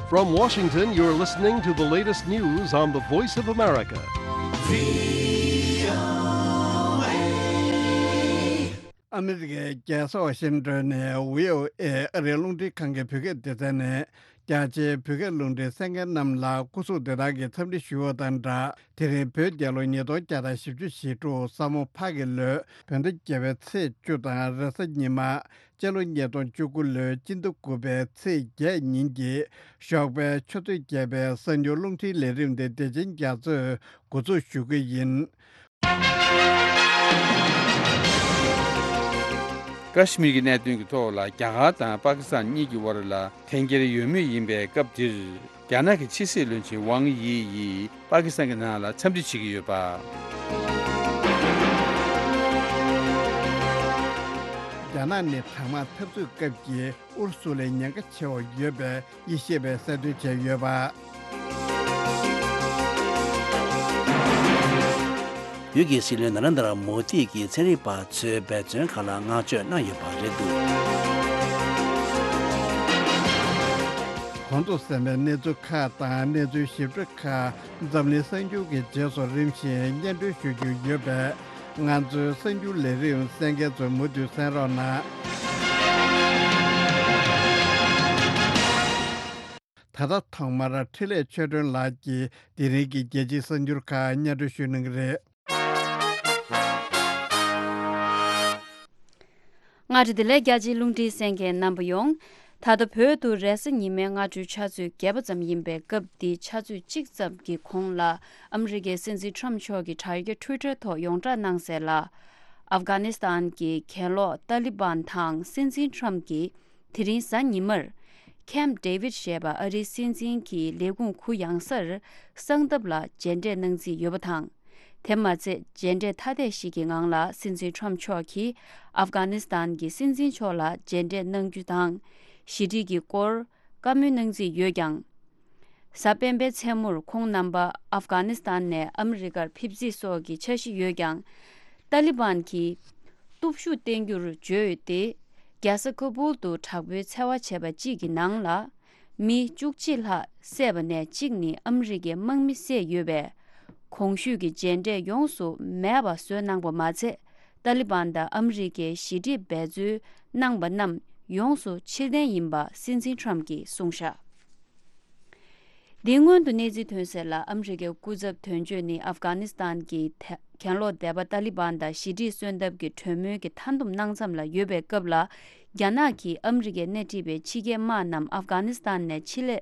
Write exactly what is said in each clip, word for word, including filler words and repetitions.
From Washington, you're listening to the latest news on the Voice of America. ཨ་མི་རི་ཀའི་རྒྱལ་ས་ཝ་ཤིང་ཏོན་ནས་བྷི་ཨོ་ཨེ་ཨ་རིའི་རླུང་འཕྲིན་ཁང་གི་བོད་སྐད་སྡེ་ཚན་ནས། རྒྱ་ཆེའི་བོད་སྐད་རླུང་འཕྲིན་གསན་མཁན་རྣམས་ལ་སྐུ་གཟུགས་བདེ་ཐང་གི་འཚམས་འདྲི་ཞུ་བ་དང་སྦྲགས། དེ་རིང་བོད་རྒྱལ་ལོ་ཉིས་སྟོང་བརྒྱ་དང་བཞི་བཅུ་ཞེ་དྲུག་ས་མོ་ཕག་གི་ལོའི་བོད་ཟླ་བརྒྱད་པའི་ཚེས་བཅུ་དང་རེས་གཟའ་ཉི་མ། སྤྱི་ལོ་ཉིས་སྟོང་བཅུ་དགུ་ལོའི་སྤྱི་ཟླ་དགུ་པའི་ཚེས་བརྒྱད་ཉིན་གྱི་ཞོགས་པའི་ཆུ་ཚོད་བརྒྱད་པའི་གསར་འགྱུར་རླུང་འཕྲིན་ལས་རིམ་དེ་བདེ་ཆེན་རྒྱ་མཚོས་འགོ་འཛུགས་ཞུ་གི་ཡིན། ཀ་ཤི་མིར་གྱི་གནད་དོན་གྱི་ཐོག་ལ་རྒྱ་གར་དང་པ་ཀི་སི་ཐན་གཉིས་ཀྱི་དབར་ལ་འཐེན་འཁྱེར་ཡོད་མུས་ཡིན་པའི་སྐབས་འདིར། རྒྱ་ནག་གི་ཕྱི་སྲིད་བློན་ཆེན་ཝང་དབྱི་ཡིས་པ་ཀི་སི་ཐན་གྱི་ནང་ལ་འཚམས་འདྲི་བྱེད་ཀྱི་ཡོད་པ། རྒྱ་ནག་ནི་གྲང་དམག་འཐབ་རྩོད་སྐབས་ཀྱི་ཨུ་རུ་སུ་ལས་ཉེན་ཁ་ཆེ་བ་ཡོད་པའི་དབྱེ་ཞིབ་པས་གསལ་སྟོན་བྱས་ཡོད་པ། བོད་ཀྱི་སྲིད་བློན་ན་རེན་དྲ་མོ་དི་གིས་ཚན་རིག་པ་ཚོའི་འབད་བརྩོན་ཁག་ལ་བསྔགས་བརྗོད་གནང་ཡོད་པ་རེད་འདུག། གོང་དུ་གསན་པའི་གནས་ཚུལ་ཁག་དང་གནས་ཚུལ་ཞིབ་ཕྲ་ཁག་འཛམ་གླིང་གསར་འགྱུར་གྱི་རྗེས་སུ་རིམ་བཞིན་སྙན་སྒྲོན་ཞུ་རྒྱུ་ཡོད་པས། ང་ཚོའི་གསར་འགྱུར་ལས་རིམ་གསན་མཁན་ཚོས་མུ་མཐུད་གསན་རོགས་གནང་། ད་ལྟ་ཐོག་མར་འཕྲིན་ལས་ཆོས་སྒྲོན་ལགས་ཀྱིས་དེ་རིང་གི་རྒྱལ་སྤྱིའི་གསར་འགྱུར་ཁག་སྙན་སྒྲོན་ཞུ་གནང་གི་རེད། སྔ་དྲོ་བདེ་ལེགས། རྒྱ་ཆེའི་རླུང་འཕྲིན་གསན་མཁན་རྣམ་པ་ཡོངས། ད་ལྟ་བོད་དུ་རེས་གཟའ་ཉི་མའི་སྔ་དྲོའི་ཆུ་ཚོད་བརྒྱད་པ་ཙམ་ཡིན་པའི་སྐབས་འདིའི་ཆུ་ཚོད་གཅིག་ཙམ་གྱི་གོང་ལ་ཨ་མི་རི་ཀའི་སྲིད་འཛིན་ཁྲོམ་མཆོག་གིས་དྲ་རྒྱ་ཊུའི་ཊར་ཐོག་ཡོངས་བསྒྲགས་གནང་གསལ་ལ། ཨབ་གྷ་ནི་སི་ཐན་གྱི་གྱེན་ལོག་ཏཱ་ལི་བན་དང་སྲིད་འཛིན་ཁྲོམ་གྱིས་དེ་རིང་གཟའ་ཉི་མར་ཁེམ་ཌེ་བིད་ཞེས་པ་ཨ་རིའི་སྲིད་འཛིན་གྱི་ལས་ཁུངས་གུ་ཡངས་སར་གསང་སྟབས་ལ་མཇལ་འཕྲད་གནང་རྩིས་ཡོད་པ་དང་། དེ་མ་ཚད་མཇལ་འཕྲད་ཐ་དད་ཞིག་གི་ངང་ལ་སྲིད་འཛིན་ཁྲོམ་མཆོག་གིས་ཨབ་གྷ་ནི་སི་ཐན་གྱི་སྲིད་འཛིན་མཆོག་ལ་མཇལ་འཕྲད་གནང་རྒྱུ་དང་། ཞི་འགྲིག་གི་སྐོར་བཀའ་མོལ་གནང་རྩིས་ཡོད་ཀྱང་། གཟའ་སྤེན་པའི་མཚན་མོར་ཁོང་རྣམ་པ་ཨབ་གྷ་ནི་སི་ཐན་ནས་ཨ་མི་རི་ཀར་ཕེབས་རྩིས་སོགས་ཀྱི་འཆར་གཞི་ཡོད་ཀྱང་། ཏཱ་ལི་བན་གྱིས་སྟོབས་ཤུགས་བསྟན་རྒྱུར་བརྗོད་དེ། རྒྱལ་ས་ཀ་བུལ་དུ་དྲག་པོའི་འཚེ་བ་བྱས་པ་གཅིག་གི་ནང་ལ། མི་བཅུ་གཅིག་ལྷག་བསད་པ་ནས་གཅིག་ནི་ཨ་མི་རི་ཀའི་དམག་མི་བསད་ཡོད་པས། གོང་ཞུས་ཀྱི་མཇལ་འཕྲད་ཡོངས་སུ་མེད་པ་བཟོས་གནང་པ་མ་ཚད། ཏཱ་ལི་བན་དང་ཨ་མི་རི་ཀའི་ཞི་འགྲིག་འབད་རྩོལ་གནང་པ་རྣམས་ཡོངས་སུ་ཕྱིར་འཐེན་ཡིན་པ་སྲིད་འཛིན་ཁྲོམ་གྱིས་གསུངས་བཞག། དེའི་སྔོན་དུ་གནས་ཚུལ་ཐོན་གསལ་ལ། ཨ་མི་རི་ཀའི་སྐུ་ཚབ་དོན་གཅོད་ནི་ཨབ་གྷ་ནི་སི་ཐན་གྱི་ཐེ་གྱེན་ལོག་སྡེ་པ་ཏཱ་ལི་བན་དང་ཞི་འགྲིག་གསོལ་འདེབས་ཀྱི་གྲོས་མོལ་གྱི་མཐའ་འདོམས་གནང་མཚམས་ལ་ཡོད་པའི་སྐབས་ལ། རྒྱ་ནག་གིས་ཨ་མི་རི་ཀས་སྣེ་ཁྲིད་པའི་ཕྱི་རྒྱལ་དམག་རྣམས་ཨབ་གྷ་ནི་སི་ཐན་ནས་ཕྱིར་ལས་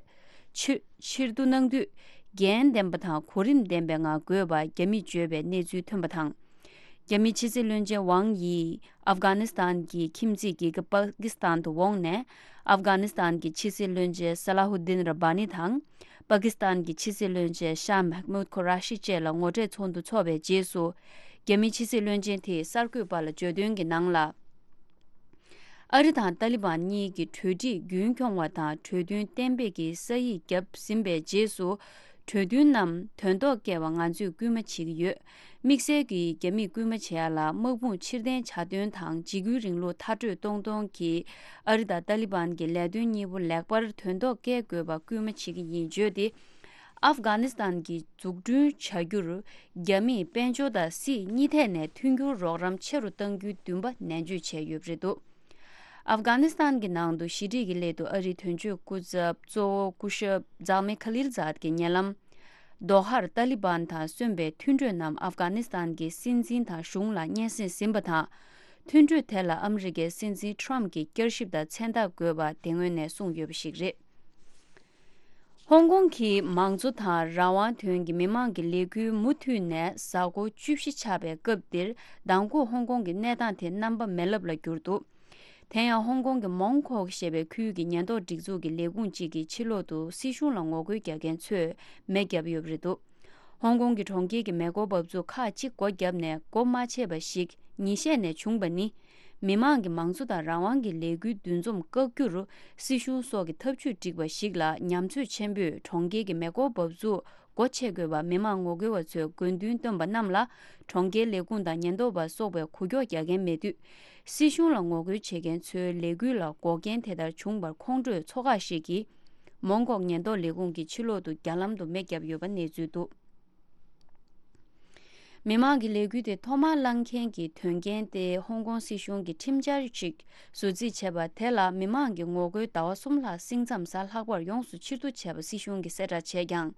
ཕྱིར་ཕྱིར་བསྡུ་གནང་དུས། འགན་ལྡན་པ་དང་གོ་རིམ་ལྡན་པའི་ངང་དགོས་པ་རྒྱ་མིས་བརྗོད་པའི་གནས་ཚུལ་ཐོན་པ་དང་། རྒྱ་མིའི་ཕྱི་སྲིད་བློན་ཆེན་ཝང་ཡིས་ཨབ་གྷ་ནི་སི་ཐན་གྱི་ཁྱིམ་མཚེས་རྒྱལ་ཁབ་པ་ཀི་སི་ཐན་དུ་འོངས་ནས། ཨབ་གྷ་ནི་སི་ཐན་གྱི་ཕྱི་སྲིད་བློན་ཆེན་སཱ་ལ་ཧུ་ལྡིན་ར་བྷ་ནི་དང་། པ་ཀི་སི་ཐན་གྱི་ཕྱི་སྲིད་བློན་ཆེན་ཤཱ་མེག་མུད་ཁོ་ར་ཤི་བཅས་ལ་ངོ་འཕྲད་ཚོགས་འདུ་འཚོགས་པའི་རྗེས་སུ། རྒྱ་མིའི་ཕྱི་སྲིད་བློན་ཆེན་དེས་གསར་འགོད་པ་ལ་བརྗོད་དོན་གྱི་ནང་ལ། ཨ་རི་དང་ཏཱ་ལི་བན་གཉིས་ཀྱི་གྲོས་འགྲིག་རྒྱུན་འཁྱོངས་པ་དང་། གྲོས་མཐུན་གཏན་འབེབས་ཀྱི་ས་ཡིག་བརྒྱབ་ཟིན་པའི་རྗེས་སུ། གྲོས་མཐུན་རྣམས་དོན་ཐོག་བསྐྱལ་བར་ང་ཚོས་སྐུལ་མ་བྱེད་ཀྱི་ཡོད། དམིགས་བསལ་གྱིས་རྒྱ་མིས་སྐུལ་མ་བྱེད་ཡ་ལ་དམག་དཔུང་ཕྱིར་འཐེན་བྱ་དོན་དང་། འཇིགས་སྐུལ་རིང་ལུགས་མཐར་སྐྲོད་གཏོང་གཏོང་གིས་ཨ་རི་དང་ཏཱ་ལི་བན་གྱི་ལས་དོན་གཉིས་པོ་ལེགས་པར་དོན་ཐོག་བསྐྱལ་དགོས་པ་སྐུལ་མ་བྱེད་ཀྱི་ཡིན་བརྗོད་དེ། ཨབ་གྷ་ནི་སི་ཐན་གྱི་འཛུགས་སྐྲུན་བྱ་རྒྱུར་རྒྱ་མིས་དཔལ་འབྱོར་དང་སྲིད་གཉིས་ཐད་ནས་མཐུན་འགྱུར་རོགས་རམ་ཆེ་རུ་གཏང་རྒྱུའི་འདུན་པ་ནན་བརྗོད་བྱས་ཡོད་པ་རེད་འདུག། ཨབ་གྷ་ནི་སི་ཐན་གྱི་ནང་དུ་ཞི་འགྲིག་གི་སླད་དུ་ཨ་རིའི་དོན་གཅོད་སྐུ་ཚབ་གཙོ་བོ་སྐུ་ཞབས་ཛག་མེ་ཁ་ལིལ་ཛཱད་ཀྱིས་ཉེ་ལམ་དོ་ཧར་ཏཱ་ལི་བན་དང་སོན་པའི་མཐུན་གྲོས་རྣམས་ཨབ་གྷ་ནི་སི་ཐན་གྱི་སྲིད་འཛིན་དང་གཞུང་ལ་སྙན་སེང་ཟིན་པ་དང་། མཐུན་གྲོས་དེ་ལ་ཨ་མི་རི་ཀའི་སྲིད་འཛིན་ཁྲོམ་གྱིས་བསྐྱར་ཞིབ་དང་མཚན་རྟགས་དགོས་པ་དེ་སྔོན་ནས་གསུངས་ཡོད་པ་ཞིག་རེད། ཧོང་ཀོང་གི་མང་གཙོ་དང་རང་དབང་དོན་གྱི་མི་མང་གི་ལས་འགུལ་མུ་མཐུད་ནས་གཟའ་འཁོར་བཅུ་བཞི་ཆགས་པའི་སྐབས་འདིར་མདང་དགོང་ཧོང་ཀོང་གི་གནས་སྟངས་དེ་རྣམ་པ་མེ་ལེབ་ལ་གྱུར་འདུག། དེ་ཡང་ཧོང་ཀོང་གི་མོང་ཁོག་ཞེས་པའི་ཁུལ་གྱི་ཉེན་རྟོག་སྒྲིག་འཛུགས་ཀྱི་ལས་ཁུངས་གཅིག་གིས་ཕྱི་ལོག་ཏུ་སྲིད་གཞུང་ལ་ངོ་རྒོལ་རྒྱག་མཁན་ཚོས་མེ་བརྒྱབ་ཡོད་པ་རེད་འདུག། ཧོང་ཀོང་གི་གྲོང་ཁྱེར་གྱི་མེ་འཁོར་འབབ་ཚུགས་ཁག་ཅིག་སྒོ་བརྒྱབ་ནས་སྒོ་མ་ཕྱེ་བ་ཞིག་ཉིན་ཤས་ནས་བྱུང་བ་ནི། མི་མང་གི་མང་གཙོ་དང་རང་དབང་གི་ལས་འགུལ་འདུ་འཛོམས་བཀག་རྒྱུར་སྲིད་གཞུང་སོགས་ཀྱིས་ཐབས་ཇུས་བསྒྲིགས་པ་ཞིག་ལ་ཉམས་ཚོད་ཆེན་པོས་གྲོང་ཁྱེར་གྱི་མེ་འཁོར་འབབ་ཚུགས་སྒོ་ཕྱེ་དགོས་པ་མི་མང་ངོ་རྒོལ་བ་ཚོས་དགོས་འདུན་བཏོན་པ་རྣམས་ལ་གྲོང་ཁྱེར་ལས་ཁུངས་དང་ཉེན་རྟོག་པ་སོགས་པས་འགུལ་སྐྱོད་རྒྱག་མཁན་མེད་དུས། སྲིད་གཞུང་ལ་ངོ་རྒོལ་བྱེད་མཁན་ཚོའི་ལས་འགུལ་ལ་འགོག་རྐྱེན་དེ་ལྟར་བྱུང་བར་ཁོང་ཁྲོས་ཚོགས་ཁག་ཞིག་གིས། མོན་གྷོ་ཉེན་རྟོག་ལས་ཁུངས་ཀྱི་ཕྱི་ལོག་ཏུ་རྒྱ་ལམ་དུ་མེ་བརྒྱབ་ཡོད་པ་གནས་ཚུལ་འདུག་མི་མང་གི་ལས་འགུལ་དེ་ཐོག་མར་བསླངས་མཁན་གྱི་དོན་རྐྱེན་དེ་ཧོང་ཀོང་སྲིད་གཞུང་གིས་ཁྲིམས་འཆར་ཞིག་བཟོ་རྩིས་བྱས་པ་དེ་ལ་མི་མང་གིས་ངོ་རྒོལ་ཟླ་བ་གསུམ་ལྷག་སྲིད་མཚམས་གཟའ་ལྷག་པར་ཡོངས་སུ་ཕྱིར་བསྡུ་བྱས་པ་སྲིད་གཞུང་གིས་གསལ་བསྒྲགས་བྱས་ཀྱང་།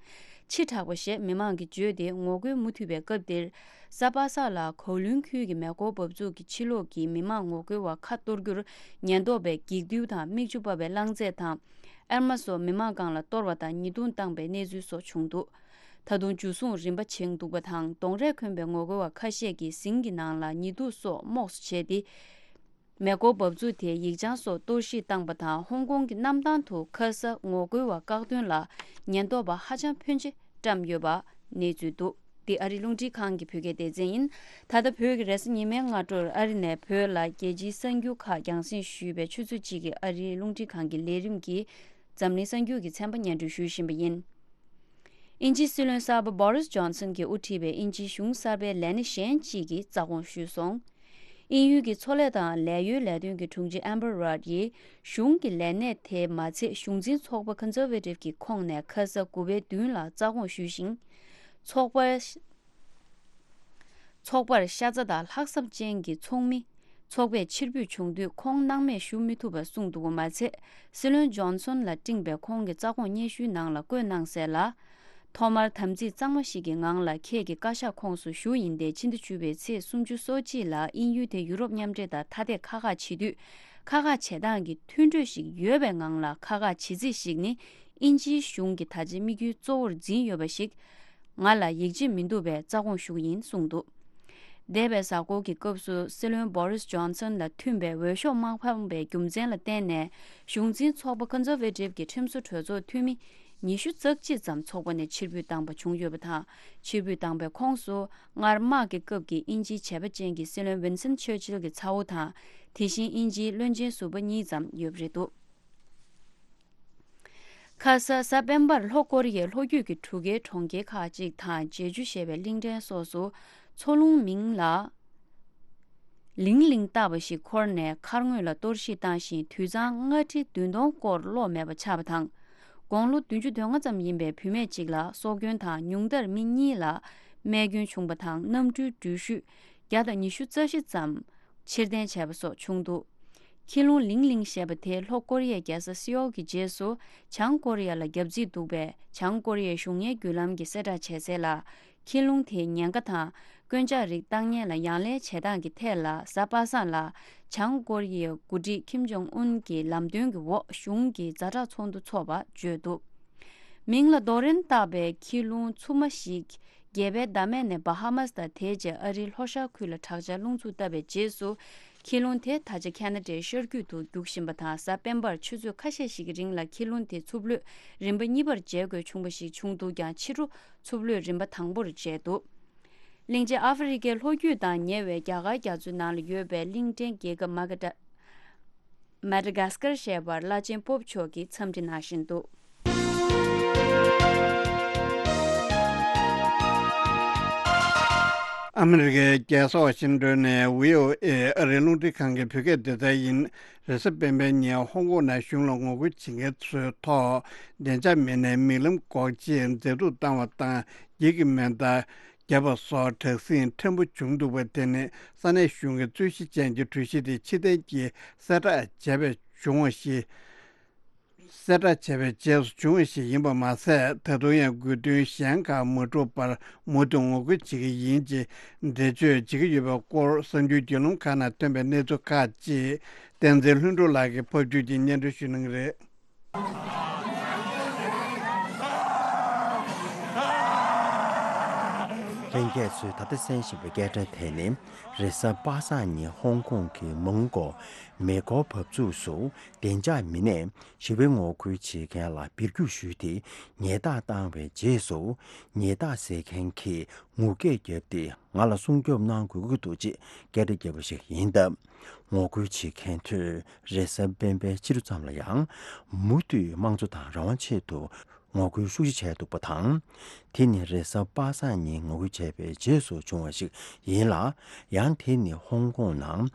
ཕྱི་དྲགས་པ་ཞེས་མི་མང་གིས་བརྗོད་དེ་ངོ་རྒོལ་མུ་མཐུད་པའི་སྐབས་དེར། གཟའ་པ་སངས་ལ་གའོ་ལུན་ཁུལ་གྱི་མེ་འཁོར་འབབ་ཚུགས་ཀྱི་ཕྱི་ལོགས་ཀྱི་མི་མང་ངོ་རྒོལ་བ་ཁ་གཏོར་རྒྱུར་ཉེན་རྟོག་པས་འགྱིག་རྡུལ་དང་མིག་ཆུ་འབབ་པའི་རླངས་རྫས་དང་། ཨེར་མ་སོགས་མི་མང་སྒང་ལ་གཏོར་བ་དང་ཉེས་རྡུང་བཏང་པའི་གནས་ཚུལ་སོགས་བྱུང་འདུག་ད་དུང་འཇུ་བཟུང་རིམ་པ་བྱུང་འདུག་པ་དང་གདོང་རས་གོན་པའི་ངོ་རྒོལ་བ་ཁ་ཤས་ཀྱིས་ཟིང་གི་ནང་ལ་ཉེས་རྡུང་སོགས་རྨོག་སུ་བྱས་ཏེ། མེ་འཁོར་འབབ་ཚུགས་དེའི་ཡིག་བྱང་སོགས་གཏོར་བཤིག་བཏང་པ་དང་ཧོང་ཀོང་གི་གནམ་ཐང་དུ་ཁ་ས་ངོ་རྒོལ་བ་བཀག་སྡོམ་ལ་ཉེན་རྟོག་པ་ཧ་ཅང་ཕོན་ཆེ་བཀྲམ་ཡོད་པ་གནས་ཚུལ་འདུག་འདི་ཨ་རིའི་རླུང་འཕྲིན་ཁང་གི་བོད་སྐད་སྡེ་ཚན་ཡིན། ད་ལྟ་བོད་ཀྱི་རེས་གཟའ་ཉི་མའི་སྔ་དྲོར་ཨ་རི་ནས་བོད་ལ་རྒྱལ་སྤྱིའི་གསར་འགྱུར་ཁག་རྒྱང་སྲིང་ཞུས་པའི་ཆུ་ཚོད་གཅིག་གི་ཨ་རིའི་རླུང་འཕྲིན་ཁང་གི་ལས་རིམ་གྱིས་འཛམ་གླིང་གསར་འགྱུར་གྱི་ཚན་པ་སྙན་སྒྲོན་ཞུ་བཞིན་པ་ཡིན། དབྱིན་ཇིའི་སྲིད་བློན་གསར་པ་Boris Johnson གྱིས་དབུ་ཁྲིད་པའི་དབྱིན་ཇིའི་གཞུང་གསར་པའི་ལས་སྣེ་གཞན་གཅིག་གིས་རྩ་དགོངས་ཞུས་སོང་། དབྱིན་ཡུལ་གྱི་མཚོ་ལས་དང་ལས་གཡོལ་ལས་དོན་གྱི་དྲུང་ཆེ་Amber Rudd ཡིས་གཞུང་གི་ལས་སྣེ་དེ་མ་ཚད་གཞུང་འཛིན་ཚོགས་པ་Conservative གྱི་ཁོངས་ནས་ཁ་ས་དགུ་པའི་མདུན་ལ་རྩ་དགོངས་ཞུས་ཤིང་། ཚོགས་པ། ཚོགས་པར་ཤ་ཚ་དང་ལྷག་བསམ་ཅན་གྱི་ཚོགས་མི་ཚོགས་པས་ཕྱིར་འབུད་བྱུང་དུས་ཁོང་སྣང་མེད་ཞུ་མི་ཐུབ་པ་གསུངས་འདུག་པ་མ་ཚད། སྲིད་བློན་ཇོན་སོན་ལ་སྤྲིངས་པའི་ཁོང་གི་རྩ་དགོངས་སྙན་ཞུའི་ནང་ལ་བཀོད་གནང་གསལ་ལ། ཐོག་མར་དམ་ཚིག་གཙང་མ་ཞིག་གི་ངང་ལ་ཁྱེད་ཀྱི་བཀའ་ཤག་ཁོངས་སུ་ཞུགས་ཡིན་ཏེ། ཕྱི་ཟླ་བཅུ་པའི་ཚེས་སུམ་ཅུ་སོ་གཅིག་ལ་དབྱིན་ཡུལ་དེ་ཡུ་རོབ་མཉམ་འབྲེལ་དང་ཐ་དད་ཁ་ཁག་བྱེད་དུས། ཁ་ཁག་བྱེད་སྟངས་ཀྱི་མཐུན་གྲོས་ཤིག་ཡོད་པའི་ངང་ལ་ཁ་ཁག་བྱེད་རྩིས་ཤིག་ནི། དབྱིན་ཇིའི་གཞུང་གི་ད་ཆའི་དམིགས་ཡུལ་གཙོ་བོར་འཛིན་ཡོད་པ་ཞིག་ང་ལ་ཡིད་ཆེས་མི་འདུག་པས་རྩ་དགོངས་ཞུ་གི་ཡིན་གསུངས་འདུག་འདས་པའི་གཟའ་འཁོར་གྱི་སྐབས་སུ་སྲིད་བློན་Boris Johnson ལ་མཐུན་པའི་འོས་ཤོག་མ་འཕངས་པའི་རྒྱུ་མཚན་ལ་བརྟེན་ནས། གཞུང་འཛིན་ཚོགས་པ་Conservative གྱི་ཁྲིམས་བཟོ་གྲོས་ཚོགས་འཐུས་མི་ཉི་ཤུ་རྩ་གཅིག་ཙམ་ཚོགས་པ་ནས་ཕྱིར་འབུད་བཏང་པ་བྱུང་ཡོད་པ་དང་། ཕྱིར་འབུད་བཏང་པའི་ཁོངས་སུ་སྔར་དམག་གི་སྐབས་ཀྱི་དབྱིན་ཇིའི་བྱས་པ་ཅན་གྱི་སྲིད་བློན་Winston Churchill གྱི་ཚ་བོ་དང་། དེ་བཞིན་དབྱིན་ཇིའི་བློན་ཆེན་ཟུར་པ་གཉིས་ཙམ་ཡོད་པ་རེད་འདུག་ཁ་ས་གཟའ་སྤེན་པར་ལྷོ་ཀོ་རི་ཡའི་ལྷོ་རྒྱུད་ཀྱི་གྲུ་ཁའི་གྲོང་ཁྱེར་ཁག་ཅིག་དང་ཇེ་ཇུ་ཞེས་པའི་གླིང་ཕྲན་སོགས་སུ་མཚོ་རླུང་མིང་ལ་ལིང་ལིང་བཏགས་པ་ཞིག་འཁོར་ནས་མཁར་ངོས་ལ་གཏོར་བཤིག་བཏང་ཞིང་། དུད་ཚང་ལྔ་ཁྲི་བདུན་སྟོང་སྐོར་གློག་མེད་པ་ཆགས་པ་དང་། དགུང་ལོ་བདུན་ཅུ་དོན་ལྔ་ཙམ་ཡིན་པའི་བུད་མེད་ཅིག་ལ་སྲོག་སྐྱོན་དང་། ཉུང་མཐར་མི་གཉིས་ལ་རྨས་སྐྱོན་བྱུང་པ་དང་། གནམ་གྲུའི་འགྲུལ་བཞུད་བརྒྱ་དང་ཉི་ཤུ་རྩ་བཞི་ཙམ་ཕྱིར་འཐེན་བྱས་པ་སོགས་བྱུང་འདུག་ཁྱི་རླུང་ལིང་ལིང་ཞེས་པ་དེ་ལྷོ་ཀོ་རི་ཡའི་རྒྱལ་ས་སེའོལ་གྱི་རྗེས་སུ་བྱང་ཀོ་རི་ཡ་ལ་བརྒྱབ་རྩིས་འདུག་པས། བྱང་ཀོ་རི་ཡའི་གཞུང་གཉེར་བརྒྱུད་ལམ་གྱིས་གསལ་བསྒྲགས་བྱས་གསལ་ལ། ཁྱི་རླུང་དེའི་ཉེན་ཁ་དང་རྐུན་ཇག་རིགས་བཏང་ཉེན་ལ་ཡང་ལན་བྱེད་སྟངས་ཀྱི་ཐད་ལ། གཟའ་པ་སངས་ལ་བྱང་ཀོ་རི་ཡའི་འགོ་ཁྲིད་ཁིམ་ཇོང་ཨུན་གྱི་ལམ་སྟོན་གྱི་འོག་གཞུང་གི་ཛ་དྲག་ཚོགས་འདུ་འཚོགས་པ་བརྗོད་འདུག་མིང་ལ་རྡོ་རིན་བཏགས་པའི་ཁྱི་རླུང་འཚུབ་མ་ཞིག་རྒྱལ་པོའི་བདག་མེད་ནས་བྷ་ཧ་མཱས་དང་དེའི་རྗེས་ཨ་རིའི་ལྷོ་ཤར་ཁུལ་ལ་དྲག་ཆར་རླུང་འཚུབ་བཏབ་པའི་རྗེས་སུ། ཁྱི་རླུང་དེ་ད་ཆ་ཁ་ན་ཌའི་ཤར་རྒྱུད་དུ་རྒྱུག་བཞིན་པ་དང་། གཟའ་སྤེན་པར་ཆུ་ཚོད་ཁ་ཤས་ཤིག་གི་རིང་ལ་ཁྱི་རླུང་དེ་འཚུབ་གློད་རིམ་པ་གཉིས་པར་འཇལ་དགོས་བྱུང་བ་ཞིག་བྱུང་འདུག་ཀྱང་། ཕྱི་དྲོ་འཚུབ་གློད་རིམ་པ་དང་པོར་འཇལ་འདུག་གླིང་ཆེན་ཨ་ཧྥེ་རི་ཁའི་ལྷོ་རྒྱུད་དང་ཉེ་བའི་རྒྱ་གར་རྒྱ་མཚོའི་ནང་ལ་ཡོད་པའི་གླིང་ཕྲན་རྒྱལ་ཁབ་མ་ཀ་ཏྲ། མ་ཌ་གྷ་སི་ཀར་ཞེས་པར་བླ་ཆེན་པོབ་མཆོག་གིས་འཚམས་འདྲི་གནང་བཞིན་འདུག་ཨ་མི་རི་ཀའི་རྒྱལ་ས་ཝ་ཤིང་ཏོན་ནས་བྷི་ཨོ་ཨེ་ཨ་རིའི་རླུང་འཕྲིན་ཁང་གི་བོད་སྐད་སྡེ་ཚན་ཡིན། རེས་གཟའ་སྤེན་པའི་ཉིན་ཧོང་ཀོང་ནང་གཞུང་ལ་ངོ་རྒོལ་བྱེད་མཁན་ཚོའི་ཐོག་བདེ་འཇགས་མི་སྣས་མིག་ལམ་འགོག་ཆས་འཛེག་ཐུག་བཏང་བ་དང་། འགྱིག་གི་མེ་མདའ་བརྒྱབ་པ་སོགས་དྲག་ཟིང་ཕྲན་བུ་བྱུང་འདུག་པ་དེ་ནི་ས་གནས་གཞུང་གི་རྩོད་གཞི་ཅན་གྱི་གྲོས་གཞི་དེ་ཕྱིར་འཐེན་གྱིས་གསལ་བསྒྲགས་བྱས་པའི་བྱུང་བ་ཞིག་གསལ་བསྒྲགས་བྱས་པའི་རྗེས་སུ་བྱུང་བ་ཞིག་ཡིན་པ་མ་ཟད། ད་དུང་ཡང་དགོས་འདུན་གཞན་ཁག་མ་གྲུབ་པར་མུ་མཐུད་ངོ་རྒོལ་བྱེད་ཀྱི་ཡིན་ཅེས་འགྲེལ་བརྗོད་བྱེད་ཀྱི་ཡོད་པའི་སྐོར་གསར་འགྱུར་བརྒྱུད་ལམ་ཁག་ནང་ཐོན་པའི་གནས་ཚུལ་ཁག་ཅིག་བསྟན་འཛིན་ལྷུན་གྲུབ་ལགས་ཀྱིས་ཕབ་སྒྱུར་གྱིས་སྙན་སྒྲོན་ཞུ་གནང་གི་རེད། ལྷན་རྒྱས་ཚོས་ད་ལྟ་གསན་བཞིན་པའི་སྐད་སྒྲ་དེ་ནི་རེས་གཟའ་པ་སངས་ཉིན་ཧོང་ཀོང་གི་མོན་གྷོ་མེ་འཁོར་འབབ་ཚུགས་སུ་བདེ་འཇགས་མི་སྣས་ཞི་བའི་ངོ་རྒོལ་བྱེད་མཁན་ལ་འབུད་རྒྱུག་ཞུས་ཏེ་ཉེས་རྡུང་བཏང་བའི་རྗེས་སུ། ཉེས་རྡུང་བཟོ་མཁན་གྱིས་ངུ་སྐད་བརྒྱབ་སྟེ། ང་ལ་སྲུང་སྐྱོབ་གནང་དགོས་ཀྱི་འདུག་ཅེས་སྐད་འབོད་བརྒྱབ་པ་ཞིག་ཡིན་སྟབས། ངོ་རྒོལ་བྱེད་མཁན་ཚོས་རེས་གཟའ་སྤེན་པའི་ཕྱི་དྲོ་ཙམ་ལ་ཡང་མུ་མཐུད་དམངས་གཙོ་དང་རང་དབང་ཆེད་དུ་ངོ་རྒོལ་ཤུགས་ཆེ་བྱས་འདུག་པ་དང་། དེ་ནི་རེས་གཟའ་པ་སངས་ཉིན་ངོ་རྒོལ་བྱས་པའི་རྗེས་སུ་བྱུང་བ་ཞིག་ཡིན་ལ། ཡང་དེ་ནི་ཧོང་ཀོང་ནང་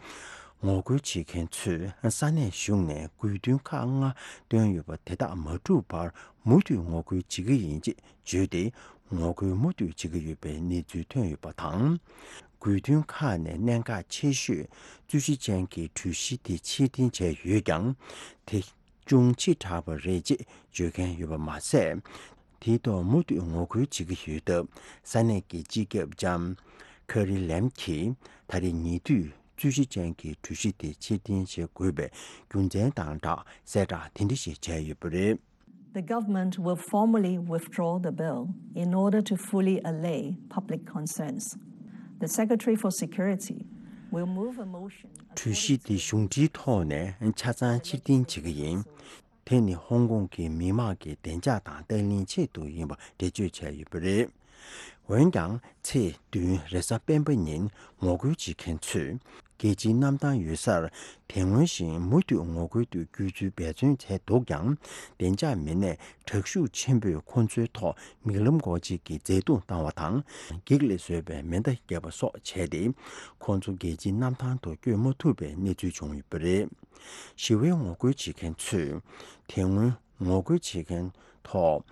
ངོ་རྒོལ་བྱེད་མཁན་ཚོས་ས་གནས་གཞུང་ནས་དགོས་འདུན་ཁག་ལྔ་བཏོན་ཡོད་པ་དེ་དག་མ་འགྲུབ་བར་མུ་མཐུད་ངོ་རྒོལ་བྱེད་ཀྱི་ཡིན་ཅེས་བརྗོད་དེ། ངོ་རྒོལ་མུ་མཐུད་བྱེད་ཀྱི་ཡོད་པའི་གནས་ཚུལ་ཐོན་ཡོད་པ་དང་། དགོས་འདུན་ཁག་ནས་གནད་འགག་ཆེ་ཤོས་རྩོད་གཞི་ཅན་གྱི་གྲོས་གཞི་དེ་ཕྱིར་འཐེན་བྱས་ཡོད་ཀྱང་། དེ་ཅུང་ཕྱི་དྲགས་པ་རེད་ཅེས་བརྗོད་མཁན་ཡོད་པ་མ་ཟད། དེའི་ཐོག་མུ་མཐུད་ངོ་རྒོལ་བྱེད་ཀྱི་ཡོད་སྟབས། ས་གནས་ཀྱི་སྤྱི་ཁྱབ་ལྕམ་ཁེ་རི་ལེམ་གྱིས་ད་རེས་ཉེ་དུས་རྩོད་གཞི་ཅན་གྱི་གྲོས་གཞི་དེ་ཕྱིར་འཐེན་བྱེད་དགོས་པའི་རྒྱུ་མཚན་དང་སྦྲགས་གསལ་བསྒྲགས་དེ་འདྲ་ཞིག་བྱས་ཡོད་པ་རེད། The government will formally withdraw the bill in order to fully allay public concerns. The Secretary for Security will move a motion གྲོས་གཞི་དེ་གཞུང་འབྲེལ་ཐོག་ནས་ཆ་ཚང་ཕྱིར་འཐེན་བྱེད་ཀྱི་ཡིན། དེ་ནི་ཧོང་ཀོང་གི་མི་མང་གི་བདེ་འཇགས་དང་བརྟན་ལྷིང་ཆེད་དུ་ཡིན་པ་འགྲེལ་བརྗོད་བྱས་ཡོད་པ་རེད། འོན་ཀྱང་། ཚེས་བདུན་རེས་གཟའ་སྤེན་པ་ཉིན་ངོ་རྒོལ་བྱེད་མཁན་ཚོས། རྒྱལ་སྤྱིའི་གནམ་ཐང་ཡོད་སར། དེ་སྔོན་བཞིན་མུ་མཐུད་ངོ་རྒོལ་དུ་བསྐྱོད་ཚུལ་འབད་བརྩོན་བྱས་འདུག་ཀྱང་། བདེ་འཇགས་མི་སྣས་དྲག་ཤུགས་ཆེན་པོས་ཁོ་ཚོའི་ཐོག་མིག་ལམ་སྒོ་འབྱེད་ཀྱིས་འཛེག་བརྡུངས་བཏང་བ་དང་། འགྱིག་ལས་བཟོས་པའི་མེ་མདའ་བརྒྱབ་པ་སོགས་བྱས་ཏེ། ཁོང་ཚོ་རྒྱལ་སྤྱིའི་གནམ་ཐང་དུ་བསྐྱོད་མ་ཐུབ་པའི་གནས་ཚུལ་བྱུང་ཡོད་པ་རེད། ཞི་བའི་ངོ་རྒོལ་བྱེད་མཁན་ཚོས། དེ་སྔོན་ངོ་རྒོལ་བྱེད་མཁན་ཐོག་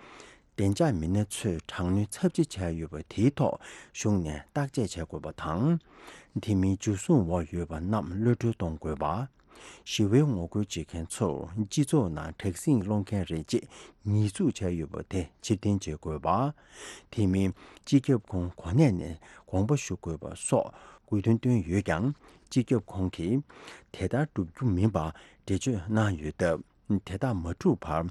བདེ་འཇགས་མི་སྣ་ཚོས་དྲག་གནོན་ཚབས་ཆེ་བྱས་ཡོད་པ་དེའི་ཐོག་གཞུང་ནས་བརྟག་དཔྱད་བྱེད་དགོས་པ་དང་། དེ་མིན་འཇུ་བཟུང་འོག་ཡོད་པ་རྣམས་གློད་གྲོལ་གཏོང་དགོས་པ། ཞི་བའི་ངོ་རྒོལ་བྱེད་མཁན་ཚོར་སྤྱི་ཚོགས་ནང་དྲག་ཟིང་སློང་མཁན་རེད་ཅེས་ཉེས་འཛུགས་བྱས་ཡོད་པ་དེ་ཕྱིར་འཐེན་བྱེད་དགོས་པ། དེ་མིན་སྤྱི་ཁྱབ་ཁོངས་གོ་གནས་ནས་དགོངས་པ་ཞུ་དགོས་པ་སོགས་དགོས་འདུན་བཏོན་ཡོད་ཀྱང་། སྤྱི་ཁྱབ་ཁོངས་ཀྱིས་དེ་ལྟར་བསྒྲུབ་རྒྱུ་མིན་པ་འགྲེལ་བརྗོད་གནང་ཡོད་སྟབས། དེ་དག་མ་འགྲུབ་བར་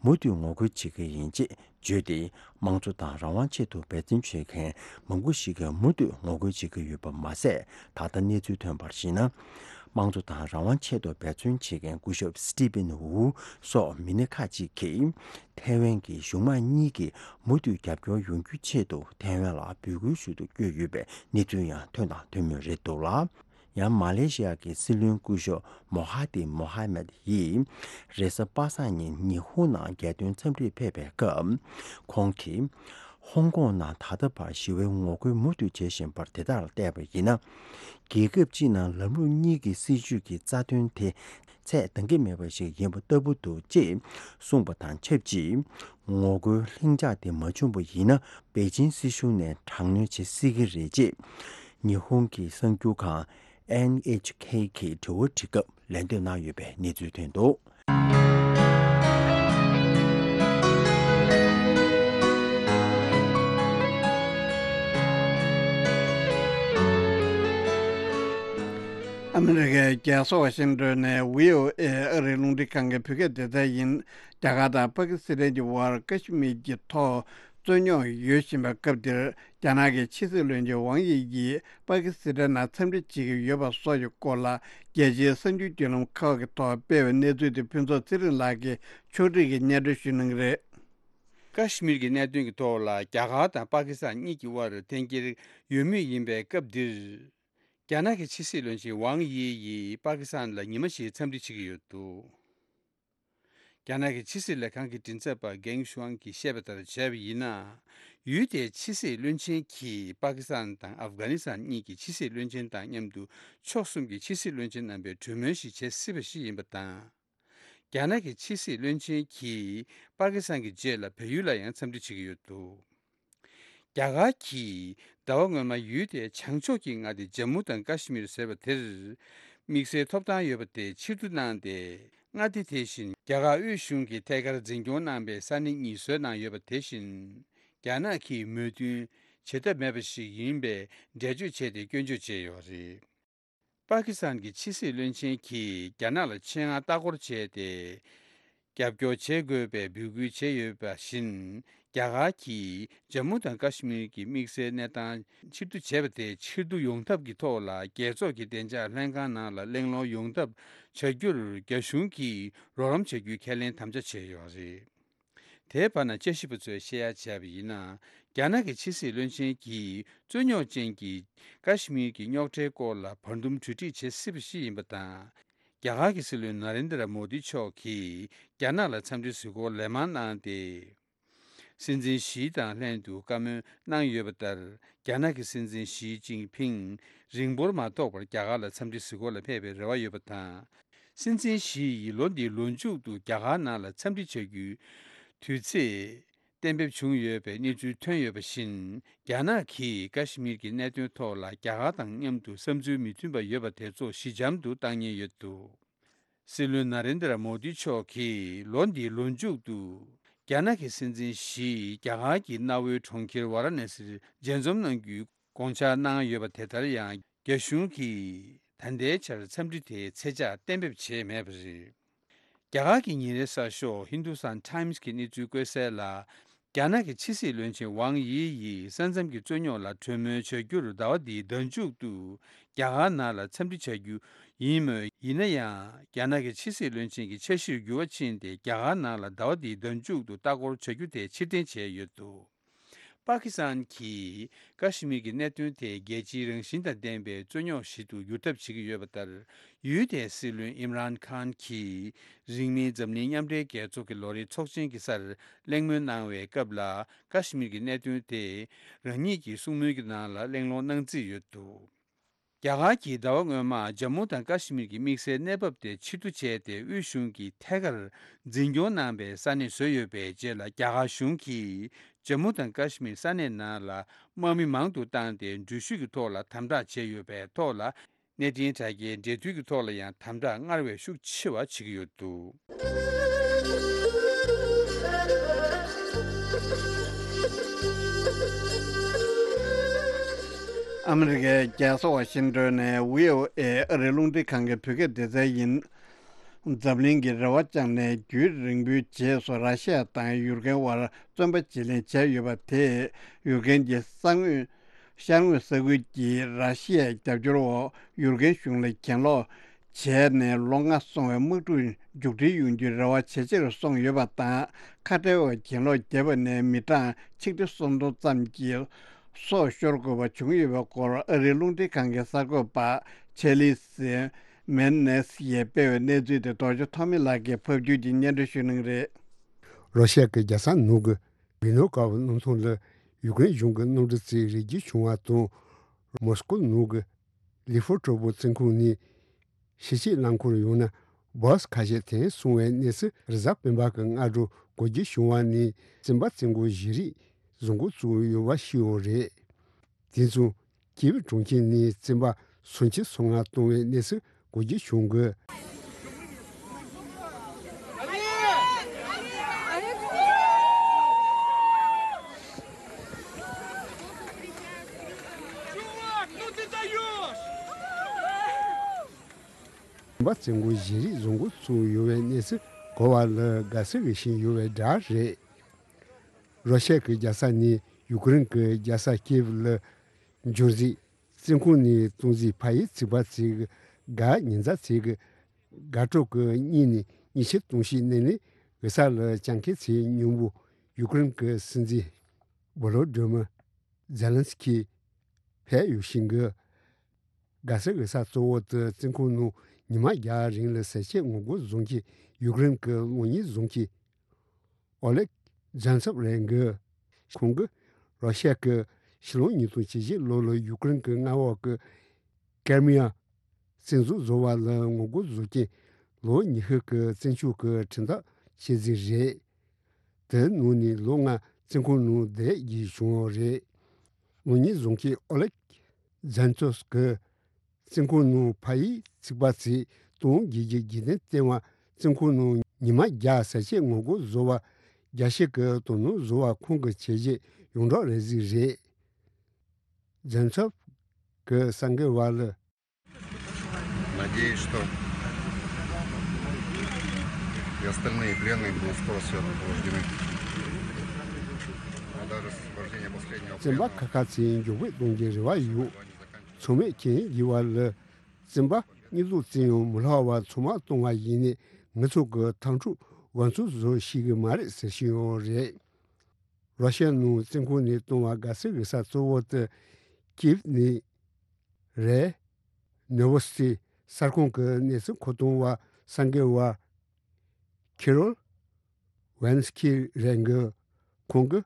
མུ་མཐུད་ངོ་རྒོལ་བྱེད་ཀྱི་ཡིན་ཅེས་བརྗོད་དེ། དམངས་གཙོ་དང་རང་དབང་ཆེད་དུ་འབད་བརྩོན་བྱེད་མཁན་མང་པོ་ཞིག་གིས་མུ་མཐུད་ངོ་རྒོལ་བྱེད་ཀྱི་ཡོད་པ་མ་ཟད། ད་ལྟ་གནས་ཚུལ་ཐོན་པར་གཞིགས་ན། དམངས་གཙོ་དང་རང་དབང་ཆེད་དུ་འབད་བརྩོན་བྱེད་མཁན་སྐུ་ཞབས་སི་ཏི་ཕིན་ཝུ་སོགས་མི་སྣ་ཁག་ཅིག་གིས། ཐའེ་ཝན་གྱི་གཞུང་མང་གཉིས་ཀྱིས་མུ་མཐུད་རྒྱབ་སྐྱོར་ཡོང་རྒྱུའི་ཆེད་དུ་ཐའེ་ཝན་ལ་འབོད་སྐུལ་ཞུ་རྒྱུར་བསྐྱོད་ཡོད་པའི་གནས་ཚུལ་ཡང་ཐོན་དང་ཐོན་མུས་རེད་འདུག་ལ། ཡང་མ་ལེ་ཤི་ཡ་གི་སྲིད་བློན་སྐུ་ཞབས་མོ་ཧ་ཏི་མོ་ཧ་མད་ཡིས་རེས་གཟའ་པ་སངས་ཉིན་ཉི་ཧོང་ནང་རྒྱལ་དོན་འཚམས་འདྲིར་ཕེབས་པའི་སྐབས། ཁོང་གིས། ཧོང་ཀོང་ནང་ད་ལྟ་བར་ཞི་བའི་ངོ་རྒོལ་མུ་མཐུད་བྱེད་བཞིན་པར་དེ་དག་ལ་བལྟས་པ་ཡིན་ན། རྒྱལ་ཁབ་སྤྱི་ནང་ལམ་ལུགས་གཉིས་ཀྱི་སྲིད་བྱུས་ཀྱི་རྩ་དོན་དེ་ཚད་འདང་གི་མེད་པ་ཞིག་ཡིན་པ་ལྟ་བུ་འདུག་ཅེས་གསུངས་པ་དང་ཆབས་ཅིག་ངོ་རྒོལ་ལྷིང་འཇགས་དེ་མ་བྱུང་བ་ཡིན་ན། པེ་ཅིན་སྲིད་གཞུང་ནས་དྲག་གནོན་བྱེད་སྲིད་ཀྱི་རེད་ཅེས། ཉི་ཧོང་གི་གསར་འགྱུར་ཁང་ཨེན་ཨེཆ་ཁེ་གིས་དྲི་བ་དྲིས་སྐབས་ལན་འདེབས་གནང་ཡོད་པའི་གནས་ཚུལ་ཐོན་འདུག་ཨ་མི་རི་ཀའི་རྒྱལ་ས་ཝ་ཤིང་ཏོན་ནས་བྷི་ཨོ་ཨེ་ཨ་རིའི་རླུང་འཕྲིན་ཁང་གི་བོད་སྐད་སྡེ་ཚན་ཡིན། རྒྱ་གར་དང་པ་ཀི་སི་ཐན་གྱི་དབར་ཀ་ཤི་མིར་གྱི་ཐོག་རྩོད་རྙོག་ཡོད་བཞིན་པའི་སྐབས་འདིར། རྒྱ་ནག་གི་ཕྱི་སྲིད་བློན་ཆེན་ཝང་དབྱི་ཡིས་པ་ཀི་སི་ཐན་ནང་འཚམས་འདྲི་བྱེད་ཀྱི་ཡོད་པ་སོགས་ཀྱི་སྐོར་ལ། རྒྱལ་སྤྱིའི་གསར་འགྱུར་བརྒྱུད་ལམ་ཁག་གི་ཐོག་སྤེལ་བའི་གནས་ཚུལ་དེ་ཕུན་ཚོགས་ཚེ་རིང་ལགས་ཀྱིས་ཕྱོགས་སྒྲིག་གིས་སྙན་སྒྲོན་ཞུ་གནང་གི་རེད། ཀ་ཤི་མིར་གྱི་གནད་དོན་གྱི་ཐོག་ལ་རྒྱ་གར་དང་པ་ཀི་སི་ཐན་གཉིས་ཀྱི་དབར་འཐེན་འཁྱེར་ཡོད་མུས་ཡིན་པའི་སྐབས་འདིར། རྒྱ་ནག་གི་ཕྱི་སྲིད་བློན་ཆེན་ཝང་དབྱི་ཡིས་པ་ཀི་སི་ཐན་ལ་ཉི་མ་བཞིའི་འཚམས་འདྲི་བྱེད་ཀྱི་ཡོད་འདུག་རྒྱ་ནག་གི་ཕྱི་སྲིད་ལས་ཁང་གི་མགྲིན་ཚབ་པ་གེང་ཤུའང་གིས་བཤད་པ་ལྟར་བྱས་པ་ཡིན་ན། ཡུལ་དེའི་ཕྱི་སྲིད་བློན་ཆེན་གྱིས་པ་ཀི་སི་ཐན་དང་ཨབ་གྷ་ནི་སི་ཐན་གཉིས་ཀྱི་ཕྱི་སྲིད་བློན་ཆེན་དང་མཉམ་དུ་ཕྱོགས་གསུམ་གྱི་ཕྱི་སྲིད་བློན་ཆེན་རྣམ་པའི་གྲོས་མོལ་ཞིག་བྱེད་སྲིད་པ་ཞིག་ཡིན་པ་དང་། རྒྱ་ནག་གི་ཕྱི་སྲིད་བློན་ཆེན་གྱིས་པ་ཀི་སི་ཐན་གྱི་རྗེས་ལ་བལ་ཡུལ་ལ་ཡང་འཚམས་འདྲི་བྱེད་ཀྱི་ཡོད་འདུག་རྒྱ་གར་གྱིས་ཟླ་བ་སྔོན་མ་ཡུལ་དེའི་བྱང་ཕྱོགས་ཀྱི་མངའ་སྡེ་ཇམ་མུ་དང་ཀ་ཤི་མིར་ཟེར་བ་དེར། དམིགས་བསལ་ཐོབ་ཐང་ཡོད་པ་དེ་ཕྱིར་བསྡུ་གནང་སྟེ། མངའ་སྡེ་དེ་བཞིན་རྒྱ་གར་དབུས་གཞུང་གིས་ཐད་ཀར་འཛིན་སྐྱོང་གནང་པའི་ས་གནས་གཉིས་བཟོས་གནང་ཡོད་པ་དེ་བཞིན། རྒྱ་ནག་གིས་མོས་མཐུན་བྱེད་ཐབས་མེད་པ་ཞིག་ཡིན་པའི་འགྲེལ་བརྗོད་བྱས་ཏེ་སྐྱོན་བརྗོད་བྱས་ཡོད་པ་རེད། པ་ཀི་སི་ཐན་གྱི་ཕྱི་སྲིད་བློན་ཆེན་གྱིས་རྒྱ་ནག་ལ་ཆེད་མངགས་ལྟ་སྐོར་བྱས་ཏེ། རྒྱབ་སྐྱོར་བྱེད་དགོས་པའི་འབོད་སྐུལ་བྱས་ཡོད་པ་བཞིན། རྒྱ་གར་གྱིས་ཇམ་མུ་དང་ཀ་ཤི་མིར་གྱི་དམིགས་བསལ་གནས་སྟངས་ཕྱིར་བསྡུ་བྱས་པ་དེ་ཕྱིར་བསྡུ་ཡོང་ཐབས་ཀྱི་ཐོག་ལ། རྒྱལ་ཚོགས་ཀྱི་བདེ་འཇགས་ལྷན་ཁང་ནང་ལ་གླེང་སློང་ཡོང་ཐབས་བྱ་རྒྱུར་རྒྱ་གཞུང་གིས་རོགས་རམ་བྱ་རྒྱུའི་ཁས་ལེན་དམ་བཅའ་བྱས་ཡོད་པ་རེད། དེའི་བར་ན་དཔྱད་ཞིབ་པ་ཚོས་བཤད་ཡ་བྱས་པ་ཡིན་ན། རྒྱ་ནག་གི་ཕྱི་སྲིད་བློན་ཆེན་གྱིས་རྩོད་རྙོག་ཅན་གྱི་ཀ་ཤི་མིར་གྱི་རྙོག་ཁྲའི་སྐོར་ལ་བར་འདུམ་གྲོས་འགྲིག་བྱེད་སྲིད་པ་ཞིག་ཡིན་པ་དང་། རྒྱ་གར་གྱི་སྲིད་བློན་ན་རེན་དྲ་མོ་དི་མཆོག་གིས་རྒྱ་ནག་ལ་འཚམས་འདྲིའི་གཟིགས་སྐོར་ལན་མང་གནང་སྟེ། སྲིད་འཛིན་ཞི་དང་ལྷན་དུ་བཀའ་མོལ་གནང་ཡོད་པ་ལྟར། རྒྱ་ནག་གི་སྲིད་འཛིན་ཞི་ཅིན་ཕིང་རིང་པོར་མ་ཐོགས་པར་རྒྱ་གར་ལ་འཚམས་འདྲི་གཟིགས་སྐོར་ལ་ཕེབས་པའི་རེ་བ་ཡོད་པ་དང་། སྲིད་འཛིན་ཞི་ཡིས་ལོ་འདིའི་ལོ་མཇུག་ཏུ་རྒྱ་གར་ནང་ལ་འཚམས་འདྲི་བྱ་རྒྱུའི་དུས་ཚེས་གཏན་འབེབས་བྱུང་ཡོད་པའི་གནས་ཚུལ་ཐོན་ཡོད་པ་བཞིན། རྒྱ་ནག་གིས་ཀ་ཤི་མིར་གྱི་གནད་དོན་ཐོག་ལ་རྒྱ་གར་དང་མཉམ་དུ་བསམ་ཚུལ་མི་མཐུན་པ་ཡོད་པ་དེ་ཚོ་ཞི་འཇམ་དུ་བཏང་ཉེན་ཡོད་འདུག། སྲིད་བློན་ན་རེན་དྲ་མོ་དི་མཆོག་གིས་ལོ་འདིའི་ལོ་མཇུག་ཏུ་རྒྱ་ནག་གི་སྲིད་འཛིན་ཞི་རྒྱ་གར་གྱི་གནའ་བོའི་གྲོང་ཁྱེར་ཝཱ་ར་ཎ་སིར་མཇལ་འཛོམས་གནང་རྒྱུའི་དགོངས་འཆར་གནང་ཡོད་པ། དེ་ལྟར་ཡང་རྒྱ་གཞུང་གིས་ད་ལྟའི་ཆར་འཚམས་འདྲི་དེའི་ཚེས་འཇགས་གཏན་འབེབས་བྱས་མེད་པ་རེད། རྒྱ་གར་གྱི་ཉིན་རེའི་གསར་ཤོག་Hindustan Times གི་གནས་ཚུལ་བཀོད་གསལ་ལ། རྒྱ་ནག་གི་ཕྱི་སྲིད་བློན་ཆེན་ཝང་དབྱི་ཡིས་ས་མཚམས་ཀྱི་རྩོད་རྙོག་ལ་གྲོས་མོལ་བྱ་རྒྱུར་ཟླ་བ་འདིའི་ཟླ་མཇུག་ཏུ་རྒྱ་གར་ནང་ལ་འཚམས་འདྲི་བྱ་རྒྱུ་ཡིན་མོད། ཡིན་ན་ཡང་། རྒྱ་ནག་གི་ཕྱི་སྲིད་བློན་ཆེན་གྱི་འཆར་གཞིར་འགྱུར་བ་ཕྱིན་ཏེ། རྒྱ་གར་ནང་ལ་ཟླ་བ་འདིའི་ཟླ་མཇུག་ཏུ་ལྟ་སྐོར་བྱ་རྒྱུ་དེ་ཕྱིར་འཐེན་བྱས་ཡོད་འདུག། པ་ཀི་སི་ཐན་གྱིས་ཀ་ཤི་མིར་གྱི་གནད་དོན་དེ་རྒྱལ་སྤྱིའི་རང་བཞིན་དང་ལྡན་པའི་རྩོད་རྙོག་ཞིག་ཏུ་འགྱུར་ཐབས་བྱེད་ཀྱི་ཡོད་པ་ལྟར། ཡུལ་དེའི་སྲིད་བློན་ཨིམ་རཱན་ཁཱན་གྱིས་རིང་མིན་འཛམ་གླིང་མཉམ་འབྲེལ་རྒྱལ་ཚོགས་ཀྱི་ལོ་རེའི་ཚོགས་ཆེན་གྱི་སར་གླེང་མོལ་གནང་བའི་སྐབས་ལ། ཀ་ཤི་མིར་གྱི་གནད་དོན་དེ་རང་ཉིད་ཀྱི་གསུང་མོལ་གྱི་ནང་ལ་གླེང་སློང་གནང་རྩིས་ཡོད་འདུག། རྒྱ་གར་གྱིས་ཟླ་བ་སྔོན་མ་ཇམ་མུ་དང་ཀ་ཤི་མིར་གྱི་དམིགས་བསལ་གནས་བབ་དེ་ཕྱིར་བསྡུ་བྱས་ཏེ། དབུས་གཞུང་གིས་ཐད་ཀར་འཛིན་སྐྱོང་གནང་པའི་ས་གནས་བཟོས་ཡོད་པའི་རྗེས་ལ། རྒྱ་གར་གཞུང་གིས་ཇམ་མུ་དང་ཀ་ཤི་མིར་ས་གནས་ནང་ལ་དམག་མི་མང་དུ་བཏང་སྟེ། འགྲུལ་བཞུད་ཀྱི་ཐོག་ལ་དམ་དྲག་བྱས་ཡོད་པའི་ཐོག་ལ། གནས་འཕྲིན་དྲ་རྒྱའི་འབྲེལ་མཐུད་ཀྱི་ཐོག་ལ་ཡང་དམ་དྲག་སྔར་བས་ཤུགས་ཆེ་བ་བྱེད་ཀྱི་ཡོད་འདུག། ཨ་མི་རི་ཀའི་རྒྱལ་ས་ཝ་ཤིང་ཏོན་ནས་བྷི་ཨོ་ཨེ་ཨ་རིའི་རླུང་འཕྲིན་ཁང་གི་བོད་སྐད་སྡེ་ཚན་ཡིན། འཛམ་གླིང་གིས་རེ་བ་བཅངས་ནས་རྒྱུན་རིང་པོའི་རྗེས་སུ་ར་ཤི་ཡ་དང་ཡུཀ་རེན་དབར་བཙོན་པ་བརྗེ་ལེན་བྱས་ཡོད་པ་དེས། ཡུཀ་རེན་གྱི་ས་ངོས། ཤར་ངོས་ས་ཁུལ་གྱིས་ར་ཤི་ཡའི་རྒྱབ་སྐྱོར་འོག་ཡུཀ་རེན་གཞུང་ལ་གྱེན་ལོག་བྱས་ནས་ལོ་ལྔ་སོང་བའི་དམག་འཁྲུག་མཇུག་སྒྲིལ་ཡོང་རྒྱུའི་རེ་བ་ཇེ་ཆེར་སོང་ཡོད་པ་དང་། ཁ་བྲལ་བའི་གྱེན་ལོག་བརྒྱབ་པ་ནས་མི་གྲངས་ཆིག་ཁྲི་སུམ་སྟོང་ཙམ་གྱིས་སྲོག་ཤོར་དགོས་པ་བྱུང་ཡོད་པའི་སྐོར་ཨ་རིའི་རླུང་འཕྲིན་ཁང་གི་གསར་འགོད་པ་ཆེ་ལི་སི་མེན་ནེ་སི་ཡིས་སྤེལ་བའི་གནས་ཚུལ་དེ་རྡོ་རྗེ་ཐོགས་མེད་ལགས་ཀྱིས་ཕབ་སྒྱུར་གྱིས་སྙན་སྒྲོན་ཞུ་གནང་གི་རེད། རོ་ཤ་གི་རྒྱལ་ས་ནང་གི་ཝི་ནོ་ཀ་བ་གནམ་ཐང་ལ་ཡུཀ་རེན་གཞུང་གི་གནམ་གྲུ་གཅིག་རིལ་རྒྱུ་བྱུང་བ་དང་། མོ་སི་ཀོ་ནང་གི་ལི་ཧྥོ་ཀྲོ་པོ་བཙོན་ཁང་ནས་ཕྱི་སྐྱོད་རླངས་འཁོར་ཡང་ན་བྷ་སི་ཁ་ཤས་འཐེན་སོང་བའི་གནས་ཚུལ་རེས་གཟའ་སྤེན་པ་གི་སྔ་དྲོ་གོ་རྒྱུ་བྱུང་བ་ནས། བཙོན་པ་བཙོན་འགོག་བཞེས་རིས་བཟོ་འགོ་བཙུགས་ཡོད་པ་ཞིག་ཡང་རེད། དེ་མཚུངས་ཀིབ་གྲོང་ཁྱེར་ནས་བཙོན་པ་སུམ་ཅུ་སོ་ལྔ་བཏང་བའི་གནས་ཚུལ་གོ་རྒྱུ་བྱུང་གི། བཙོན་པ་བཙོན་འགོག་བཞེས་རིས་བཟོ་འགོ་བཙུགས་ཡོད་པའི་གནས་ཚུལ་གོ་བ་ལ་དགའ་བསུ་ཞུ་བཞིན་ཡོད་པའི་འདྲ་རེད། རོ་ཤ་གི་རྒྱལ་ས་ནས་ཡུཀ་རེན་གྱི་རྒྱལ་ས་ཀིབ་ལ་འབྱོར་རྗེས། བཙོན་ཁང་ནས་གཏོང་རྗེས་ཕ་ཡུལ་ཚིག་པ་ཚིག་གི་ཉི་ཟླ་ཚིག་གི་དགའ་སྤྲོ་གི་གཉིད་ནས་མྱི་ཤི་སྟོང་ཤི་གནས་ལས་འགུལ་ས་ལ་སྤྱང་ཀི་ཚོའི་སྙིང་པོ་ཡུཀ་རེན་གྱི་སྲིད་འཛིན་བྷོ་ལོ་ཌི་མིར་ཛེ་ལན་སི་ཀི་ཕེབས་ཡོད་ཤིང་གི། དགའ་བསུ་འགུལ་ས་གཙོ་བོ་དེ་བཙོན་ཁང་ནང་ཉི་མ་བརྒྱ་རིང་ལ་ཟས་བཅད་ངོ་རྒོལ་བཟོ་མཁན་ཡུཀ་རེན་གྱི་གློག་བརྙན་བཟོ་མཁན་ཨོ་ལེག་ཛན་ཚོབ་རེད་འདུག། ཁོང་གིས་རོ་ཤ་གིས་ཕྱི་ལོ་ཉིས་སྟོང་ཉི་ཤུ་ལོ་ལ་ཡུཀ་རེན་གྱི་མངའ་འོག་གི་ཀེར་མི་ཡ་བཙན་འཛུལ་བཟོ་བ་ལ་ངོ་རྒོལ་བཟོ་མཁན་ལོ་ཉི་ཤུ་གི་བཙོན་འཇུག་གི་ཁྲིམས་ཐག་བཅད་རྩིས་རེད། དེའི་ནང་ནས་ལོ་ལྔ་བཙོན་ཁང་ནང་བསྡད་རྒྱུ་བྱུང་བ་རེད། གློག་བརྙན་བཟོ་མཁན་ཨོ་ལེག་ཛན་ཚོབ་ཀྱིས་བཙོན་ཁང་ནང་ཕ་ཡུལ་ཚིག་པ་ཚོས་སྟོང་བརྒྱད་བརྒྱ་བརྒྱད་བདུན་བསྟེན་པ། བཙོན་ཁང་ནང་ཉི་མ་བརྒྱ་ཟས་བཅད་ངོ་རྒོལ་བཟོ་བ་བརྒྱ་ཞིག་གི་དོ་སྣང་བཟོ་བ་ཁོང་གི་བྱས་རྗེས་ཡོངས་གྲགས་རེད་རྩིས་རེད། ཛན་ཚོབ་ཀྱིས་གསར་འགོད་པ་ལ། Надеюсь, что и остальные пленные будут скоро все освобождены. А даже освобождение последнего пленного. བཙོན་པ་ཁ་ཁ་ཚོའི་མགྱོགས་པོ་གཏོང་རྒྱུའི་རེ་བ་ཡོད། ཚང་མས་ཁས་ལེན་བགྱི་བ་ལ། བཙོན་པ་གཉིས་ལོ་བཙོན་ཡང་མི་ལྷག་པ་ཚང་མ་གཏོང་བ་ཡིན་ནས་ང་ཚོ་གི་འཐབ་འཁྲུག་འགོ་ཚུགས་བཟོ་ཤེས་ཀྱི་མ་རེད་ཟེར་བཞིན་ཡོད་རེད། རོ་ཤ་ནང་བཙོན་ཁང་ནས་བཏང་བ་དགའ་བསུ་འགུལ་ས་གཙོ་བོ་དེ་ཀིབ་ནས་རེད། ནོ་ཝོ་སི་ཊི་གསར་ཁང་གི་གནས་ཚུལ་མཁོ་གཏོང་བ་གསར་འགོད་པ་ཁི་རོལ་ཝན་སི་ཀི་རེད་འདུག། ཁོང་གིས་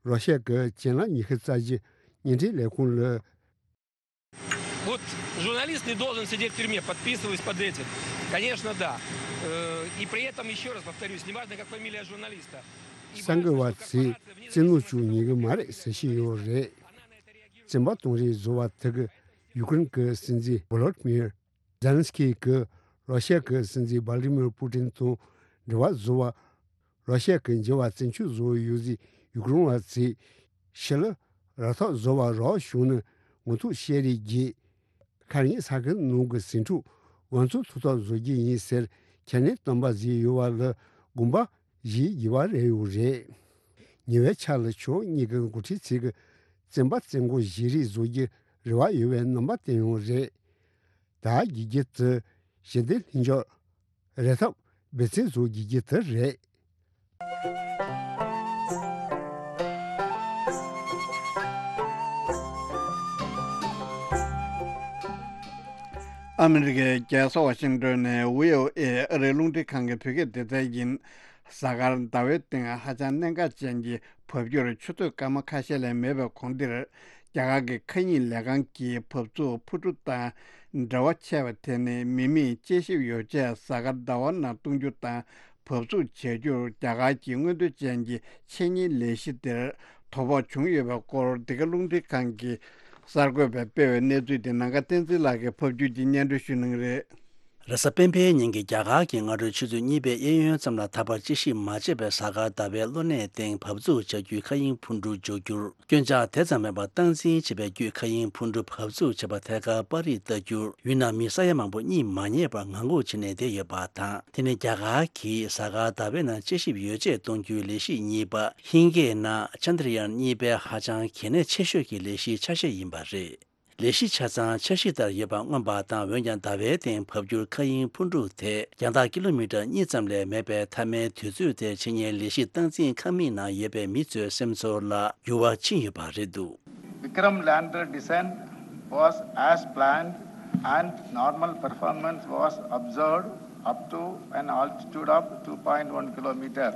རོ་ཤ་གི་ཅན་ལ་ཉི་ཤུ་རྩ་བཞི་བརྙན་འཕྲིན་ལས་ཁུངས་ལ། Вот журналист не должен сидеть в тюрьме, подписываясь под этим. Конечно, да. Э, И при этом, еще раз повторюсь, неважно, как фамилия журналиста. И གསར་འགོད་པ་ཚོས་བཙན་གནོན་བྱུང་ཉན་གི་མ་རེད་ཟེར་བཞིན་ཡོད་རེད། བཙན་པ་གཏོང་རེས་བཟོ་བ་དེ་གི་ཡུ་ཀེ་རེན་གྱི་སྲིད་འཛིན་བོ་ལོ་ཌི་མིར་ཛེ་ལན་སི་ཀི་གིས་རོ་ཤ་གི་སྲིད་འཛིན་བྷ་ལ་ཏི་མིར་པུ་ཏིན་དང་འབྲེལ་བ་བཟོ་བ། རོ་ཤ་གི་འགྱུར་བ་བཙན་སྤྱོད་བཟོ་བའི་ཡོད་ཚེ་ཡུ་ཀེ་རེན་བ་ཚོས་ཕྱི་ལ་ར་ཐོག་བཟོ་བ་རོགས་བྱུང་ན་ངོ་ཐུག་བཤད་རེས་བརྒྱུད། ཁ་ཉིན་ས་ཁུལ་ནང་གི་ཟིང་འཁྲུག་འགོ་ཚུགས་ཐུབ་ཐབས་བཟོ་རྒྱུ་ཡིན་ཟེར་ཁས་ལེན་བཏོན་པ་ཟིག་ཡོད་པ་ལ་དགོངས་པ་བཞེས་དགོས་པ་རེད་ཡོད་རེད། ཉེ་བའི་ཆར་ལ་ཕྱོགས་གཉིས་ཀྱི་འགོ་ཁྲིད་ཚོས་ཀྱི་བཙན་པ་བཙན་སྐོར་བཞེས་རེས་བཟོ་རྒྱུ་རེ་བ་ཡོད་པའི་རྣམ་པ་བསྟན་ཡོད་རེད། ད་གི་རྒྱུ་དེ་ཞི་བདེ་ལྷིང་འཇགས་རེད་ཐབས་འབད་བརྩོན་བཟོ་དགོས་ཀྱི་དེ་རེད། ཨ་མི་རི་ཀའི་རྒྱལ་ས་ཝ་ཤིང་ཏོན་ནས་ཝི་ཨོ་ཨེ་ཨ་རིའི་རླུང་འཕྲིན་ཁང་གི་བོད་སྐད་སྡེ་ཚན་ཡིན། གཟའ་སྐར་ཟླ་བའི་སྟེང་ཧ་ཅང་གནད་འགག་ཅན་གྱི་འབབ་འགྱུར་ཆུ་ཚོད་སྐར་མ་ཁ་ཤས་ལས་མེད་པའི་གོང་འདིར། རྒྱ་གར་གྱི་མཁའ་དབྱིངས་ལས་ཁང་གིས་འབབ་ཚུགས་འཕུར་གྲུ་དང་འབྲེལ་བ་ཆད་པ་དེ་ནི་མི་མེད་དཔྱད་ཞིབ་ཡོ་བྱད་གཟའ་སྐར་ཟླ་བ་ནང་གཏོང་རྒྱུ་དང་འབབ་ཚུགས་བྱ་རྒྱུར་རྒྱ་གར་གྱི་མངོན་འདོད་ཅན་གྱི་ཆེད་གཉེར་ལས་གཞི་དེར་དོ་ཕོག་བྱུང་ཡོད་པའི་སྐོར། འདི་ག་རླུང་འཕྲིན་ཁང་གི་གསར་འགོད་པས་སྤེལ་བའི་གནས་ཚུལ་དེ་ནམ་མཁའ་བསྟན་འཛིན་ལགས་ཀྱིས་ཕབ་སྒྱུར་གྱིས་སྙན་སྒྲོན་ཞུ་གནང་གི་རེད། རེས་གཟའ་སྤེན་པའི་ཉིན་གྱི་རྒྱ་གར་གྱི་སྔ་དྲོའི་ཆུ་ཚོད་གཉིས་པའི་གཡས་གཡོན་ཙམ་ལ་ད་བར་དཔྱད་ཞིབ་མ་བྱས་པའི་གཟའ་སྐར་ཟླ་བའི་གློ་ནད་སྟེང་འབབ་ཚུགས་བྱ་རྒྱུའི་མཁའ་དབྱིངས་འཕུར་གྲུ་འཇོག་རྒྱུར་སྐྱོན་ཆག་དེ་ཙམ་མེད་པར་སྟངས་འཛིན་བྱེད་པའི་བརྒྱུད་མཁའ་དབྱིངས་འཕུར་གྲུ་འབབ་ཚུགས་བྱེད་པ་ཐད་ཀར་པར་རིས་བལྟ་རྒྱུར་ཡུལ་ནང་མི་ས་ཡ་མང་པོ་གཉིད་མ་ཉལ་བར་ངང་སྒུག་བྱས་ནས་བསྡད་ཡོད་པ་དང་། དེ་ནི་རྒྱ་གར་གྱིས་གཟའ་སྐར་ཟླ་བའི་ནང་དཔྱད་ཞིབ་ཡོ་བྱད་གཏོང་རྒྱུའི་ལས་གཞི་གཉིས་པ་ཧིན་སྐད་ནང་ཅན་དྲ་ཡཱན་གཉིས་པའི་ཧ་ཅང་གལ་གནད་ཆེ་ཤོས་ཀྱི་ལས་གཞིའི་ཆ་ཤས་ཡིན་པ་རེད། ལས་གཞི་ཆ་ཚང་འཆར་གཞི་ལྟར་ཡོད་པ་མངོན་པ་དང་། འོན་ཀྱང་ཟླ་བའི་སྟེང་འབབ་འགྱུར་མཁའ་དབྱིངས་འཕུར་གྲུ་དེ་རྒྱང་ཐག་ཀི་ལོ་མི་ཊར་གཉིས་ཙམ་ལས་མེད་པའི་མཐའ་མའི་དུས་ཚོད་དེར་ཆེད་གཉེར་ལས་གཞི་སྟངས་འཛིན་ཁང་མིག་ནང་ཡོད་པའི་མི་ཚོའི་སེམས་ཚོར་ལ་འགྱུར་བ་ཕྱིན་ཡོད་པ་རེད་འདུག Vikram lander descent was as planned and normal performance was observed up to an altitude of two point one kilometer.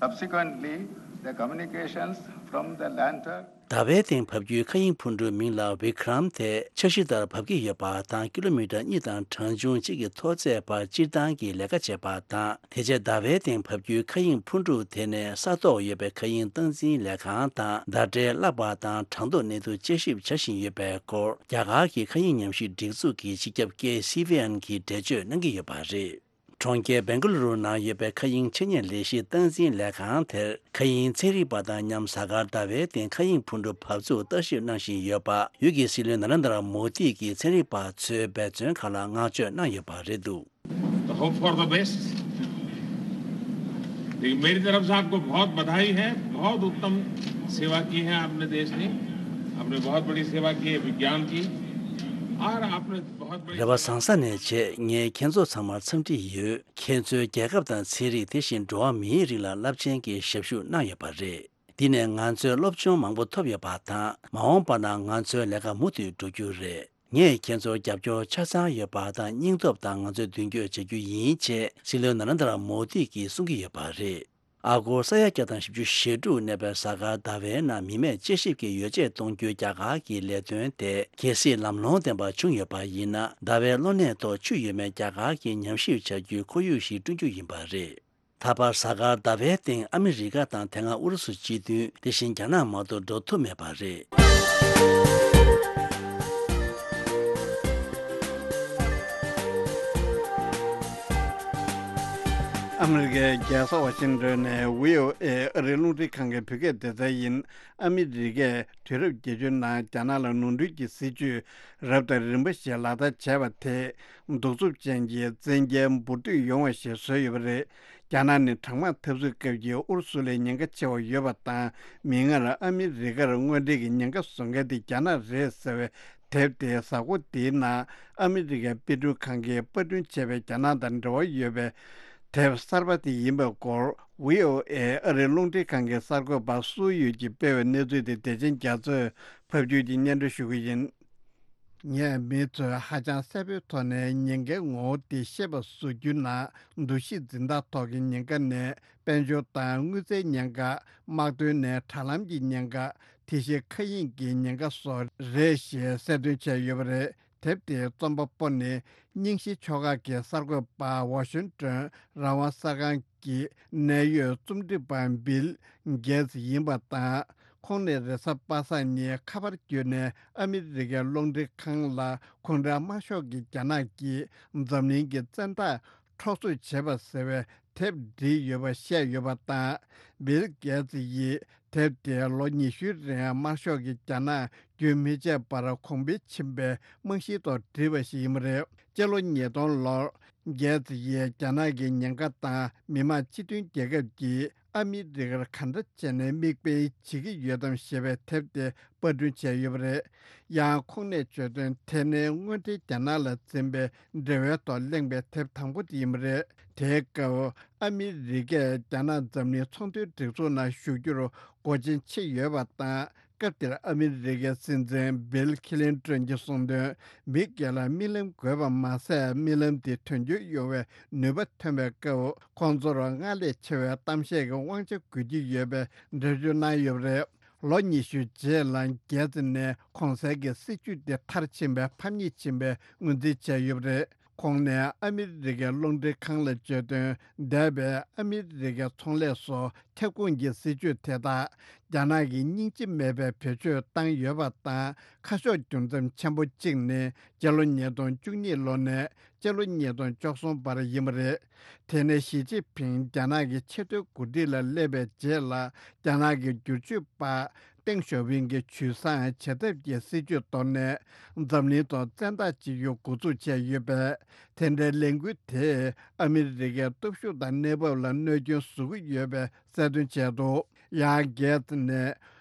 Subsequently, the communications from the lander ཟླ་བའི་སྟེང་འབབ་རྒྱུའི་མཁའ་དབྱིངས་འཕུར་གྲུའི་མིང་ལ་Vikram དེ་འཆར་གཞི་ལྟར་འབབ་ཀྱི་ཡོད་པ་དང་། ཀི་ལོ་མི་ཊར་གཉིས་དང་གྲངས་ཆུང་གཅིག་གི་མཐོ་ཚད་བར་སྤྱིར་བཏང་གི་ལས་ཀ་བྱས་པ་དང་། དེ་རྗེས་ཟླ་བའི་སྟེང་འབབ་རྒྱུའི་མཁའ་དབྱིངས་འཕུར་གྲུ་དེ་ནས་ས་ཐོག་ཡོད་པའི་མཁའ་དབྱིངས་སྟངས་འཛིན་ལས་ཁང་དང་ཟླ་སྒྲིལ་བརླག་པ་དང་གྲངས་ཐོ་གནས་ཚུལ་དཔྱད་ཞིབ་བྱ་བཞིན་ཡོད་པའི་སྐོར། རྒྱ་གར་གྱི་མཁའ་དབྱིངས་ཉམས་ཞིབ་སྒྲིག་འཛུགས་ཀྱི་སྤྱི་ཁྱབ་ཀེ་སི་ཝི་ཨེན་གྱིས་འགྲེལ་བརྗོད་གནང་གི་ཡོད་པ་རེད། གྲོང་ཁྱེར་སྦེང་ག་ལུ་རུ་ནང་ཡོད་པའི་མཁའ་དབྱིངས་ཆེད་གཉེར་ལས་གཞི་སྟངས་འཛིན་ལས་ཁང་དེར། མཁའ་དབྱིངས་ཚན་རིག་པ་དང་མཉམ་གཟའ་སྐར་ཟླ་བའི་སྟེང་མཁའ་དབྱིངས་འཕུར་གྲུ་འབབ་ཚུགས་བརྟག་ཞིབ་གནང་བཞིན་ཡོད་པ། ཡུལ་གྱི་སྲིད་བློན་ན་རེན་དྲ་མོ་དི་གིས་ཚན་རིག་པ་ཚོའི་འབད་བརྩོན་ཁག་ལ་བསྔགས་བརྗོད་གནང་ཡོད་པ་རེད་འདུག तो hope for the best. देखिए, मेरी तरफ से आपको बहुत बधाई है। बहुत उत्तम सेवा की है आपने देश की। आपने बहुत बड़ी सेवा की है विज्ञान की। और आपने बहुत बड़ी རེ་བ་བཟང་ས་ནས་བྱས། ངས་ཁྱེད་ཚོ་ཚང་མར་འཚམས་འདྲི་ཡོད། ཁྱེད་ཚོས་རྒྱལ་ཁབ་དང་ཚན་རིག་དེ་བཞིན་འགྲོ་བ་མིའི་རིགས་ལ་རླབས་ཆེན་གྱི་ཞབས་ཞུ་གནང་ཡོད་པ་རེད། འདི་ནས་ང་ཚོས་སློབ་སྦྱོང་མང་པོ་ཐོབ་ཡོད་པ་དང་། མ་འོངས་པ་ན་ང་ཚོའི་ལས་ཀ་མུ་མཐུད་འགྲོ་རྒྱུ་རེད། ངས་ཁྱེད་ཚོར་རྒྱབ་སྐྱོར་ཆ་ཚང་ཡོད་པ་དང་། སྙིང་སྟོབས་དང་ང་ཚོས་མདུན་སྐྱོད་བྱ་རྒྱུ་ཡིན་ཅེས་སྲིད་བློན་ན་རེན་དྲ་མོ་དི་གིས་གསུང་གི་ཡོད་པ་རེད། ཨ་སྒོར་ས་ཡ་བརྒྱ་དང་བཞི་བཅུ་ཞེ་དྲུག་གནས་པའི་གཟའ་སྐར་ཟླ་བའི་ནང་མི་མེད་དཔྱད་ཞིབ་ཀྱི་ཡོ་བྱད་གཏོང་རྒྱུའི་རྒྱ་གར་གྱི་ལས་དོན་དེ་གལ་སྲིད་ལམ་ལྷོང་ལྡན་པ་བྱུང་ཡོད་པ་ཡིན་ན། ཟླ་བའི་གློ་ནད་ཐོག་ཆུ་ཡོད་མེད་རྒྱ་གར་གྱིས་ཉམས་ཞིབ་བྱ་རྒྱུའི་ཁོར་ཡུག་ཞིག་བསྐྲུན་རྒྱུ་ཡིན་པ་རེད། ད་བར་གཟའ་སྐར་ཟླ་བའི་སྟེང་ཨ་མི་རི་ཀ་དང་དེ་སྔ་ཨུ་རུ་སུ་སྤྱི་མཐུན། དེ་བཞིན་རྒྱ་ནག་མ་གཏོགས་འགྲོ་ཐུབ་མེད་པ་རེད། ཨ་མི་རི་ཀའི་རྒྱལ་ས་ཝ་ཤིང་ཏོན་ནས་ཝི་ཨོ་ཨེ་ཨ་རིའི་རླུང་འཕྲིན་ཁང་གི་བོད་སྐད་སྡེ་ཚན་ཡིན། ཨ་མི་རི་ཀས་དུས་རབས་བརྒྱད་ཅུའི་ནང་རྒྱ་ནག་ལ་ནོར་འཁྲུལ་གྱི་སྲིད་ཇུས་རབ་དང་རིམ་པ་ཞིག་ལག་བསྟར་བྱས་པ་དེས་གདུག་རྩུབ་ཅན་གྱི་བཙན་རྒྱལ་འབུར་འདུས་ཡོང་བ་ཞིག་བཟོས་ཡོད་པ་རེད། རྒྱ་ནག་ནི་གྲང་དམག་འཐབ་རྩོད་སྐབས་ཀྱི་ཨུ་རུ་སུ་ལས་ཉེན་ཁ་ཆེ་བ་ཡོད་པ་དང་། མིག་སྔར་ཨ་མི་རི་ཀར་དངོས་འབྲེལ་གྱི་ཉེན་ཁ་བཟོ་མཁན་དེ་རྒྱ་ནག་རེད་ཟེར་བའི་དེབ་དེའི་གཟའ་འཁོར་འདིའི་ནང་ཨ་མི་རི་ཀའི་དཔེ་སྐྲུན་ཁང་གིས་པར་སྐྲུན་བྱས་པའི་རྒྱ་ནག་དང་འབྲེལ་བ་ཡོད་པའི་དེབ་གསར་པ་དེ་ཡིན་པའི་སྐོར། ཝི་ཨོ་ཨེ་ཨ་རིའི་རླུང་འཕྲིན་ཁང་གི་གསར་འགོད་པ་སུའུ་ཡུས་ཀྱིས་སྤེལ་བའི་གནས་ཚུལ་དེ་བདེ་ཆེན་རྒྱ་མཚོས་ཕབ་སྒྱུར་གྱིས་སྙན་སྒྲོན་ཞུ་གི་ཡིན། ངས་མི་ཚོས་ཧ་ཅང་གསལ་པོའི་ཐོག་ནས་ཉེན་ཁའི་ངོ་བོ་དེ་ཤེས་པ་བཟོ་རྒྱུ་ན། འདུ་ཤེས་འཛིན་སྟངས་ཐོག་གི་ཉེན་ཁ་ནི་དཔལ་འབྱོར་དང་དངུལ་རྩའི་ཉེན་ཁ། དམག་དོན་ནས་དྲ་ལམ་གྱི་ཉེན་ཁ། དེ་བཞིན་མཁའ་དབྱིངས་ཀྱི་ཉེན་ཁ་སོགས་རེད་ཞེས་གསལ་སྟོན་བྱས་ཡོད་པ་རེད། དེབ་དེའི་རྩོམ་པ་པོ་ནི་རྙིང་ཞི་ཕྱོགས་ཁག་གི་གསར་འགོད་པ་ཝ་ཤིང་ཏོན་རང་དབང་གསར་ཁང་གི་གནད་ཡོད་རྩོམ་སྒྲིག་པ་བིལ་གེ་ཚི་ཡིན་པ་དང་། ཁོང་ནི་རེས་གཟའ་པ་སངས་ཉིན་ཁ་པར་བརྒྱུད་ནས་ཨ་མི་རི་ཀའི་རླུང་འཕྲིན་ཁང་ལ་གུང་ཁྲན་དམར་ཤོག་གིས་རྒྱ་ནག་གིས་འཛམ་གླིང་གི་བཙན་བདག་འཕྲོག་རྩོད་བྱས་པ་ཟེར་བའི་དེབ་བྲིས་ཡོད་པ་བཤད་ཡོད་པ་དང་། བིལ་གེ་ཚི་ཡིས་དེབ་དེ་ལོ་ཉི་ཤུའི་རིང་དམར་ཤོག་གིས་རྒྱ་ནག་རྒྱུན་མི་ཆད་པར་གོང་འཕེལ་ཕྱིན་པའི་རྨང་གཞིའི་ཐོག་བྲིས་པ་ཞིག་ཡིན་པ་རེད། སྤྱི་ལོ་ཉིས་སྟོང་ལོར་གེ་ཚི་ཡིས་རྒྱ་ནག་གི་ཉེན་ཁ་དང་མི་དམངས་སྤྱི་མཐུན་རྒྱལ་ཁབ་ཀྱིས་ཨ་མི་རི་ཀར་ག་འདྲ་བྱས་ནས་མིག་དཔེ་བྱེད་ཀྱི་ཡོད་དམ་ཞེས་པའི་དེབ་དེ་པར་སྐྲུན་བྱས་ཡོད་པ་རེད། ཡང་ཁོང་ནས་བརྗོད་དོན། དེ་ནི་སྔོན་འགྲོའི་རྒྱ་ནག་ལ་འཛིན་པའི་འབྲེལ་བའི་ཐོག་གླེང་བའི་དེབ་དང་པོ་དེ་ཡིན་པ་རེད། དེའི་སྐབས་ཨ་མི་རི་ཀས་རྒྱ་ནག་འཛམ་གླིང་ཚོང་དོན་སྒྲིག་འཛུགས་ནང་ཞུགས་རྒྱུར་སྒོ་ཆེན་ཕྱེ་ཡོད་པ་དང་། སྐབས་དེར་ཨ་མི་རི་ཀའི་སྲིད་འཛིན་བིལ་ཁི་ལིན་ཏོན་གྱིས་གསུངས་དོན། མི་སྒེར་ལ་རྨི་ལམ་དགོས་པ་མ་ཟད། རྨི་ལམ་དེ་དོན་འཁྱོལ་ཡོང་བའི་ནུས་པ་ཐོན་པའི་སྐབས། ཁོང་ཚོར་སྔར་ལས་ཆེ་བའི་གཏམ་བཤད་ཀྱི་དབང་ཆ་དགོས་ཀྱི་ཡོད་པའི་འགྲེལ་བརྗོད་གནང་ཡོད་པ་རེད། ལོ་ཉི་ཤུ་རྗེས་ལ་གེ་ཚི་ནས་གོང་གསལ་གྱི་སྲིད་ཇུས་དེ་མཐར་ཕྱིན་པའི་ཕམ་ཉེས་ཕྱིན་པའི་ངོས་འཛིན་བྱས་ཡོད་པ་རེད། ཁོང་ནས་ཨ་མི་རི་ཀའི་རླུང་འཕྲིན་ཁང་ལ་བརྗོད་དོན། འདས་པའི་ཨ་མི་རི་ཀའི་ཚོང་ལས་སོགས་ཁྱབ་ཁོངས་ཀྱི་སྲིད་ཇུས་དེ་དག་རྒྱ་ནག་གིས་སྙིང་རྗེ་མེད་པའི་བེད་སྤྱོད་བཏང་ཡོད་པ་དང་། ཁ་ཕྱོགས་འགྱུར་མཚམས་ཆེན་པོ་གཅིག་ནི་སྤྱི་ལོ་ཉིས་སྟོང་བཅུ་གཉིས་ལོ་ནས་སྤྱི་ལོ་ཉིས་སྟོང་བཅུ་གསུམ་བར་ཡིན་པ་རེད། དེ་ནས་ཞི་ཅིན་ཕིང་རྒྱ་ནག་གི་ཆེས་མཐོའི་འགོ་ཁྲིད་ལ་སླེབས་པའི་རྗེས་ལ། རྒྱ་ནག་གི་བསྒྱུར་བཅོས་པ་ཏེང་ཞའོ་ཕིང་གིས་ཇུས་བཟང་བྱེད་ཐབས་ཀྱི་སྲིད་ཇུས་གཏོར་ནས། འཛམ་གླིང་ཐོག་བཙན་བདག་བྱེད་རྒྱུ་འགོ་འཛུགས་བྱས་ཡོད་པས། དེ་འདྲའི་ལས་འགུལ་དེས་ཨ་མི་རི་ཀའི་སྟོབས་ཤུགས་དང་གནས་བབ་ལ་གནོད་སྐྱོན་བཟོ་གི་ཡོད་པའི་གསལ་སྟོན་བྱས་འདུག། ཡང་གེ་ཚི་ནས།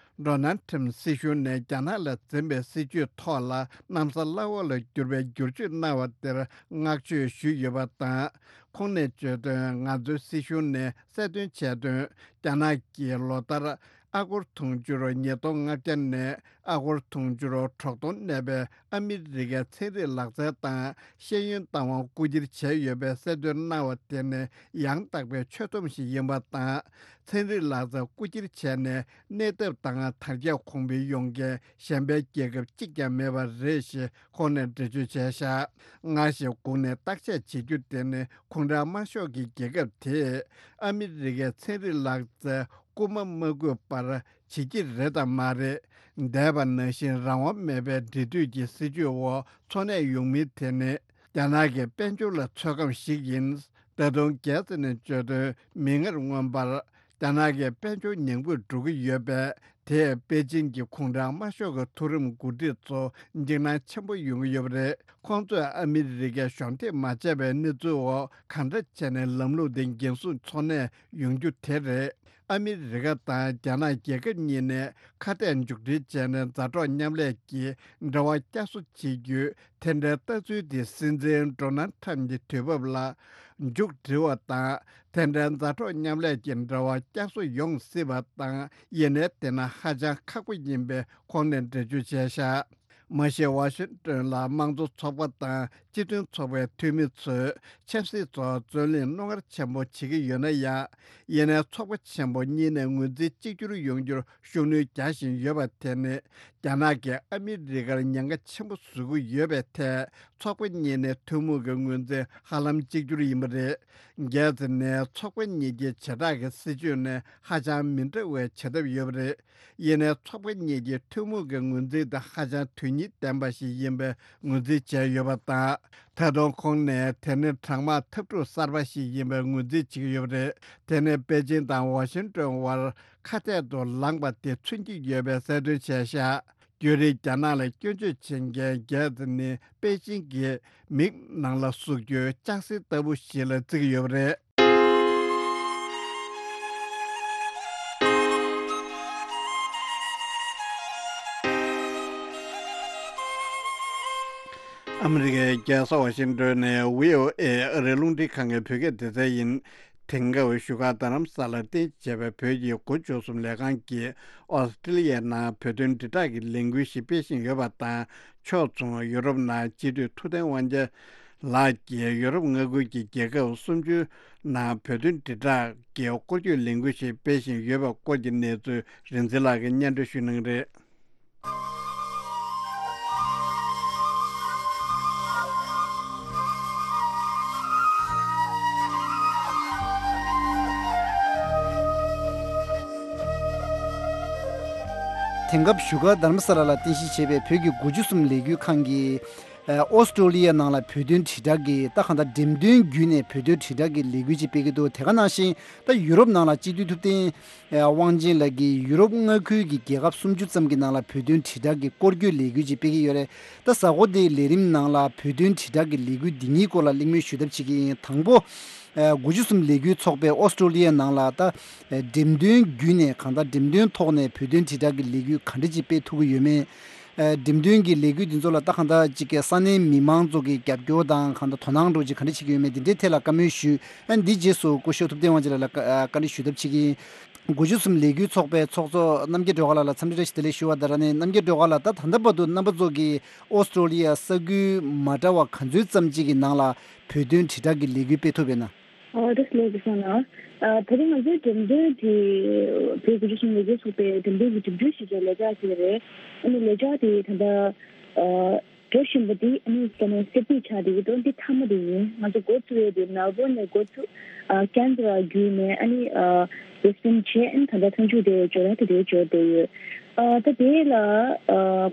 ཌོ་ནལ་ཁྲིམ་སྲིད་གཞུང་ནས་རྒྱ་ནག་ལ་འཛིན་པའི་སྲིད་ཇུས་ཐོག་ལ་གནམ་ས་བླ་འོག་ལ་འགྱུར་བའི་བསྒྱུར་བཅོས་གནང་བ་དེར་བསྔགས་བརྗོད་ཞུས་ཡོད་པ་དང་། ཁོང་ནས་བརྗོད་དོན། ང་ཚོའི་སྲིད་གཞུང་ནས་གསལ་སྟོན་བྱས་དོན། རྒྱ་ནག་གིས་ལོ་ལྟར་ཨ་སྒོར་དུང་ཕྱུར་ཉིས་སྟོང་ལྔ་བརྒྱ་ནས་ཨ་སྒོར་དུང་ཕྱུར་དྲུག་སྟོང་གནས་པའི་ཨ་མི་རི་ཀའི་ཚན་རིག་ལག་རྩལ་དང་ཤེས་ཡོན་བཏང་བ་རྐུ་འཁྱེར་བྱས་ཡོད་པའི་གསལ་སྟོན་གནང་བ་དེ་ནི་ཡང་དག་པའི་ཆོད་སྡོམ་ཞིག་ཡིན་པ་དང་། ཚན་རིག་ལག་རྩལ་རྐུ་འཁྱེར་བྱས་ནས་གནས་ཐབས་དང་དར་ཁྱབ་གོང་འཕེལ་ཡོང་མཁན་གཞན་པའི་རྒྱལ་ཁབ་གཅིག་ཀྱང་མེད་པ་རེད་ཞེས་ཁོང་ནས་འགྲེལ་བརྗོད་བྱས་བཞག། སྔར་བཞིན་སྒུག་ནས་བརྟག་དཔྱད་བྱེད་རྒྱུ་དེ་ནི་གུང་ཁྲན་དམར་ཤོག་གི་རྒྱལ་ཁབ་དེས་ཨ་མི་རི་ཀའི་ཚན་རིག་ལག་རྩལ་རྐུ་མ་མ་རྐུས་པར་བྱེད་ཀྱི་རེད་དམ་མ་རེད། འདས་པ་ནང་བཞིན་རང་དབང་མེད་པའི་འབྲེལ་མཐུད་ཀྱི་སྲིད་ཇུས་འོག་འཚོ་གནས་ཡོང་མིན་དེ་ནི་རྒྱ་ནག་གི་དཔལ་འབྱོར་ལ་ཚོད་བགམ་ཞིག་ཡིན། ད་དུང་གེ་ཚི་ནས་བརྗོད་དོན། མིག་སྔར་མངོན་པར་རྒྱ་ནག་གི་དཔལ་འབྱོར་ཉམས་རྒུད་འགྲོ་གི་ཡོད་པས། དེས་པེ་ཅིན་གྱི་གུང་ཁྲན་དམར་ཤོག་གི་མཐོ་རིམ་འགོ་ཁྲིད་ཚོ་འཇིགས་སྣང་ཆེན་པོ་ཡོང་གི་ཡོད་པ་རེད། ཁོང་ཚོས་ཨ་མི་རི་ཀས་གཞོགས་འདེགས་མ་བྱས་པའི་གནས་ཚུལ་འོག་གང་འདྲ་བྱས་ནས་ལམ་ལུགས་འདི་འགན་སྲུང་འཚོ་གནས་ཡོང་རྒྱུ་དེ་རེད། ཨ་མི་རི་ཀ་དང་རྒྱ་ནག་རྒྱལ་ཁབ་གཉིས་ནས་ཁ་གཏད་མཇུག་སྒྲིལ་བྱས་ནས་མཛའ་གྲོགས་མཉམ་ལས་ཀྱི་འབྲེལ་བ་བསྐྱར་གསོ་བྱེད་རྒྱུའི་དེ་འདྲའི་ལྟ་ཚུལ་དེ་སྲིད་འཛིན་ཌོ་ནལ་ཁྲམ་གྱི་དུས་བབ་ལ་མཇུག་སྒྲིལ་བ་དང་། དེ་འདྲའི་མཛའ་གྲོགས་མཉམ་ལས་ཀྱི་འབྲེལ་བ་བསྐྱར་གསོ་ཡོང་སྲིད་པ་དང་། ཡིན་ནའི་དེ་ནི་ཧ་ཅང་ཁག་པོ་ཡིན་པའི་ཁོང་ནས་འགྲེལ་བརྗོད་བྱས་བཞག། མ་གཞི་ཝ་ཤིང་ཏོན་ལ་དམངས་གཙོ་ཚོགས་པ་དང་སྤྱི་མཐུན་ཚོགས་པའི་འཐུས་མི་ཚོས་ཆབ་སྲིད་ཐོག་རྩོད་གླེང་རྣོ་ངར་ཆེན་པོ་བྱེད་ཀྱི་ཡོད་ན་ཡང་། ཡིན་ནའི་ཚོགས་པ་ཆེན་པོ་གཉིས་ནས་ངོས་འཛིན་གཅིག་གྱུར་ཡོང་རྒྱུར་ཤུགས་སྣོན་རྒྱག་བཞིན་ཡོད་པ་དེ་ནི། རྒྱ་ནག་གིས་ཨ་མི་རི་ཀར་ཉེན་ཁ་ཆེན་པོ་བཟོ་གི་ཡོད་པའི་ཐད། ཚོགས་པ་གཉིས་ནས་ཐུན་མོང་གི་ངོས་འཛིན་ཧ་ལམ་གཅིག་གྱུར་ཡིན་པ་རེད། གལ་སྲིད་ནས་ཚོགས་པ་གཉིས་ཀྱི་བྱེ་བྲག་གི་སྲིད་ཇུས་ནི་ཧ་ཅང་མི་འདྲ་བའི་བྱེད་ཐབས་ཡོད་པ་རེད། ཡིན་ནའི་ཚོགས་པ་གཉིས་ཀྱི་ཐུན་མོང་གི་ངོས་འཛིན་དེ་ཧ་ཅང་དོན་སྙིང་ལྡན་པ་ཞིག་ཡིན་པའི་ངོས་འཛིན་བྱས་ཡོད་པ་དང་། ད་དུང་ཁོང་ནས་དེ་ནི་གྲང་དམག་འཐབ་འཁྲུག་གསར་པ་ཞིག་ཡིན་པའི་ངོས་འཛིན་བྱེད་ཀྱི་ཡོད་པ་རེད། དེ་ནི་པེ་ཅིན་དང་ཝ་ཤིང་ཏོན་དབར་ཁ་གཏད་དུ་ལངས་པ་དེ་མཚོན་གྱི་ཡོད་པའི་གསལ་སྟོན་བྱས་བཞག། རྒྱུན་རིང་རྒྱ་ནག་ལ་སྐྱོན་བརྗོད་བྱེད་མཁན་གེ་ཚི་ནི་པེ་ཅིན་གྱི་མིག་ནང་ལ་ཟུག་རྒྱུའི་ལྕགས་སྲེག་ལྟ་བུ་ཞིག་ལ་བརྩི་གི་ཡོད་པ་རེད། ཨ་མི་རི་ཀའི་རྒྱལ་ས་ཝ་ཤིང་ཏོན་ནས་བྷི་ཨོ་ཨེ་ཨ་རིའི་རླུང་འཕྲིན་ཁང་གི་བོད་སྐད་སྡེ་ཚན་ཡིན། དེང་སྐབས་བཞུགས་སྒར་རྡ་རམ་ས་ལར་རྟེན་གཞི་བྱས་པའི་བོད་ཀྱི་དགུ་བཅུ་གསུམ་ལས་ཁང་གིས་ཨོ་སི་ཀྲི་ལི་ཡའི་ནང་བོད་དོན་དྲིལ་བསྒྲགས་ཀྱི་ལས་འགུལ་ཞིག་སྤེལ་བཞིན་ཡོད་པ་དང་། ཕྱོགས་མཚུངས་ཡུ་རོབ་ནང་སྤྱི་འཐུས་ཐུབ་བསྟན་དབང་རྒྱལ་ལགས་ཀྱིས་ཡུ་རོབ་མངའ་ཁུལ་གྱི་རྒྱལ་ཁབ་སུམ་ཅུ་ནང་བོད་དོན་དྲིལ་བསྒྲགས་ཀྱི་སྐོར་སྐྱོད་ལས་འགུལ་ཞིག་སྤེལ་བཞིན་ཡོད་པའི་སྐོར་གྱི་གནས་ཚུལ་རིག་འཛིན་ལགས་ཀྱིས་སྙན་སྒྲོན་ཞུ་གནང་གི་རེད། དེང་སྐབས་བཞུགས་སྒར་རྡ་རམ་ས་ལ་ལ་རྟེན་གཞི་བྱས་པའི་བོད་ཀྱི་དགུ་བཅུ་གསུམ་ལས་འགུལ་ཁང་གིས། ཨོ་སི་ཀྲོ་ལི་ཡ་ནང་ལ་བོད་དོན་དྲིལ་བསྒྲགས་ཀྱི་ད་གང་ལྟར་འགྲེམས་སྟོན་བརྒྱུད་ནས་བོད་དོན་དྲིལ་བསྒྲགས་ཀྱི་ལས་འགུལ་ཅིག་སྤེལ་གྱི་འདུག་དེ་ག་ནང་བཞིན་ད་ཡུ་རོབ་ནང་ལ་སྤྱི་འཐུས་ཐུབ་བསྟན་དབང་ཆེན་ལགས་ཀྱིས་ཡུ་རོབ་མངའ་ཁུལ་གྱི་རྒྱལ་ཁབ་སུམ་ཅུ་ཙམ་གྱི་ནང་ལ་བོད་དོན་དྲིལ་བསྒྲགས་ཀྱི་སྐོར་སྐྱོད་ལས་འགུལ་ཅིག་སྤེལ་གྱི་ཡོད་རེད། ད་གཟའ་འཁོར་འདིའི་ལས་རིམ་ནང་ལ་བོད་དོན་དྲིལ་བསྒྲགས་ཀྱི་ལས་འགུལ་འདི་གཉིས་སྐོར་ལ་གླེང་མོལ་ཞུ་ཐབས་བྱེད་ཀྱི་ཡིན། དང་པོ། དགུ་བཅུ་གསུམ་ལས་འགུལ་ཚོགས་པས་ཨོ་སི་ཀྲོ་ལི་ཡ་ནང་ལ་ད་འགྲེམས་སྟོན་བརྒྱུད་ནས་གང་ལྟར་འགྲེམས་སྟོན་ཐོག་ནས་བོད་དོན་དྲིལ་བསྒྲགས་ཀྱི་ལས་འགུལ་ག་འདྲ་ཅིག་སྤེལ་ཐུབ་ཀྱི་ཡོད་མེད། འགྲེམས་སྟོན་གྱི་ལས་འགུལ་འདི་ཚོ་ལ་ད་གང་ལྟར་ཅིག་གི་ས་གནས་མི་མང་ཚོ་གི་རྒྱབ་སྐྱོར་དང་གང་ལྟར་དོ་སྣང་འདྲ་ཅིག་ག་འདྲ་བྱེད་ཀྱི་ཡོད་མེད་འདི་འདྲའི་ཐད་ལ་བཀའ་མོལ་ཞུས། ཨ་འདི་རྗེས་སུ་སྐུ་ཞབས་ཐུབ་བསྟན་དབང་ཆེན་ལགས་ལ་བཀའ་འདྲི་ཞུ་ཐབས་བྱེད་ཀྱི་ཡིན། དགུ་བཅུ་གསུམ་ལས་འགུལ་ཚོགས་པའི་ཚོགས་གཙོ་རྣམ་རྒྱལ་སྒྲོལ་དཀར་ལགས་ལ་འཚམས་འདྲི་བཀྲ་ཤིས་བདེ་ལེགས་ཞུ་བ་དང་། རང་ནས་རྣམ་རྒྱལ་སྒྲོལ་དཀར་ལགས་ད་ད་ལྟ་བར་དུ་རྣམ་པ་ཚོ་གིས་ཨོ་སི་ཀྲོ་ལི་ཡ་ས་ཁུལ་མ་འདྲ་བ་ག་ཚོད་ཙམ་ཅིག་གི་ནང་ལ་བོད་དོན་དྲིལ་བསྒྲགས་ཀྱི་ལས་འགུལ་སྤེལ་ཐུབ་ཡོད་ན། ཨོ་བཀྲ་ཤིས་བདེ་ལེགས་སོང་ལགས། ད་རིང་ང་ཚོའི་འགྲེམས་སྟོན་དེ་བོད་དགུ་བཅུ་གསུམ་ལས་འགུལ་ཚོགས་པའི་འགྲེམས་སྟོན་གྱི་འགྲིམ་འགྲུལ་ཞིག་གི་ལས་འཆར་ཞིག་རེད། ཨ་ནི་ལས་འཆར་དེ་ད་ལྟ་འགྲོ་བཞིན་པ་འདི་ཨ་ནི་ས་གནས་གསར་བསྡུས་ཆགས་བསྡད་ཀྱི་འདུག་འདི་མཐའ་མ་དེ་ཡིན། ང་ཚོ་འགོ་བཙུགས་ཡས་དེ་མེལ་བོན་ནས་འགོ་བཙུགས། ཀན་བྷ་ར་བརྒྱུད་ནས་ཨ་ནི་བྷི་རིས་བྷེན་བྱས། ཨ་ནི་ད་ལྟ་མཐའ་མཇུག་དེ་ཇོ་ར་ཏི་དེ་འབྱོར་བསྡད་ཡོད། ད་དེ་ལ་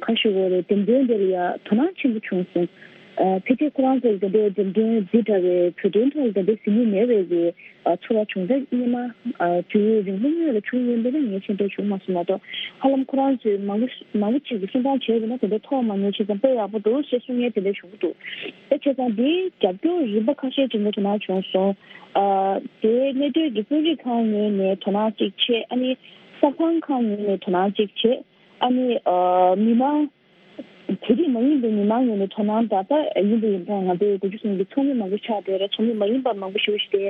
ཁ་ཤོ་གོ་རེ་འགྲེམས་སྟོན་དེ་ལ་ཡ་དོ་སྣང་ཆེན་པོ་བྱུང་སོང་། ཕལ་ཆེར་ཁོ་རང་ཚོ་ལ་དེ་འདྲའི་འགྲེམས་སྟོན་འདི་འདྲ་བའི་བོད་དོན་ཐོག་ལ་དེ་འདྲའི་ཟིན་གྱི་མེད་པའི་གི་ཚོར་བ་བྱུང་། ད་སྔོན་མ་དུས་ཡུན་རིང་པོ་སྔོན་ལ་བྱུང་ཡོད་པ་ན་ངས་ཤེས་འདྲ་བྱུང་མ་སོང་མ་གཏོགས། ཧ་ལམ་ཁོ་རང་ཚོས་མང་པོ་མང་པོ་ཅིག་གིས་གསུང་སྟངས་བྱས་པ་ན་དེ་འདྲ་ཐོག་མ་ཉོ་ཆེ་ཙམ་དཔེ་ཡག་པོ་འདུག་ཞེས་གསུང་མཁན་དེ་འདྲ་བྱུང་གི་འདུག་ད་བྱས་ཙང་འདིའི་རྒྱབ་སྐྱོར་རིམ་པ་ཁ་ཤས་ཅིག་ངས་དོ་སྣང་བྱུང་སོང་། དེའི་གནས་སྡོད་ཀྱི་དཔོན་རིགས་ཁག་ངོས་ནས་དོ་སྣང་ཅིག་བྱས། ཨ་ནི་གསར་ཁང་ཁག་ངོས་ནས་དོ་སྣང་ཅིག་བྱས། ཨ་ནི་མི་མང་། དེ་རིགས་མ་ཡིན་པའི་མི་མང་ངོས་ནས་དོ་སྣང་དང་། ད་ཡིན་པ་ཡིན་ཙང་ང་ཚོའི་དགུ་བཅུ་གསུམ་གྱི་ཚོགས་མི་མང་པོ་ཆགས་བསྡད་རེད། ཚོགས་མི་མ་ཡིན་པ་མང་པོ་ཞེ་པོ་ཞིག་དེ་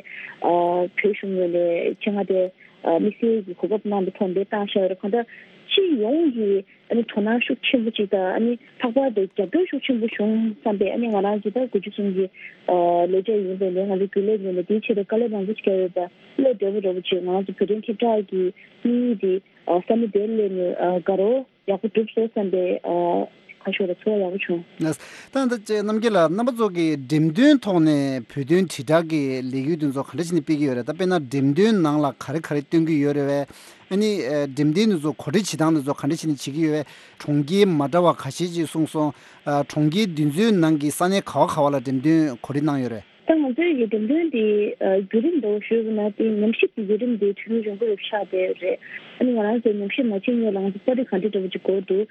བོད་གཞུང་ངོས་ནས་ཆེད་མངགས་དེ་དམིགས་བསལ་གྱི་གོ་སྐབས་གནང་བའི་ཐོག་ནས་བཏང་བཞག་ཡོད་རེད། གང་ལྟར་སྤྱི་ཡོངས་ཀྱི་ཨ་ནི་དོ་སྣང་ཤུགས་ཆེན་པོ་ཅིག་དང་། ཨ་ནི་ལྷག་པར་དུ་རྒྱབ་སྐྱོར་ཤུགས་ཆེན་པོ་བྱུང་བསམ་པས། ཨ་ནི་ང་རང་གི་ད་དགུ་བཅུ་གསུམ་གྱི་ལས་བྱེད་ཡིན་པའི་ནས་ང་ཚོ་རྒྱུན་ལས་ངོས་ནས་དེའི་ཆེད་དུ་དཀའ་ལས་མང་པོ་ཞིག་བརྒྱབ་ཡོད་པ་སླད་འབྲས་བུ་འདྲ་པོ་ཅིག་ང་རང་ཚོ་བོད་དོན་ཁྱབ་བསྒྲགས་ཀྱི་དམིགས་ཡུལ་དེ་ས་གནས་དེར་སླེབས་ནས་དགའ་རོགས་ཡག་པོ་གྲུབ་སོང་བསམ་པའི་ཁ་ཕྱོགས་ལ་ཚོར་བ་ཡག་པོ་བྱུང་། ད་ལྟ་ཅེ་རྣམ་རྒྱལ་ལགས། རྣམ་པ་ཚོ་གིས་འགྲེམས་སྟོན་ཐོག་ནས་བོད་དོན་དྲིལ་བསྒྲགས་ཀྱི་ལས་འགུལ་དེ་ཚོ་ག་འདྲ་བྱས་ནས་སྤེལ་གྱི་ཡོད་རེད། ད་དཔེར་ན་འགྲེམས་སྟོན་ནང་ལ་ག་རེ་ག་རེ་སྟོན་གྱི་ཡོད་རེད་བས། ཨ་ནི་འགྲེམས་སྟོན་དེ་ཚོ་གོ་སྒྲིག་བྱེད་སྟངས་དེ་ཚོ་ག་འདྲ་བྱས་ནས་བྱེད་ཀྱི་ཡོད་བས། གྲོང་ཁྱེར་མ་འདྲ་བ་ཁ་ཤས་ཅིག་གསུངས་སོང་། གྲོང་ཁྱེར་དེ་ཚོའི་ནང་གི་ས་གནས་ག་བ་ག་བ་ལ་འགྲེམས་སྟོན་གོ་སྒྲིག་གནང་ཡོད་རེད། ད་ང་ཚོའི་གི་འགྲེམས་སྟོན་དེ་བརྒྱུད་རིམ་འདྲ་བོ་ཞུས་པ་ན། དེ་ཉམས་ཞིབ་ཀྱི་བརྒྱུད་རིམ་དེ་དུས་ཡུན་རིང་པོ་རེ་ཆགས་བསྡད་རེད། ཨ་ནི་ང་རང་ཚོ་ཉམས་ཞིབ་མ་བྱེད་སྔོན་ལ་ང་ཚོ་པར་རིས་ག་འདྲ་འདྲ་བོ་ཅིག་དགོས་འདུག་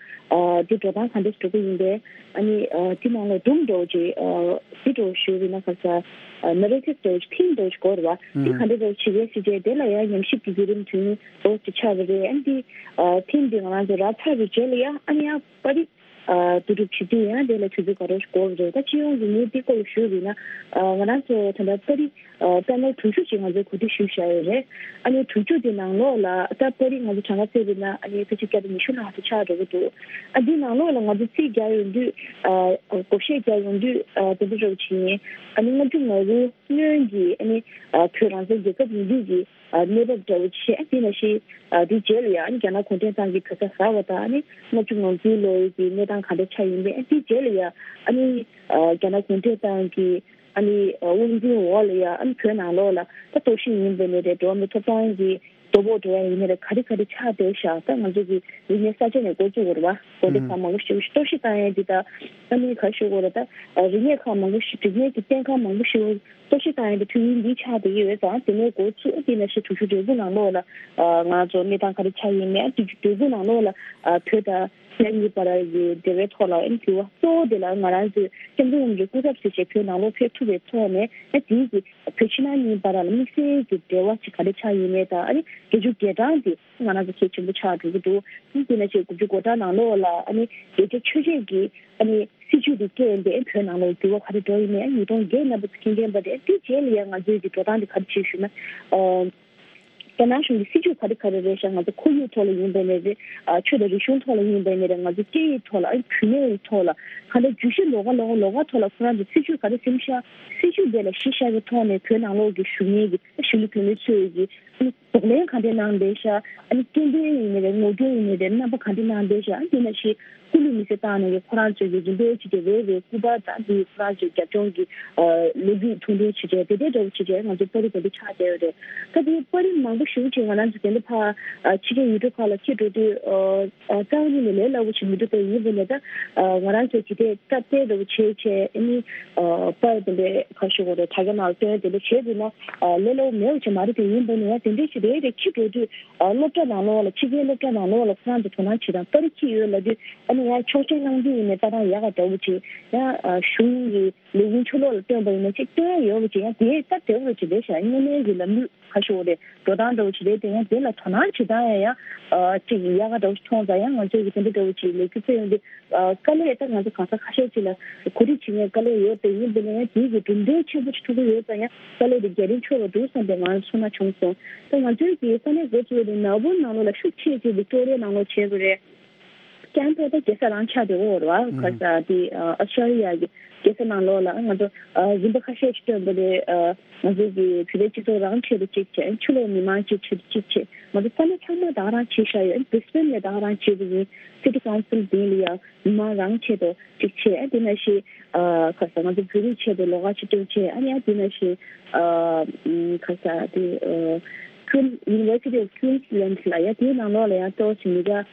དེ་འགྲོ་སྟངས་ག་འདྲ་འགྲོ་གི་ཡིན་པས། ཨ་ནི་དེ་ནང་ལ་སྒྲུང་འདྲ་བོ་ཅིག་དེ་འདྲ་བོ་ཞུས་པ་ན་ག་ས་ནེ་རེ་ཊིབ་འདྲ་བོ་ཅིག་ཐིམ་འདྲ་བོ་ཅིག་དགོས་རེད་བ། དེ་ག་འདྲ་འདྲ་བོ་བྱེད་ཀྱི་ཡོད་ཟེར་བྱས། དེ་ལ་ཡང་ཉམས་ཞིབ་ཀྱི་བརྒྱུད་རིམ་དུས་ཡུན་འདྲ་བོ་ཅིག་ཆགས་པ་རེད། ཨ་ནི་དེ་ཐིམ་དེ་ང་རང་ཚོ་རག་ཚར་བའི་རྗེས་ལ་ཡང་ཨ་ནི་ཡང་པར་རིས་བསྡུ་སྒྲུབ་བྱེད་དུས་ཡང་དེ་ལ་དུས་ཚོད་ག་རེ་འགོར་བ་རེད། ད་སྤྱི་ཡོངས་ཀྱི་ངས་འདི་སྐོར་ལ་ཞུས་པ་ཡིན་ན། ང་རང་ཚོ་ད་ལྟ་པར་རིས་པེ་ནལ་དྲུག་ཅུ་ཅིག་ང་ཚོས་གོ་སྒྲིག་ཞུས་བཞག་ཡོད་རེད། ཨ་ནི་དྲུག་ཅུ་དེ་ནང་ལོགས་ལ་ད་པར་རིས་ང་ཚོ་གྲངས་ཀ་བརྩིས་པ་ཡིན་ན་ཨ་ནི་ཕལ་ཆེར་བརྒྱ་དང་ཉི་ཤུ་ལྷག་ཙམ་ཆགས་འགྲོ་གི་འདུག་ཨ་འདི་ནང་ལོགས་ལ་ང་ཚོ་རྩིས་རྒྱག་ཡོང་དུས། བགོ་བཤའ་རྒྱག་ཡོང་དུས། དེ་འདྲ་འདྲ་བོ་བྱས་ཡིན། ཨ་ནི་ལྔ་བཅུ་ང་དགུ་སྔོན་གྱི་ཨ་ནི་བོད་རང་བཙན་རྒྱལ་ཁབ་ཡིན་དུས་ཀྱི་གནས་བབ་འདྲ་བོ་བྱས། དེ་ནང་བཞིན་དེའི་རྗེས་ལ་ཡང་རྒྱ་ནག་གུང་ཁྲན་ཏང་གིས་བོད་ས་ཟ་བ་དང་། ཨ་ནི་ལྔ་བཅུ་ང་དགུའི་ལོའི་གི་གནས་སྟངས་ག་འདྲ་ཆགས་ཡིན་པས། དེའི་རྗེས་ལ་ཡང་ཨ་ནི་རྒྱ་ནག་གུང་ཁྲན་ཏང་གི་ཨ་ནི་དབང་འཛིན་འོག་ལ་ཡང་ཨ་ནི་བོད་ནང་ལོགས་ལ་ད་རྟོག་ཞིབ་ཡིན་པ་ནས་རེད། འགྲོ་བ་མིའི་ཐོབ་ཐང་གི་དོ་ཕོག་འགྲོ་ཡ་ཡིན་ནའི་རེད། ག་རེ་ག་རེ་ཆགས་བསྡད་ཤག་ད་ང་ཚོ་གི་རིག་གནས་གསར་བརྗེ་ནས་འགོ་བཙུགས་པ་རེད་བ། དགོན་སྡེ་ཁག་མང་པོ་ཞིག་རྟོག་ཞིབ་བཏང་ཡ་འདི་དང་། ཨ་ནི་ག་རེ་ཞུ་དགོས་རེད། ད་རིག་གནས་ཁག་མང་པོ་ཞིག་རིག་གནས་ཀྱི་རྟེན་ཁག་མང་པོ་ཞིག་གཏོར་བཤིག་བཏང་ཡོད་པའི་དུས་ཡུན་འདི་ཆགས་བསྡད་ཀྱི་ཡོད་ཙང་། དེ་ནས་འགོ་ཚུགས་དེ་ནང་བཞིན་དྲུག་ཅུ་དོན་དགུ་ནང་ལོགས་ལ་ང་ཚོ་གནས་སྟངས་ག་རེ་ཆགས་ཡིན་མིན། དྲུག་ཅུ་དོན་དགུ་ནང་ལོགས་ལ་བོད་དང་རྒྱ་གཉིས་བར་གྱི་འབྲེལ་བའི་ཐོག་ལ་ཨ་ནི་འགྱུར་བ་གཙོ་བོ་དེ་ལ་ང་རང་ཚོས་སྐྱབས་མགོན་རིན་པོ་ཆེའི་སྐུ་ཚབ་ཟེར་བྱས་བོད་ནང་ལོགས་ཕེབས་ཐུབ་པའི་ཐོག་ནས། ཨ་དེའི་གི་བོད་ཕྱི་ནང་གཉིས་བར་ལ་དམིགས་བསལ་གྱི་འབྲེལ་བ་ཅིག་ག་རེ་ཆགས་ཡིན་མིན་དང་། ཨ་ནི་ བརྒྱད་ཅུ་གྱ་གྲངས་དེ་ང་རང་ཚོ་གལ་ཆེན་པོ་ཆགས་འགྲོ་གི་འདུག་དེ་ན་ཆེད་དགུ་བཅུ་གོ་གྲངས་ནང་ལོགས་ལ་ཨ་ནི་རྒྱལ་སྤྱིའི་ཆོས་བརྒྱུད་ཀྱི་ཨ་ནི་སྲིད་བྱུས་དེ་བཀལ་ཏེ་བོད་ནང་ལོགས་འགྱུར་བ་ག་རེ་འགྲོ་ཡིན་མིན། ཨ་ཉིས་སྟོང་བརྒྱད་ནང་པ་ཚོ་མཁྱེན་མཁན་པ་རེད། དེ་རྗེས་ལ་ཡང་ང་ཚོའི་གི་འགྲོ་སྟངས་དེ་ག་རེ་བྱེད་ཞུས་ན། ཨ། རྒྱ་ནག་གཞུང་གི་སྲིད་བྱུས་ག་རེ་ག་རེ་རེད་ཤག་ང་ཚོ་ཁོར་ཡུག་ཐོག་ལ་ཡིན་པ་ནས་རེད། ཨ། ཆོས་དང་རིག་གཞུང་ཐོག་ལ་ཡིན་པ་ནས་རེད། ང་ཚོ་སྐད་ཡིག་ཐོག་ལ། ཨ། བུད་མེད་ཀྱི་ཐོག་ལ། གང་ལྟར་བརྗོད་གཞི་ལོགས་ཀ་ལོགས་ཀ་ལོགས་ཀ་ཐོག་ལ་ཁོ་རང་ཚོ་སྲིད་བྱུས་ག་རེ་ཟིན་ཤག་སྲིད་བྱུས་དེ་ལ་གཞི་བཞག་པའི་ཐོག་ནས་བོད་ནང་ལོགས་ཀྱི་གཞོན་སྐྱེས་ཀྱི། ཨ། གཞིས་ལུས་བོད་མི་ཚོས་ཀྱི། ཨ། གདོང་ལེན་ག་འདྲས་གནང་བསྡད་ཤག་ཨ་ནི་སྐྱེ་ལྡན་ཡིན་ནའི་རེད། ངོ་རྒོལ་ཡིན་ནའི་རེད། རྣམ་པ་ག་འདྲས་གནང་བསྡད་ཤག་ཨ། དེ་ནང་བཞིན་སྐུ་ལུས་མེ་སྲེག་བཏང་ནས་ཀྱི་ཁོ་རང་ཚོས་ཀྱི་རིམ་པས་བྱས་ཏེ་རེ་རེ་སྐུ་པར་དང་དེ་ཁོ་རང་ཚོའི་རྒྱབ་ལྗོངས་ཀྱི། ཨ། ལོ་རྒྱུས་ཐུང་ཐུང་བྱས་བྱས་དེ་འདྲའི་འདྲ་བོ་བྱས་བྱས་ང་ཚོ་པར་རིས་དེ་འདྲ་ཆགས་བསྡད་ཡོད་རེད། ད་དེ་པར་རིས་མང་པོ་ཞེ་པོ་ཅིག་ང་རང་ཚོ་དེ་འདྲ་ཕར། ཨ། ཕྱི་རྒྱལ་ཡུལ་གྲུ་ཁག་ལ་འཁྱེར་འགྲོ་དུས། ཨ། རྩ་བ་ཉིད་ནས་ལས་སླ་པོ་ཞིག་མི་འདུག་དེ་ཡིན་པ་ནས་ད། ཨ། ང་རང་ཚོས་ཇི་ལྟར་སྟབས་བདེ་འདྲ་བོ་བྱས་བྱས་ཨ་ནི། ཨ། པར་དེ་འདྲའི་ཁ་ཤོ་གོ་རེ་དྲ་རྒྱ་ནང་ལ་སྟོན་དེ་འདྲ་བྱས་འདུག་ན། ཨ། ལས་སླ་པོ་མེད་པ་ཅིག་མ་རེད། དེ་ཡིན་པ་ནས་ཡང་དེ་འདྲའི་ཞིག་རེ་རེ་འཁྱེར་འགྲོ་དུས། ཨ། སློབ་གྲྭ་ནང་ལོགས་ལ། ཕྱི་རྒྱལ་སློབ་གྲྭ་ནང་ལོགས་ལ་ཁོ་རང་ཚོ་དོ་སྣང་བྱེད་སྟངས། པར་རིས་འཁྱེར་ཡོད་ལབ་དུས་ཨ་ནི་ཡང་ཆོག་མཆན་གནང་རྒྱུ་ཡིན་ནའི་ལྟ་སྟངས་ཡག་ག་འདྲ་བོ་ཅིག་ཡང་། ཨ། གཞུང་གི་ལས་ཁུངས་ཕྱི་ལོགས་ལ་སྟོན་པ་ཡིན་ན་ཅིག་སྟོན་ཡ་ཡོད་པ་ཅིག་ཡང་དེ་སྟབས་བདེ་བོ་ཅིག་རེད་ཤག་བརྙན་ལེན་གྱི་ལམ་ལུགས་ཁ་ཤོ་རེད། འགྲོ་སྟངས་འདྲ་བོ་ཅིག་རེད། དེ་ཡང་དེ་ལ་དོ་སྣང་བྱེད་སྟངས་ཡང་ཡང་། ཨ། ཅིག་ཡག་ག་འདྲ་བོ་ཅིག་མཐོང་ཙང་། ཡང་ང་ཚོས་ཀྱི་དེ་འདྲ་འདྲ་བོ་ཅིག་ལས་འགུལ་སྤེལ་ཡོང་དུས། ཨ། དཀའ་ལས་ད་ང་ཚོ་གང་ས་ཁ་ཤས་ཅིག་ལ་གོ་སྒྲིག་བྱེད་མཁན་དཀའ་ལས་ཡོད་པ་ཡིན་པ་ནས་ཡང་དེའི་གི་གྲུབ་འབྲས་ཆེན་པོ་ཅིག་ཐོབ་ཀྱི་ཡོད་ཙང་ཡང་དཀའ་ལས་དེ་རྒྱ་རིམ་འཁྱོལ་བ་འདུག་བསམ་པའི་ང་ཚོ་ཚོར་སྣང་བྱུང་སོང་། ད་ང་ཚོའི་གི་ས་གནས་འགོ་བཙུགས་པ་དེ་མེལ་བོན་ནང་ལོགས་ལ་ཤུགས་ཆེ་ཆེ་བི་ཀྲོ་རི་ཡ་ནང་ལོགས་བྱས་པ་རེད། ཀན་པ་ད་རྒྱལ་ས་རང་ཆགས་དེ་འོ་ར་བ། ཨུ། ག་ས་དེ་ཨ་ཨོ་སི་ཀྲོ་ལི་ཡ་གི་རྒྱལ་ས་ནང་ལོགས་ལ་ང་ཚོ་ཨ་རིམ་པ་ཁ་ཤས་ཤིག་བཏོན་པ་རེད། ཨ་ང་ཚོ་གི་བོད་པའི་སྤྱི་ཚོགས་རང་ཆེད་དུ་གཅིག་བྱས། ཕྱི་ལོགས་མི་མང་གཅིག་ཆེད་དུ་གཅིག་བྱས། ང་ཚོ་ས་གནས་ཚང་མ་ད་ག་རང་བྱས་བཞག་ཡོད། བྷི་རི་སི་བྷེན་ལ་ད་ག་རང་བྱས་པ་ཡིན། སི་ཊི་ཀའུན་སིལ་དེ་ལ་ཡ་མི་མང་རང་ཆེད་དུ་གཅིག་བྱས། ཨ་དེ་ནང་བཞིན་ཨ་ག་ས་ང་ཚོ་བོད་རིགས་ཆེད་དུ་ལོགས་ཀ་ཅིག་སྟོན་བྱས། ཨ་ནི་ཨ་དེ་ནང་བཞིན་ཨ་ཨམ་ག་ས་དེ་ཨ་ཀུན། University of Queensland ལ་ཡ་དེའི་ནང་ལོགས་ལ་ཡང་ཏོག་ཙམ་མི་ག་ཨ་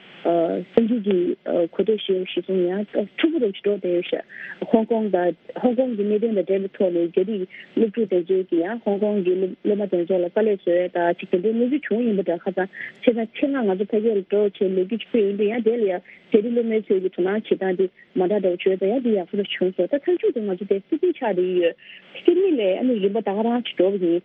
སངས་རྒྱས་ཀྱི་ཨ་གོ་ཐོས་ཞེས་པ་ཞིག་སོང་ཡང་ཏོག་ཕྲུ་གུ་རུ་ཞིག་འགྲོ་བསྡད་ཡོད་ཤག་ཧོང་ཀོང་དང་ཧོང་ཀོང་གི་གནད་དོན་དང་འབྲེལ་བའི་ཐོག་ནས་རྒྱ་རིགས་སློབ་ཕྲུག་དེ་ཚོས་ཀྱིས་ཡང་ཧོང་ཀོང་གི་སློབ་སློབ་མ་དེ་ཚོ་ལ་དཀའ་ལས་བཟོ་ཡས་དང་ཅིག་དེ་འདྲའི་གནས་ཚུལ་བྱུང་ཡིན་པ་འདྲ། ཁ་སང་ཆེ་ས་ཆེད་མངགས་ང་ཚོ་ཕ་གིར་འགྲོ་བྱས་ལས་འགུལ་ཅིག་སྤེལ་ཡོང་དུས་ཡང་དེ་ལ་ཡང་རྒྱ་རིགས་སློབ་མའི་ཚོས་ཀྱི་དོ་སྣང་བྱེད་སྟངས་དེ་མ་འདྲ་འདྲ་བོ་བྱོས་ཙང་ཡང་དེ་ཡག་པོ་རུ་བྱུང་སོང་། ད་མཚམས་འཇོག་དེ་ང་ཚོ་དེ་སིད་ནི་ཆགས་བསྡད་ཀྱི་ཡོད། སིད་ནི་ལ་ཨ་ནི་རིམ་པ་ད་ག་རང་ཅིག་འགྲོ་བ་ཡིན།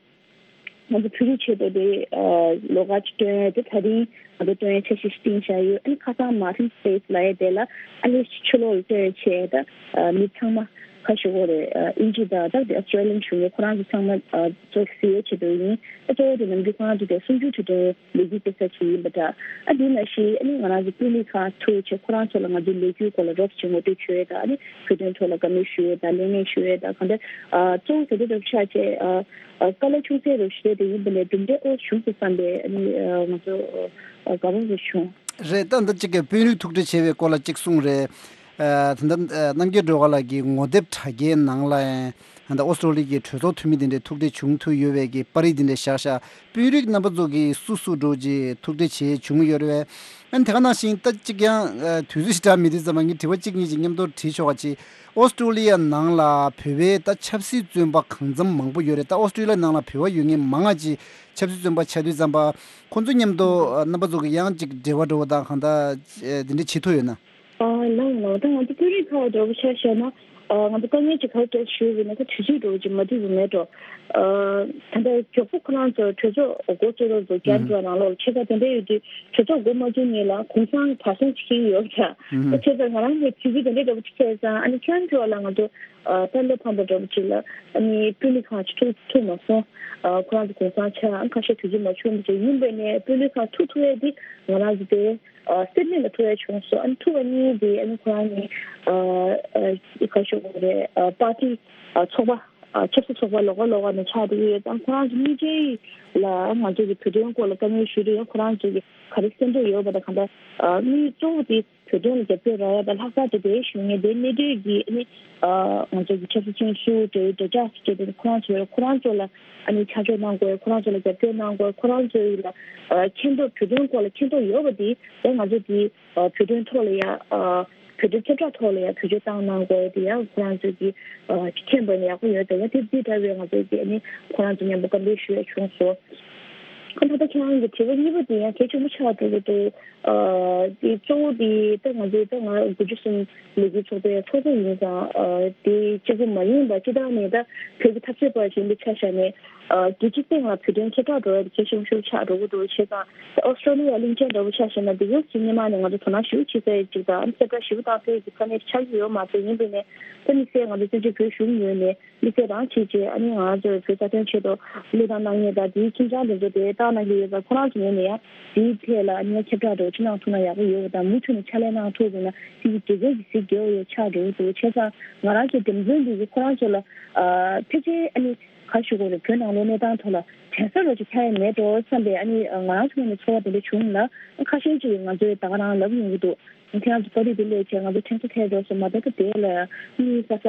ང་ཚོ་བོད་རིགས་ཆེད་དུ་དེ་ཨ་ལོགས་ཀ་ཅིག་སྟོན་ཡས་དེ་ད་རིང་ང་ཚོ་སྟོན་ཡས་འཆར་གཞི་ཞིག་བཏིང་བཞག་ཡོད། ཨ་ནི་ཁ་སང་Martin Place ལབ་ཡས་དེ་ལ་ཨ་ནི་ཕྱི་ལོགས་ལ་སྟོན་ཡས་བྱས། ད་ཨ་མི་ཚང་མ་ཁ་ཤོ་གོ་རེད། ཨ་དབྱིན་ཇི་དང་ད་དེ་ཨོ་སི་ཀྲོ་ལི་ཡན་གཞུང་གིས་ཁོ་རང་ཚོ་ཚང་མ་ཨ་ཚོ་གཟིགས་ཡས་ཆེད་དུ་ཡིན། ཨ་གཙོ་བོ་དེ་ནམ་རྒྱུན་ཁོ་རང་ཚོ་དེ་གསུམ་བཅུའི་དུས་དྲན་ལོ་རྒྱུས་དཔེ་ཚབ་ཅིག་ཡིན་པ་འདྲ། ཨ་དེ་ནང་བཞིན་ཨ་ནི་ང་རང་ཚོ་སྤུན་ལེགས་ཁང་ཐུག་བྱས་ཁོ་རང་ཚོ་ལ་ང་ཚོའི་ལོ་རྒྱུས་སྐོར་ལ་རོབ་ཅིག་ངོ་སྤྲོད་བྱོས་ཡས་དང་། ཨ་ནི་བོད་དོན་ཐོག་ལ་བཀའ་མོལ་ཞུ་ཡས་དང་ལས་གནས་ཞུ་ཡས་དང་། གང་ལྟར་ཨ་གཙོ་བོ་དེ་འདྲ་རོབ་ཆགས་བྱས་ཨ་ཨ་དཀའ་ལས་ཆུང་ཚད་རོབ་ཞུ་ཡས་དེ་ཡིན་པ་ནས་གྲུབ་འབྲས་ཨོ་བྱུང་སོང་བསམ་པའི་ཨ་ནི་ཨ་ང་ཚོ་ཨ་དགའ་པོ་རེ་བྱུང་། རེད། ད་འདི་གཅིག་གི་དཔོན་རིགས་ཐུག་འཕྲད་བྱས་པའི་སྐོར་ལ་གཅིག་གསུངས་རེད། ཨ་ད་ལྟ་ཨ་རྣམ་རྒྱལ་སྒྲོལ་དཀར་ལགས་ཀྱིས་ངོ་དེབ་དྲ་རྒྱའི་ནང་ལ་ཡང་ད་ལྟ་ཨོ་སི་ཀྲོ་ལི་ཡའི་གྲོས་ཚོགས་འཐུས་མི་དེ་འདྲས་ཐུག་འཕྲད་བྱུང་ཐུབ་ཡོད་པའི་གི་པར་རིས་དེ་འདྲས་བཞག་ཤག་དཔོན་རིགས་རྣམ་པ་ཚོ་གིས་སུ་སུ་འདྲ་བོ་ཅིག་ཐུག་འཕྲད་བྱས་བྱུང་ཡོད་རེད་པས། ཨ་ནི་དེ་ག་ནང་བཞིན་ད་གཅིག་ཀྱང་ཨ་དུས་ཚོད་ཞིག་འདྲ་མི་འདུག་ཙམ་པ་ངས་དྲི་བ་གཅིག་གཉིས་ཅིག་མཉམ་དུ་དྲིས་ཆོག་ག་ཅིག་ཨོ་སི་ཀྲོ་ལི་ཡ་ནང་ལ་བོད་པའི་ད་ཆབ་སྲིད་བཙོན་པ་གང་འཚམ་མང་པོ་ཡོད་རེད། ད་ཨོ་སི་ཀྲོ་ལི་ཡ་ནང་ལ་བོད་པ་ཡོད་མཁན་མང་ང་ཅིག་ཆབ་སྲིད་བཙོན་པ་ཆགས་དུས་ཙམ་པ་ཁོང་ཚོ་མཉམ་དུ་ཨ་རྣམ་པ་ཚོ་གི་ཡང་ཅིག་འབྲེལ་བ་འདྲ་བོ་དང་གང་ལྟར་ཨ་དེ་འདྲ་བྱེད་ཐུབ་ཡོད་ན། ཨ་ལགས་ལགས། ད་ང་ཚོ་དཔོན་རིགས་ཁག་འདྲ་བོ་ཆ་བཞག་ན། ཨ་ང་ཚོ་དཀའ་ངལ་ཅིག་ག་རེ་འཕྲད་ཞུས་པ་ཡིན་ན། ད་དུས་ཚོད་འདྲ་བོ་ཅིག་མ་འདུག་པ་མེད་འགྲོ། ཨ་ད་ལྟ་མགྱོགས་པོ་ཁོ་རང་ཚོ་གྲོས་ཚོགས་འགོ་བཙུགས་རོགས་ཚོ་རྒྱ་ཨུ་འགྲོ་ནང་ལོགས་ལ་ཆེ་ས་དེ་འདྲ་ཡོད་དུས་གྲོས་ཚོགས་འགོ་མ་བཙུགས་ཉིན་ལ་གུང་སེང་བར་སེང་ཅིག་ཁེལ་ཡོད་པ་འདྲ། ཨ་བྱས་ཙང་ང་རང་གི་དུས་ཚོད་དེ་འདྲ་འདྲ་བོ་ཅིག་ཁེལ་ཙང་། ཨ་ནི་ཁྱོད་འགྲོ་ལ་ང་ཚོ་ཨ་ད་སླེབས་ཕམ་པ་འདྲ་བོ་ཅིག་ལ་ཨ་ནི་དཔོན་རིགས་ཁག་ཅིག་ཐུག་ཐུག་མ་སོང་། ཨ་ཁོ་རང་ཚོ་གུང་སེང་ཆགས། ཨ་ཁ་ཤས་དུས་ཚོད་མ་བྱུང་བ་ཅིག་ཡིན་པ་ནས་དཔོན་རིགས་ཁག་ཐུག་ཐུབ་ཡས་དེ་ང་རང་ཚོ་དེ། ཨ་སིད་ནི་ལ་ཐུག་ཡ་བྱུང་སོང་། ཨ་ནི་ཐུག་པ་གཉིས་དེ་ཨ་ནི་ཁོ་རང་གཉིས་ཨ་ཨ་ག་ཞུ་དགོས་རེད། ཨ་པར་ཊི་ཨ་ཚོགས་པ་ཨ་ཆབ་སྲིད་ཚོགས་པ་ལོགས་ཀ་ལོགས་ཀ་ནས་ཆགས་བསྡད་ཡོད་ཙང་། ཁོ་རང་ཚོ་གཉིས་ཆ་ལ་ང་ཚོ་གི་བོད་དོན་སྐོར་ལ་བཀའ་མོལ་ཞུ་རེ་ཡོད། ཁོ་རང་ཚོ་གི་ག་རེ་སེམས་ཁྲལ་ཡོད་པ་དང་གང་ལྟར་ཨ་དངུལ་གཙོ་བོ་དེ་བོད་དོན་ལ་རྒྱབ་སྐྱོར་རག་ཡ་དང་། ལྷག་པར་དུ་དེའི་གཞུང་ནས་དེ་གནས་སྡོད་ཀྱི་ཨ་ནི་ཨ་ང་ཚོ་གི་ཆབ་སྲིད་ཅན་སུ་འབྲེལ་ཡོད་འབྲེལ་ཆགས་སུ་བྱས་ཏེ་ཁོ་རང་ཚོ་ཁོ་རང་ཚོ་ལ་ཨ་ནི་ཆ་འཇོག་གནང་དགོས། ཁོ་རང་ཚོ་ལ་རྒྱབ་སྐྱོར་གནང་དགོས། ཁོ་རང་ཚོ་ལ་ཨ་མཁྱེན་རྟོགས། བོད་དོན་སྐོར་ལ་མཁྱེན་རྟོགས་ཡོད་པ་དེ་ཡང་ང་ཚོ་དེ་ཨ་བོད་དོན་ཐོག་ལ་ཡ་ཨ་བོད་དོན་ཁྱབ་བསྒྲགས་ཐོག་ལ་ཡ་བེད་སྤྱོད་བཏང་གནང་དགོས། དེ་ཡང་ཁོ་རང་ཚོ་གི་ཨ་མཁྱེན་པ་ནི་ཡག་པོ་ཡོད། དེ་ཡང་དེ་དེ་འདྲ་བའི་ང་ཚོ་གི་ཨ་ནི་ཁོ་རང་ཚོ་མཉམ་པོ་བཀའ་འདྲི་ཞུ་ཡ་བྱུང་སོང་། ཨ་ད་ལྟ་ཁྱེད་རང་གི་དྲི་བ་གཉིས་པ་དེ་ཡང་གལ་ཆེན་པོ་ཆགས་འགྲོ་གི་འདུག་ཨ་དེ་གཙོ་བོ་དེ་ད་ང་ཚོའི་ད་ང་དགུ་བཅུ་གསུམ་ལོ་རྒྱུས་ཚོགས་པའི་ཚོགས་གཙོ་ཡིན་ཙང་། ཨ་དེ་གཅིག་པུ་མ་ཡིན་པ། སྤྱི་བཏང་ནས་ད་བོད་ཀྱི་འཐབ་རྩོད་པ་ཞིག་ཡིན་པའི་ཆ་བཞག་ནས། རྒྱལ་སྤྱིའི་སྟེང་ལ་བོད་དོན་ཁྱབ་བསྒྲགས་འགྲོ་ཡ་དེ་གལ་ཆེན་པོ་ཞིག་ཆགས་འགྲོ་གི་འདུག་བྱས་ཙང་ཨོ་སི་ཀྲོ་ལི་ཡ་གླིང་ཆེན་འདྲ་པོ་ཆ་བཞག་ན་དེ་ག་ཅིག་སྔོན་མ་ནས་ང་ཚོ་དོ་སྣང་ཞེ་པོ་བྱེད་ས་ཡོད་ཅིག་དང་ཨ་ནི་ཁྱབ་བསྒྲགས་ཞེ་པོ་བཏང་ས་ཡོད་ཀྱི་ས་གནས་ཆགས་ཀྱི་ཡོད་མ་རེད། ཡིན་པས་ནས་ད་དམིགས་བསལ་ང་ཚོ་བཙན་བྱོལ་བོད་གཞུང་ངོས་ནས་དམིགས་བསལ་རང་བྱས་རྗེས་ཨ་ནི་ང་ཚོ་བོད་རྩ་དོན་ཆེད་དུ་བློས་བཏང་གནང་མཁན་དང་དེའི་ཁྱིམ་ཚང་དེ་ཚོ་དེ་བཏང་གནང་གི་ཡོད་ཙང་ཁོ་རང་ཚོ་ངོས་ནས་ཡང་དེའི་ཐད་ལ་ཨ་ནི་ཁྱབ་བསྒྲགས་འདྲ་པོ་ཅིག་གནང་ཐུབ་ན་ཡག་པོ་ཡོད་པ་དང་མུ་མཐུད་ནས་ཕྱག་ལས་གནང་ཐུབ་པ་ཡིན་ན་དེ་གི་དགེ་རྒན་གྱི་གཟི་རྒྱལ་བ་ཡོད་ཆགས་འགྲོ་གི་འདུག་བྱས་ཙང་ང་རང་ཚོའི་འགྲེམས་སྟོན་འདི་གིས་ཁོ་རང་ཚོ་ལ་ཨ་ཕལ་ཆེར་ཨ་ནི་ག་ཞུ་དགོས་རེད། བོད་ནང་ལོགས་གནས་སྟངས་ཐོག་ལ་དྲན་གསོ་རོགས་ཅིག་ཐེབས་ཡ་མེད་འགྲོ་བསམ་པའི་ཨ་ནི་ང་རང་ཚོ་ངོས་ནས་ཚོར་བ་དེ་འདྲ་བྱུང་ལ། ཁ་ཤས་ཅིག་ང་ཚོས་ད་ག་རང་ལབ་ཡོང་གི་འདུག་ཁྱེད་རང་ཚོ་པར་རིས་དེ་སླེབས་བྱས་ང་ཚོ་དྲན་གསོ་ཐེབས་འགྲོ་སོང་མ་གཏོགས་ད་དེ་ལ་གཉིད་ས་ས་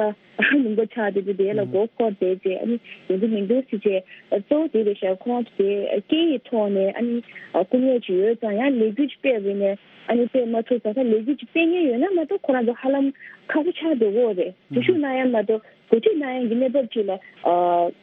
ལུང་པ་ཆགས་བསྡད་དུས་དེ་ལ་མགོ་འཁོར་བསྡད་བྱས་ཨ་ནི་ཡོང་གི་མི་འདུག་ཟེར་བྱས། གཙོ་བོ་དེ་རེད་ཤག་ཁོ་རང་ཚོ་དེ་སྐད་ཡིག་ཐོག་ནས་ཨ་ནི་སྐུ་ངལ་ཅིག་ཡོད་ཙང་ཡང་ལས་འགུལ་ཅིག་སྤེལ་བ་ཡིན་ནའི་ཨ་ནི་སྤེལ་མ་ཐུབ་ཙང་ད་ལས་འགུལ་ཅིག་སྤེལ་མཁན་ཡོད་ན་མ་གཏོགས་ཁོ་རང་ཚོ་ཧ་ལམ་ཁ་ཕྱོགས་ཆགས་བསྡད་ཡོད་རེད། འཛུལ་ཞུགས་གནང་ཡ་མ་གཏོགས། གོ་སྒྲིག་གནང་ཡག་གི་གནས་བབ་ཅིག་ལ་ཨ་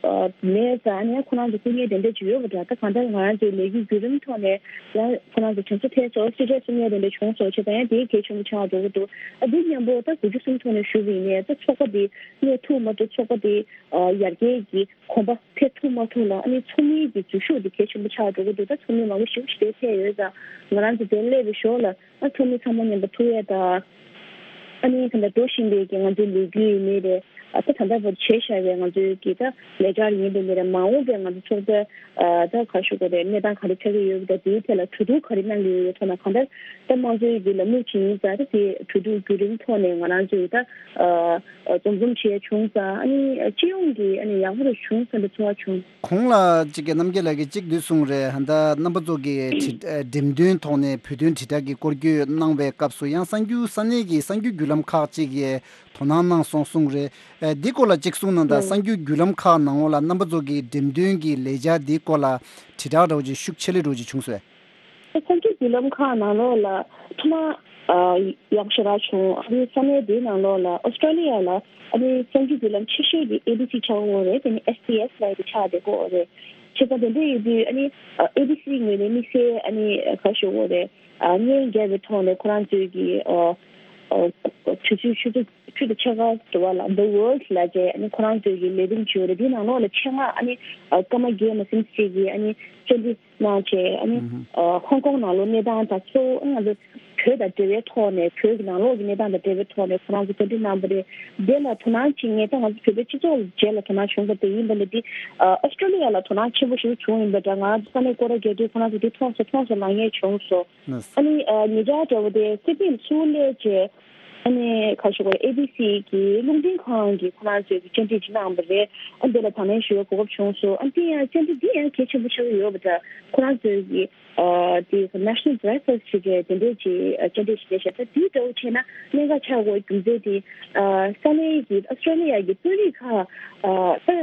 ཨ་མེད་ཙང་ཨ་ནི་ཁོ་རང་ཚོ་སྐུ་ངལ་དེ་འདྲ་ཅིག་ཡོད་པ་འདྲ། ད་གང་ལྟར་ང་རང་ཚོའི་ལས་འགུལ་བརྒྱུད་རིམ་ཐོག་ནས་ཡང་ཁོ་རང་ཚོ་དྲན་གསོ་ཐེབས་སོང་། སེམས་ཁྲལ་གསུང་ཡག་དེ་འདྲ་བྱུང་སོང་བྱས་ཙང་ཡང་དེ་གལ་ཆེན་པོ་ཆགས་འགྲོ་གི་འདུག་ཨ་འདི་མཉམ་པོ་ད་དགུ་བཅུ་གསུམ་ཐོག་ནས་ཞུ་བ་ཡིན་ནའི་ད་ཚོགས་པ་དེ་གནས་ཐུབ་མ་ཐུབ་ཚོགས་པ་དེ་ཨ་ཡར་རྒྱས་ཀྱི་གོམ་པ་འཕེལ་ཐུབ་མ་ཐུབ་ལ་ཨ་ནི་ཚོགས་མིའི་གི་འཛུལ་ཞུགས་དེ་གལ་ཆེན་པོ་ཆགས་འགྲོ་གི་འདུག་ད་ཚོགས་མི་མང་པོ་ཞེ་པོ་ཞིག་དེ་ཕེབས་ཡོད་ཙང་ང་རང་ཚོ་དེ་སླེབས་པའི་ཞོར་ལ། ཨ་ཚོགས་མི་ཚང་མ་མཉམ་དུ་ཐུག་ཡས་དང་། ཨ་ནི་ད་ལྟ་འགྲོ་བཞིན་པའི་གི་ང་ཚོའི་ལས་འགུལ་ཡིན་ནའི་རེད། ཨ་ད་ད་ལྟ་བར་བྱས་བཞག་པའི་ང་ཚོའི་གི་ད་ལས་འཆར་ཡིན་པའི་ནི་རེད། མ་འོངས་པའི་ང་ཚོ་ཚོགས་པའི་ཨ་ད་ག་ཞུ་དགོས་རེད། གནས་སྟངས་ག་རེ་ཆགས་ཀྱི་ཡོད་པ་དང་དེའི་ཐད་ལ་གྲོས་བསྡུར་ག་རེ་གནང་གི་ཡོད་ཡོད་ཐོག་ན་གང་ལྟར་ད་དམངས་གཙོའི་གི་ལམ་ལུགས་ཅིག་ཡིན་ཙང་ད་དེ་གྲོས་བསྡུར་བརྒྱུད་རིམ་ཐོག་ནས་ང་རང་ཚོའི་ད་ཨ་འཛོམས་འཛོམས་བྱས་བྱུང་ཙང་ཨ་ནི་སྤྱི་ཡོངས་ཀྱི་ཨ་ནི་ཡག་པོ་རེ་བྱུང་བསམ་པའི་ཚོར་བ་བྱུང་། གོང་ལ་གཅིག་གི་རྣམ་རྒྱལ་ལགས་ཀྱིས་གཅིག་འདི་གསུངས་རེད། ད་རྣམ་པ་ཚོ་གི་འགྲེམས་སྟོན་ཐོག་ནས་བོད་དོན་དྲིལ་བསྒྲགས་ཀྱི་སྐོར་སྐྱོད་གནང་བའི་སྐབས་སུ་ཡང་གསར་འགྱུར་ས་གནས་ཀྱི་གསར་འགྱུར་བརྒྱུད་ལམ་ཁག་ཅིག་གིས་དོ་སྣང་གནང་སོང་གསུངས་རེད། འདི་སྐོར་ལ་གཅིག་གསུངས་གནང་དང་། གསར་འགྱུར་བརྒྱུད་ལམ་ཁག་ནང་ལོགས་ལ་རྣམ་པ་ཚོ་གི་འགྲེམས་སྟོན་གྱི་ལས་འཆར་འདི་སྐོར་ལ་དྲིལ་བསྒྲགས་འདྲ་བོ་ཅིག་ཤུགས་ཆེ་ལེ་འདྲ་བོ་ཅིག་བྱུང་སོང་། གསར་འགྱུར་བརྒྱུད་ལམ་ཁག་ནང་ལོགས་ལ་ཐོག་མ་ཨ་ཡག་ཤོས་རག་བྱུང་། ཨ་རིའི་ས་གནས་དེའི་ནང་ལོགས་ལ་ཨོ་སི་ཀྲོ་ལི་ཡ་ལ་ཨ་ནི་གསར་འགྱུར་བརྒྱུད་ལམ་ཆེ་ཤོས་དེ་ཨེ་བི་སི་ཆགས་ཀྱི་ཡོད་རེད། དེ་ནི་ཨེས་བི་ཨེས་ལབ་ཡ་དེ་ཆགས་བསྡད་ཀྱི་ཡོད་རེད། བྱས་ཙང་དེ་འདྲ་ཡིན་དུས་ཨ་ནི་ཨེ་བི་སི་ངོས་ནས་དམིགས་བསལ་ཨ་ནི་ག་ཞུ་དགོས་རེད། ཨ་སྔོན་འགལ་བའི་ཐོག་ནས་ཁོ་རང་ཚོའི་གི་ཨ་ཨ་ཆུ་ཚོད་ཆུ་ཚོད་ཆུ་ཚོད་ཕྱེད་ཀ་དུ་བ་ལ་The World ལབ་བྱས་ཨ་ནི་ཁོ་རང་ཚོའི་གི་ལས་རིམ་ཅིག་ཡོད་རེད། དེའི་ནང་ལོགས་ལ་ཆེད་མངགས་ཨ་ནི་ཨ་ཀརྨ་རྒྱལ་མཚན་ཟེར་གྱི་ཨ་ནི་བཅར་འདྲི་གནང་བྱས་ཨ་ནི་ཨ་ཧོང་ཀོང་ནང་ལོགས་གནས་སྟངས་དང་གཙོ་བོ་ང་ཚོ་བོད་དང་འབྲེལ་བའི་ཐོག་ནས་བོད་ཀྱི་ནང་ལོགས་ཀྱི་གནས་སྟངས་དང་འབྲེལ་བའི་ཐོག་ནས་ཁོ་རང་ཚོ་བཅར་འདྲི་གནང་བ་རེད། དེ་ལ་དོ་སྣང་བྱེད་མཁན་ད་ང་ཚོ་བོད་པའི་སྤྱི་ཚོགས་ཀྱི་རྗེས་ལ་དོ་སྣང་བྱུང་བ་དེ་ཡིན་པ་ལས་དེ་ཨ་ཨོ་སི་ཀྲོ་ལི་ཡ་ལ་དོ་སྣང་ཆེན་པོ་ཞིག་བྱུང་ཡིན་པ་འདྲ། ང་ཚོ་ས་གནས་སྐོར་ར་རྒྱག་དུས་ཁོ་རང་ཚོ་དེ་མཐོང་སོང་མཐོང་སོང་ལབ་མཁན་བྱུང་སོང་། ཨ་ནི་ཨ་ཉེ་ཆར་འདྲ་བོ་དེ་སི་ཌི་ནི་ཚུར་སླེབས་བྱས། ཨ་ནི་ག་ཞུ་དགོས་རེད། ཨེ་བི་སི་གི་རླུང་འཕྲིན་ཁང་གིས་ཁོ་རང་ཚོའི་གི་བཅར་འདྲི་ཅིག་གནང་བ་རེད། ཨ་འདི་ལ་དང་ལེན་ཞུ་བའི་གོ་སྐབས་བྱུང་སོང་། ཨ་འདི་ཡང་བཅར་འདྲི་འདི་ཡང་གལ་ཆེན་པོ་ཆགས་ཀྱི་ཡོད་པ་འདྲ། ཁོ་རང་ཚོའི་གི་ཨ་དེ་National Breakfast ཞེས་བྱས་དེ་འདྲས་ཀྱི་ཨ་བཅར་འདྲི་ཞིག་རེད་ཤག་ད་དེའི་འདྲ་བོ་བྱས་ན་གནད་འགག་ཆགས་དགོས་རྒྱུ་མཚན་དེ་ཨ་ས་གནས་ཀྱི་ཨོ་སི་ཀྲོ་ལི་ཡ་གི་དཔོན་རིགས་ཁག་ཨ་ད་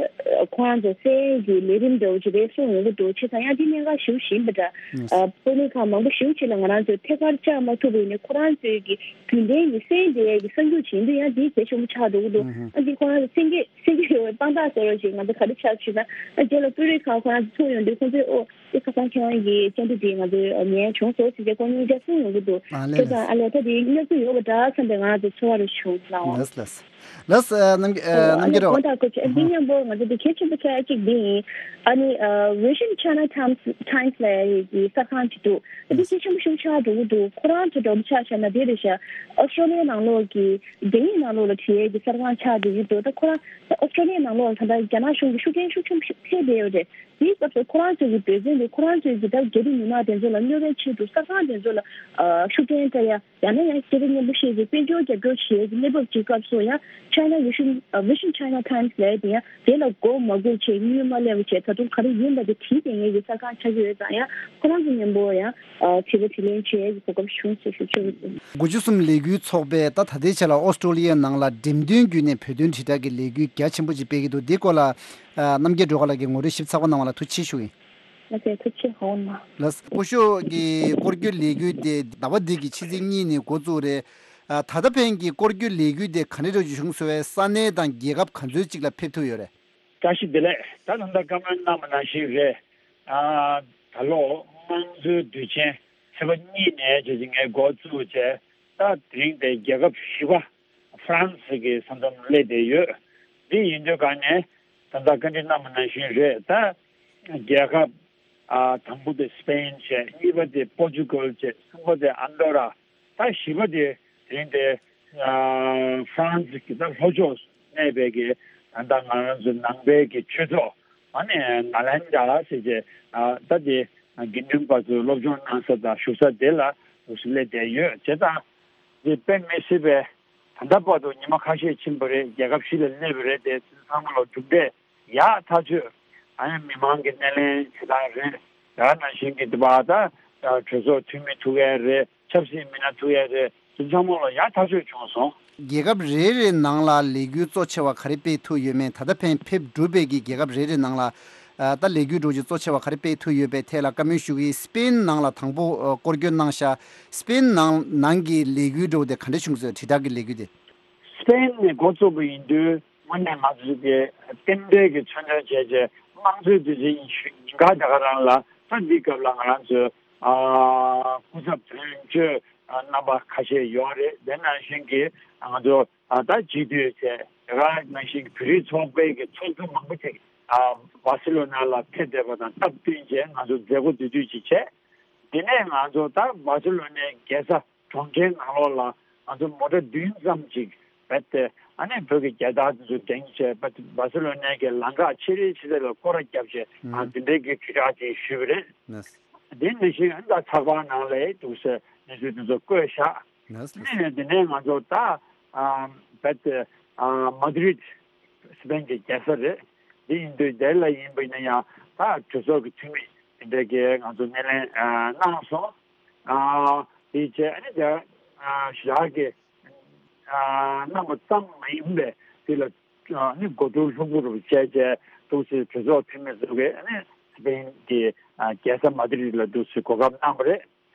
ཁོ་རང་ཚོ་གསན་གྱི་ལས་རིམ་འདྲ་བོ་ཅིག་རེད་གསུངས་ཡོང་གི་འདུག་བྱས་ཙང་ཡང་འདི་གནད་འགག་ཞེ་པོ་ཞིག་ཡིན་པ་འདྲ། ཨ་དཔོན་རིགས་ཁག་མང་པོ་ཞེ་པོ་ཅིག་ལ་ང་རང་ཚོས་ཐད་ཀར་བཅར་མ་ཐུབ་པ་ཡིན་ནའི་ཁོ་རང་ཚོའི་གི་རྒྱུན་ལྡན་གྱི་གསན་བསྡད་ཡས་ཀྱི་གསར་འགྱུར་ཅིག་ཡིན་དུས་ཡང་འདི་གལ་ཆེན་པོ་ཆགས་འགྲོ་གི་འདུག་ཨ་འདི་ཁོ་རང་ཚོ་གསན་གྱི་གསན་གྱི་ཡོད་པའི་དཔང་རྟགས་ཟེར་བ་ཞིག་ང་ཚོ་ག་རེ་ཆགས་ཞུས་ན། ཨ་རྗེས་ལ་དཔོན་རིགས་ཁག་ཁོ་རང་ཚོ་ཐུག་ཡོང་དུས་ཁོང་ཚོས་ཨོ་དེ་ཁ་སང་ཁྱེད་རང་གི་བཅར་འདྲི་དེ་ང་ཚོས་ཉན་བྱུང་སོང་ཟེར་བྱས་ཁོང་གཉིས་ཀ་གསུངས་ཡོང་གི་འདུག་ཨ་ལས་བྱས་ཙང་ཨ་ལས་ད་དེ་གནས་ཚུལ་ཡོད་པ་འདྲ་བསམ་པའི་ང་རང་ཚོ་ཚོར་བ་རེ་བྱུང་ལགས་འོང་། ལགས་ལགས། ལགས་ཨ་རྣམ་རྒྱལ་ཨ་རྣམ་རྒྱལ་རོགས། ཨ་ནི་གོང་དང་གོ་ཆེ་འདི་མཉམ་པོ་ང་ཚོ་འདི་གལ་ཆེན་པོ་ཆགས་ཡ་གཅིག་འདི་ཡིན། ཨ་ནི་ཨ་Vision China Times Times ལབ་ཡ་གི་གསར་ཁང་ཅིག་འདུག་ཨ་འདི་གལ་ཆེན་པོ་ཞིག་ཆགས་འགྲོ་གི་འདུག་ཁོ་རང་ཚོ་འདྲ་པོ་ཆ་བཞག་ན་དེ་རེད་ཤག་ཨོ་སི་ཀྲོ་ལི་ཡའི་ནང་ལོགས་ཀྱི་རྒྱ་ཡིག་ནང་ལོགས་ལ་བྲིས་ཡ་གི་གསར་ཁང་ཆགས་བསྡད་ཀྱི་འདུག་ད་ཁོ་རང་ཨོ་སི་ཀྲོ་ལི་ཡའི་ནང་ལོགས་ལ་ད་ལྟ་རྒྱ་ནག་གཞུང་གི་ཤུགས་རྐྱེན་ཤུགས་ཆེན་པོ་ཞིག་ཐེབས་བསྡད་ཡོད་རེད། དེའི་སྐབས་སུ་ཁོ་རང་ཚོ་གི་འབད་བརྩོན་དེ་ཁོ་རང་ཚོའི་གི་ད་རྒྱ་རིགས་མི་མང་དེ་ཚོ་ལ་གནོད་པའི་ཆེད་དུ་གསར་ཁང་དེ་ཚོ་ལ་ཨ་ཤུགས་རྐྱེན་སྤྲད་ཡ། ཡང་ན་ཡང་སྐད་ཆ་སྙན་པོ་བཤད་ཀྱི་དཔལ་འབྱོར་རྒྱབ་སྐྱོར་བྱེད་ཀྱི་གནས་བབ་ཅིག་སྐབས་སུ་ཡང་China Vision Vision China Times ལབ་དེ་ཡང་དེ་ལ་མགོ་མ་སྒུར་བྱས་གཡུལ་མ་ལེན་པ་བྱས་ད་དུང་ག་རེ་ཡིན་པ་དེ་དྲིས་བསྡད་མཁན་གྱི་གསར་ཁང་ཆགས་ཀྱི་ཡོད་ཙང་ཡང་ཁོ་རང་ཚོ་མཉམ་པོ་ཡང་དྲི་བ་དྲིས་ལན་བྱེད་ཡས་ཀྱི་གོ་སྐབས་བྱུང་ཟེར་ཞུ་ཆོག་གི་འདུག་དགུ་བཅུ་གསུམ་ལས་འགུལ་ཚོགས་པས་ད་ད་ལྟའི་ཆ་ལ་ཨོ་སི་ཀྲོ་ལི་ཡའི་ནང་ལ་འགྲེམས་སྟོན་བརྒྱུད་ནས་བོད་དོན་དྲིལ་བསྒྲགས་ཀྱི་ལས་འགུལ་རྒྱ་ཆེན་པོ་ཅིག་སྤེལ་གྱི་འདུག་འདི་སྐོར་ལ་རྣམ་རྒྱལ་སྒྲོལ་དཀར་ལགས་ཀྱིས་ངོ་སྤྲོད་ཞིབ་ཚགས་པོ་གནང་བ་ལ་ཐུགས་རྗེ་ཆེ་ཞུ་ཡིན། ལགས་སོ་ཐུགས་རྗེ་ཆེ་ཧོ་ན། ལགས་སོ་སྐུ་ཞབས་ཀྱི་སྐོར་སྐྱོད་ལས་འགུལ་དེ་ཟླ་བ་འདི་གི་ཕྱི་ཚེས་གཉིས་ནས་འགོ་བཙུགས་རེད། ད་ལྟ་ཕན་གྱི་སྐོར་སྐྱོད་ལས་འགུལ་དེ་ག་འདྲ་འདྲ་བྱུང་སོང་བས་ས་གནས་དང་རྒྱལ་ཁབ་ག་ཚོད་ཅིག་ལ་ཕེབས་ཐུབ་ཡོད་རེད། བཀྲ་ཤིས་བདེ་ལེགས། ད་ད་ལྟ་བཀའ་མོལ་གནང་བ་ནང་བཞིན་རེད། ད་ལོ་དམངས་གཙོའི་དུས་ཆེན་ཚེས་པ་གཉིས་ནས་བྱས་ཀྱི་ངས་འགོ་བཙུགས་བྱས་ད་དེ་རིང་དེ་རྒྱལ་ཁབ་བཞི་པ་ཧྥ་རན་སི་གི་ས་མཚམས་སླེབས་བསྡད་ཡོད། འདི་ཡིན་དུས་གང་ནས། ད་ལྟ་བཀའ་འདྲི་གནང་བ་ནང་བཞིན་རེད། ད་རྒྱལ་ཁབ་ཨ་དང་པོ་དེ་སི་པེན་བྱས། གཉིས་པ་དེ་པོར་ཅུ་གལ་བྱས། གསུམ་པ་དེ་ཨན་ཌོ་ར། ད་བཞི་པ་དེ་དེ་རིང་དེ་ཨ་ཧྥ་རན་སི་གི་ད་ལྷོ་ཕྱོགས་གནས་པའི་གི་ད་ལྟ་ང་རང་ཚོ་ནང་པའི་གི་ཆོས་ཚོགས་ཨ་ནི་ནཱ་ལེནྡྲ་ཟེར་བྱས། ཨ་ད་དེ་དགེ་འདུན་པ་ཚོ་སློབ་སྦྱོང་གནང་ས་དང་བཞུགས་ས་དེ་ལ་སླེབས་བསྡད་ཡོད་ཅེས་དང་། དེ་དཔེ་མི་སྲིད་པའི་ད་ལྟ་བར་དུ་ཉི་མ་ཁ་ཤས་ཕྱིན་པ་རེད། རྒྱལ་ཁབ་བཞི་ལ་སླེབས་པ་རེད། དེ་ཚང་མ་ལ་གྲུབ་འབྲས་ཡག་ཐག་ཆོད། ཨ་ནི་མི་མང་གི་སྣེ་ལེན་བྱེད་སྟངས་རེད། ད་ནང་བཞིན་གྱི་དེ་བ་ད་གྲོས་ཚོགས་འཐུས་མི་ཐུག་ཡས་རེད། ཆབ་སྲིད་མི་སྣ་ཐུག་ཡས་རེད། དེ་ཚང་མ་ལ་ཡག་ཐག་ཆོད་བྱུང་སོང་། རྒྱལ་ཁབ་རེ་རེ་ནང་ལ་ལས་འགུལ་གཙོ་ཆེ་བ་ག་རེ་སྤེལ་ཐུབ་ཡོད་མེད། ད་ལྟ་ཕན་ཕེབས་གྲུབ་པའི་གི་རྒྱལ་ཁབ་རེ་རེ་ནང་ལ་ཨ་ད་ལས་འགུལ་འགྲོ་རྒྱུ་གཙོ་ཆེ་བ་ག་རེ་སྤེལ་ཐུབ་ཡོད་པའི་ཐད་ལ་བཀའ་མོལ་ཞུ་གི་ཡིན། སི་པེན་ནང་ལ་དང་པོ་ཨ་སྐོར་སྐྱོད་གནང་ཤག་སི་པེན་ནང་ནང་གི་ལས་འགུལ་འགྲོ་དེ་ག་འདྲ་བྱུང་སོང་། དྲིལ་བསྒྲགས་ཀྱི་ལས་འགུལ་དེ། སི་པེན་ནས་འགོ་བཙུགས་པ་ཡིན་དུས་དངོས་གནས་ང་ཚོ་གི་རྟེན་འབྲེལ་གྱི་མཚོན་དོན་བྱས་རྗེས་དམངས་གཙོའི་དུས་ཆེན་ཉིན་ཤུ་ཉིན་གང་དེ་ག་རང་ལ་ད་འདི་སྐབས་ལ་ང་རང་ཚོའི་ཨ་སྐུ་ཚབ་དོན་གཅོད་རྣམ་པ་ཁ་ཤས་ཡོད་རེད། དེ་ནང་བཞིན་གྱི་ང་ཚོ་ཨ་ད་སྤྱི་འཐུས་བྱས། དེ་ག་ནང་བཞིན་བོད་རིགས་ཚོགས་པའི་གི་ཚོགས་གཙོ་མང་པོ་ཅིག་ཨ་བ་སི་ལོ་ན་ལ་ཕེབས་བསྡད་པ་དང་སྟབས་བསྟུན་བྱས་ང་ཚོ་མཛད་སྒོ་དེ་དུས་ཅིག་བྱས། དེ་ནས་ང་ཚོ་ད་བ་སི་ལོ་ནའི་རྒྱལ་ས་གྲོང་ཁྱེར་ནང་ལོགས་ལ་ང་ཚོ་མོ་ཊ་བདུན་ཙམ་ཅིག་རྦད་དེ་ཨ་ནི་བོད་ཀྱི་རྒྱལ་དར་དེ་ཚོ་སྒྲེང་བྱས། རྦད་དེ་བ་སི་ལོ་ནའི་གི་ལམ་ཁ་ཆེ་རེ་ཆེ་རེ་ལ་སྐོར་ར་བརྒྱབ་བྱས། ཨ་ཨུམ། དེ་འདྲའི་གི་དྲིལ་བསྒྲགས་ཅིག་ཞུས་པ་རེད། ལགས། དེ་ནང་བཞིན་ཨ་ནི་ད་ཚགས་པར་ནང་ལ་འདུག་སེ་གནས་ཚུལ་དེ་ཚོ་བཀོད་བཞག་ལགས། ལགས། དེ་ནས་དེ་ནས་ང་ཚོ་ད་ཨ་རྦད་དེ་ཨ་མ་དི་རིད། སི་པེན་གྱི་རྒྱལ་ས་རེད། འདི་ཡིན་དུས་དེ་ལ་ཡིན་པ་ཡིན་ན་ཡང་ད་གྲོས་ཚོགས་ཀྱི་འཐུས་མི་དེ་འདྲ་གིས་ང་ཚོ་སྣེ་ལེན་ཨ་གནང་སོང་། ཨ་དེ་བྱས་ཨ་ནི་དེ་ཨ་ཞེ་དྲག་གི་ཨ་གནང་བ་ཙམ་མ་ཡིན་པའི་དེ་ལ་ཨ་ནི་གོ་བསྡུར་ལྷུག་པོ་རུ་བྱས་བྱས་འདུག་སེ་གྲོས་ཚོགས་འཐུས་མི་ཚོ་གིས་ཨ་ནི་སི་པེན་གྱི་ཨ་རྒྱལ་ས་མ་དི་རིད་ལ་འདུག་སེ་གོ་སྐབས་གནང་བ་རེད།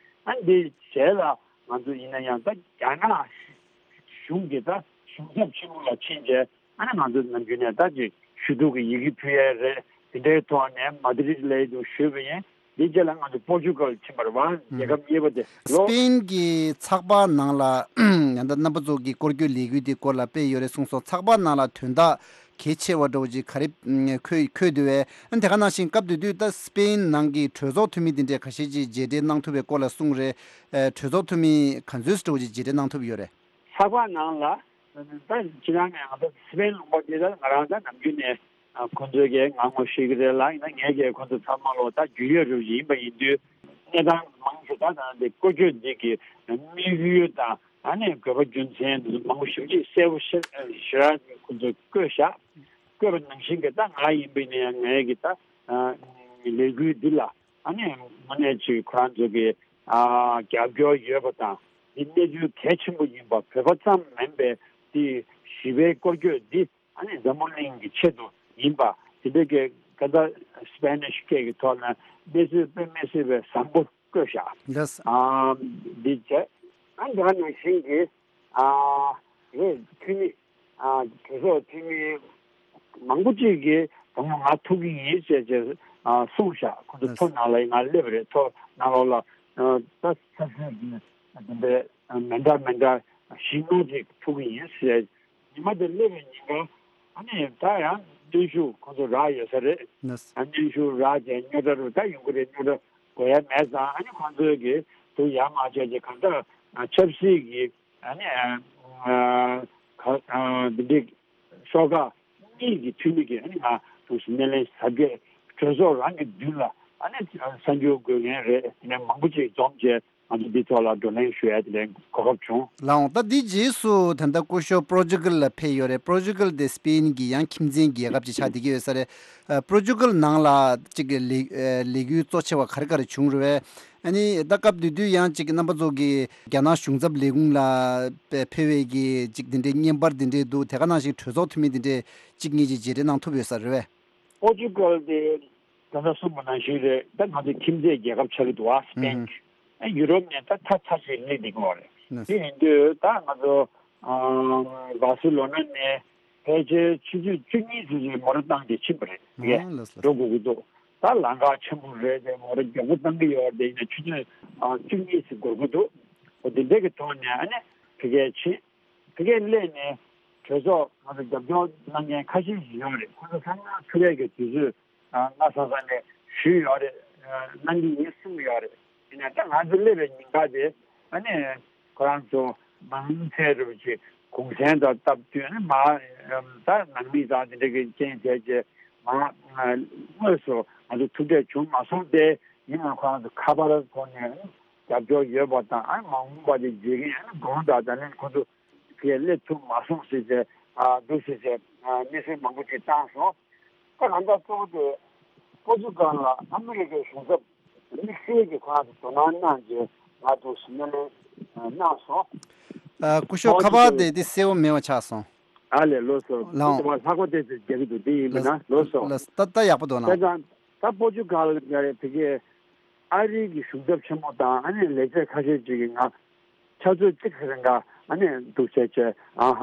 ཨ་འདི་རྗེས་ལ་ང་ཚོ་ཡིན་ན་ཡང་ད་རྒྱ་ནག་གཞུང་གི་ད་གཞུང་ཚབ་ཆེན་མོ་ལ་ཕྱིན་རྗེས་ཨ་ནི་ང་ཚོ་ནམ་རྒྱུན་ནས་ད་ཅིག་ཞུ་གཏུག་གི་ཡི་གེ་ཕུལ་ཡས་རེད། དེ་འདྲའི་ཐོག་ནས་མ་དི་རིད་ལ་འདུག་ཞུས་པ་ཡིན། འདི་རྗེས་ལ་ང་ཚོ་པོར་ཅུ་གལ་ཕྱིན་པ་རེད་བ། རྒྱལ་ཁབ་གཉིས་པ་དེ་ལོ། སི་པེན་གྱི་ཚགས་པར་ནང་ལ་ཡང་ད་རྣམ་པ་ཚོ་གི་སྐོར་སྐྱོད་ལས་འགུལ་དེ་སྐོར་ལ་སྤེལ་ཡོད་རེད་གསུངས་སོང་། ཚགས་པར་ནང་ལ་དོན་དག་གལ་ཆེ་བ་འདྲ་བོ་ཅིག་ག་རེ་འཁོད་འཁོད་འདུག་བས། ཨ་དེ་ག་ནང་བཞིན་སྐབས་དེ་དུས་ད་སི་པེན་ནང་གི་གྲོས་ཚོགས་འཐུས་མི་དེ་འདྲས་ཁ་ཤས་ཅིག་མཇལ་འཕྲད་གནང་ཐུབ་པའི་སྐོར་ལ་གསུངས་རེད། ཨ་གྲོས་ཚོགས་འཐུས་མི་ག་ཚོད་འདྲ་བོ་ཅིག་མཇལ་འཕྲད་གནང་ཐུབ་ཡོད་རེད། ཚགས་པར་ནང་ལ་ད་ཕྱི་ནང་ནས་ང་ཚོ་སི་པེན་ལུང་པ་འདི་ད་ང་རང་ད་ནམ་རྒྱུན་ནས་ཁོང་ཚོའི་གི་ང་ངོ་ཤེས་ཀྱི་རེད་ལ། ཡིན་ན་ངས་ཀྱི་ཁོང་ཚོ་ཚང་མ་ལོ་ད་རྒྱུས་ཡོད་རུ་ཡིན་པ་ཡིན་དུས་གནས་སྟངས་མང་ཆེ་ད་ད་འདི་བཀོལ་སྤྱོད་འདི་གི་དམིགས་ཡུལ་དང་ཨ་ནི་དགོས་པ་རྒྱུ་མཚན་འདི་ཚོ་མང་པོ་ཞེ་པོ་ཅིག་གསལ་པོ་ཤེས་ཞེ་དྲག་ཁོང་ཚོས་བཀོད་བཞག་བཀོད་པ་ནང་བཞིན་གྱི་ད་ང་ཡིན་པ་ཡིན་ན་ཡང་ངས་ཀྱི་ད་ལས་འགུལ་འདི་ལ་ཨ་ནི་དངོས་གནས་ཅིག་ཁོ་རང་ཚོ་གི་རྒྱབ་སྐྱོར་ཡོད་པ་དང་འདི་གནས་ཚུལ་གལ་ཆེན་པོ་ཡིན་པ་བོད་པ་ཙམ་མིན་པའི་འདི་ཞི་བའི་སྐོར་སྐྱོད་འདི་ཨ་ནི་འཛམ་བུ་གླིང་གི་ཆེད་དུ་ཡིན་པ་དེ་འདྲ་གི་ཀ་ད་སི་པེ་ནིཤ་སྐད་ཀྱི་ཐོག་ནས་གནས་ཚུལ་དཔེ་མི་སྲིད་པའི་བཟང་པོ་བཀོད་བཞག་ལགས། ཨ་འདི་བྱས་ཨ་འདི་ག་ནང་བཞིན་གྱི་ཨ་རེད། འཐུས་མི་ཨ་གྲོས་ཚོགས་འཐུས་མི་མང་པོ་ཅིག་གིས་དང་པོ་ང་ཐུག་གི་ཡིན་ཞེས་ཅེས་ཨ་གསུངས་བཞག་ཁོ་ཚོ་ལགས། ཐོ་ནང་ལ་ང་སླེབས་རེད། ཐོ་ནང་ལོགས་ལ་ཨ་ད་ས་སྲིད་ཀྱི་འདི་འདྲའི་མི་འདྲ་མི་འདྲ་བཞི་ལྔ་ཅིག་ཐུག་གི་ཡིན་ཞེས། ཉི་མ་དེ་སླེབས་པའི་ཉིན་ཀ་ཨ་ནི་ད་ཡང་གནོན་ཤུགས་ཁོ་ཚོ་རག་ཡོད་ས་རེད། ལགས། ཨ་གནོན་ཤུགས་རག་བྱས་རྙོག་དྲ་རུ་ད་ཡོང་གི་རེད། རྙོག་དྲ་དགོས་ཡ་མེད་ཙང་ཨ་ནི་ཁོང་ཚོས་ཀྱི་དུ་ཡ་མ་བྱས་ཀྱི་གང་ལྟར་ཆབ་སྲིད་ཀྱི་ཨ་ནི་ཨ་ག་ཨ་འདི་འདྲའི་ཤོག་ཁག་གཉིས་ཀྱི་འཐུས་མི་གིས་ཨ་ནི་ང་དུ་སྣེ་ལེན་ཟབ་རྒྱས་གྲོས་ཚོགས་རང་གི་མདུན་ལ་ཨ་ནི་གསར་འགྱུར་འགོད་མཁན་རེད། དེ་ནས་མང་པོ་ཅིག་འཛོམས་བྱས། ང་ཚོ་འདི་ཐོག་ལ་བགྲོ་གླེང་ཞུ་ཡ་དེ་འདྲའི་གོ་སྐབས་བྱུང་། ལགས་འོང་། ད་འདིའི་རྗེས་སུ་ད་ལྟ་སྐུ་ཞབས་པོར་ཅུ་གལ་ལ་ཕེབས་ཡོད་རེད། པོར་ཅུ་གལ་དེ་སི་པེན་གྱི་ཡང་ཁྱིམ་མཚེས་རྒྱལ་ཁབ་ཅིག་ཆགས་བསྡད་ཀྱི་ཡོད་ས་རེད། ཨ་པོར་ཅུ་གལ་ནང་ལ་ཅིག་གི་ལས་ཨ་ལས་འགུལ་གཙོ་ཆེ་བ་ག་རེ་ག་རེ་བྱུང་རེད་པས། ཨ་ནི་ད་སྐབས་དེ་དུས་ཡང་ཅིག་རྣམ་པ་ཚོ་གི་རྒྱ་ནག་གཞུང་ཚབ་ལས་ཁུངས་ལ་ཕེབས་པའི་གི་ཅིག་དེ་འདྲའི་བརྙན་པར་དེ་འདྲའི་འདུག་དེ་ག་ནང་བཞིན་གྲོས་ཚོགས་འཐུས་མི་དེ་འདྲའི་ཅིག་གཉིས་ཅིག་མཇལ་འཕྲད་གནང་ཐུབ་ཡོད་ས་རེད་པས། པོར་ཅུ་གལ་དེ་ད་ལྟ་གསུངས་པ་ནང་བཞིན་རེད། ད་ང་ཚོ་ཁྱིམ་མཚེས་རྒྱལ་ཁབ་ཆགས་ཀྱི་འདུག་ཨ་སི་པེན་གྱི། ཨ་ཡུ་རོབ་ནས་ད་ཐ་ཐ་ཞིག་སླེབས་བསྡད་ཀྱི་ཡོད་རེད། དེ་ཡིན་དུས་ད་ང་ཚོ་ཨ་བྷ་སི་ལོ་ན་ནས་ཕལ་ཆེར་ཆུ་ཚོད་བཅུ་གཉིས་ཙམ་ཞིག་མོ་ཊ་བཏང་སྟེ་ཕྱིན་པ་རེད། ཨ་ལགས་ལགས། འགྲོ་དགོས་ཀྱི་འདུག་ད་ལམ་ཁ་ཆེན་པོ་རེད་དེ། མོ་ཊ་མགྱོགས་པོ་བཏང་གི་ཡོད་རེད་དེ། ཡིན་ན་ཆུ་ཚོད་ཨ་བཅུ་གཉིས་ཙམ་འགོར་གྱི་འདུག་འོ་དེ་འདྲ་གི་ཐོག་ནས་ཨ་ནི་ཕ་གིར་ཕྱིན། ཕ་གིར་སླེབས་ནས་ གྲོས་ཚོགས་ང་ཚོ་རྒྱབ་སྐྱོར་གནང་མཁན་ཁ་ཤས་ཤིག་ཡོད་རེད། ཁོ་ཚོ་ཚང་མ་ཐུག་ཡས་ཀྱི་དུས་ཚོད་ཨ་སྔ་ས་ས་ནས་ཞུས་ཡོད་རེད། ཨ་གནང་གི་ཡིན་གསུངས་ཡོད་རེད། ཡིན་ནའི་ད་ང་ཚོ་སླེབས་པའི་ཉིན་ཀ་དེ་ཨ་ནི་ཁོ་རང་ཚོ་མང་ཚད་རུ་ཅིག་གུང་སེང་དང་སྟབས་བསྟུན་ནས་མ་ད་ནང་མི་དང་དེ་འདྲ་གི་རྐྱེན་བྱས་རྗེས་མ་དངོས་སུ་ང་ཚོ་ཐུག་འཕྲད་བྱུང་མ་སོང་སྟེ། ཡིན་ནའང་ཁོ་རང་ཚོ་ཁ་པར་ཐོག་ནས་རྒྱབ་སྐྱོར་ཡོད་པ་དང་ཨ་མ་འོངས་པ་དེ་བརྗེད་མཁན་ཨ་དགོངས་དག་ད་ལན་ཁོ་ཚོ་དེ་སླེབས་ཐུབ་མ་སོང་ཟེར་ཏེ་ཨ་འདུག་ཟེར་ཏེ་ཨ་གནས་ཚུལ་མང་པོ་ཅིག་བཏང་སོང་། ད་གང་ལྟར་གཙོ་བོ་དེ་ཀོ་ཅི་ཀལ་ལ་ཨ་མི་རི་ཀའི་གཞུང་ཚབ་དམིགས་བསལ་གྱི་ཁོ་རང་ཚོ་དོ་སྣང་གནང་རྗེས་ང་ཚོ་སྣེ་ལེན་གནང་སོང་། ཨ་སྐུ་ཞབས་ཁ་པར་དེ་དེ་གསལ་པོ་མེད་པ་ཆགས་སོང་། ཨ་ལས་ལགས་སོ། ལགས་འོང་། ཁོ་ཚོ་ལྷག་པ་དེ་ཚོ་རྒྱག་གི་འདུག་དེ་ཡིན་པ་ན་ལགས་སོ། ལགས་སོ། ད་ད་ཡག་པོ་འདུག་ན། ལགས་སོ། ད་པོ་ཅུ་གལ་ཡ་རེད་དེ་གའི་ཨ་རི་གི་གཞུང་ཚབ་ཆེན་མོ་དང་ཨ་ནི་ལས་བྱེད་ཁ་ཤས་ཅིག་གིས་ང་ཆུ་ཚོད་གཅིག་ཙམ་རིང་ག་ཨ་ནི་འདུག་བྱས་བྱས་ཨ་ཧ་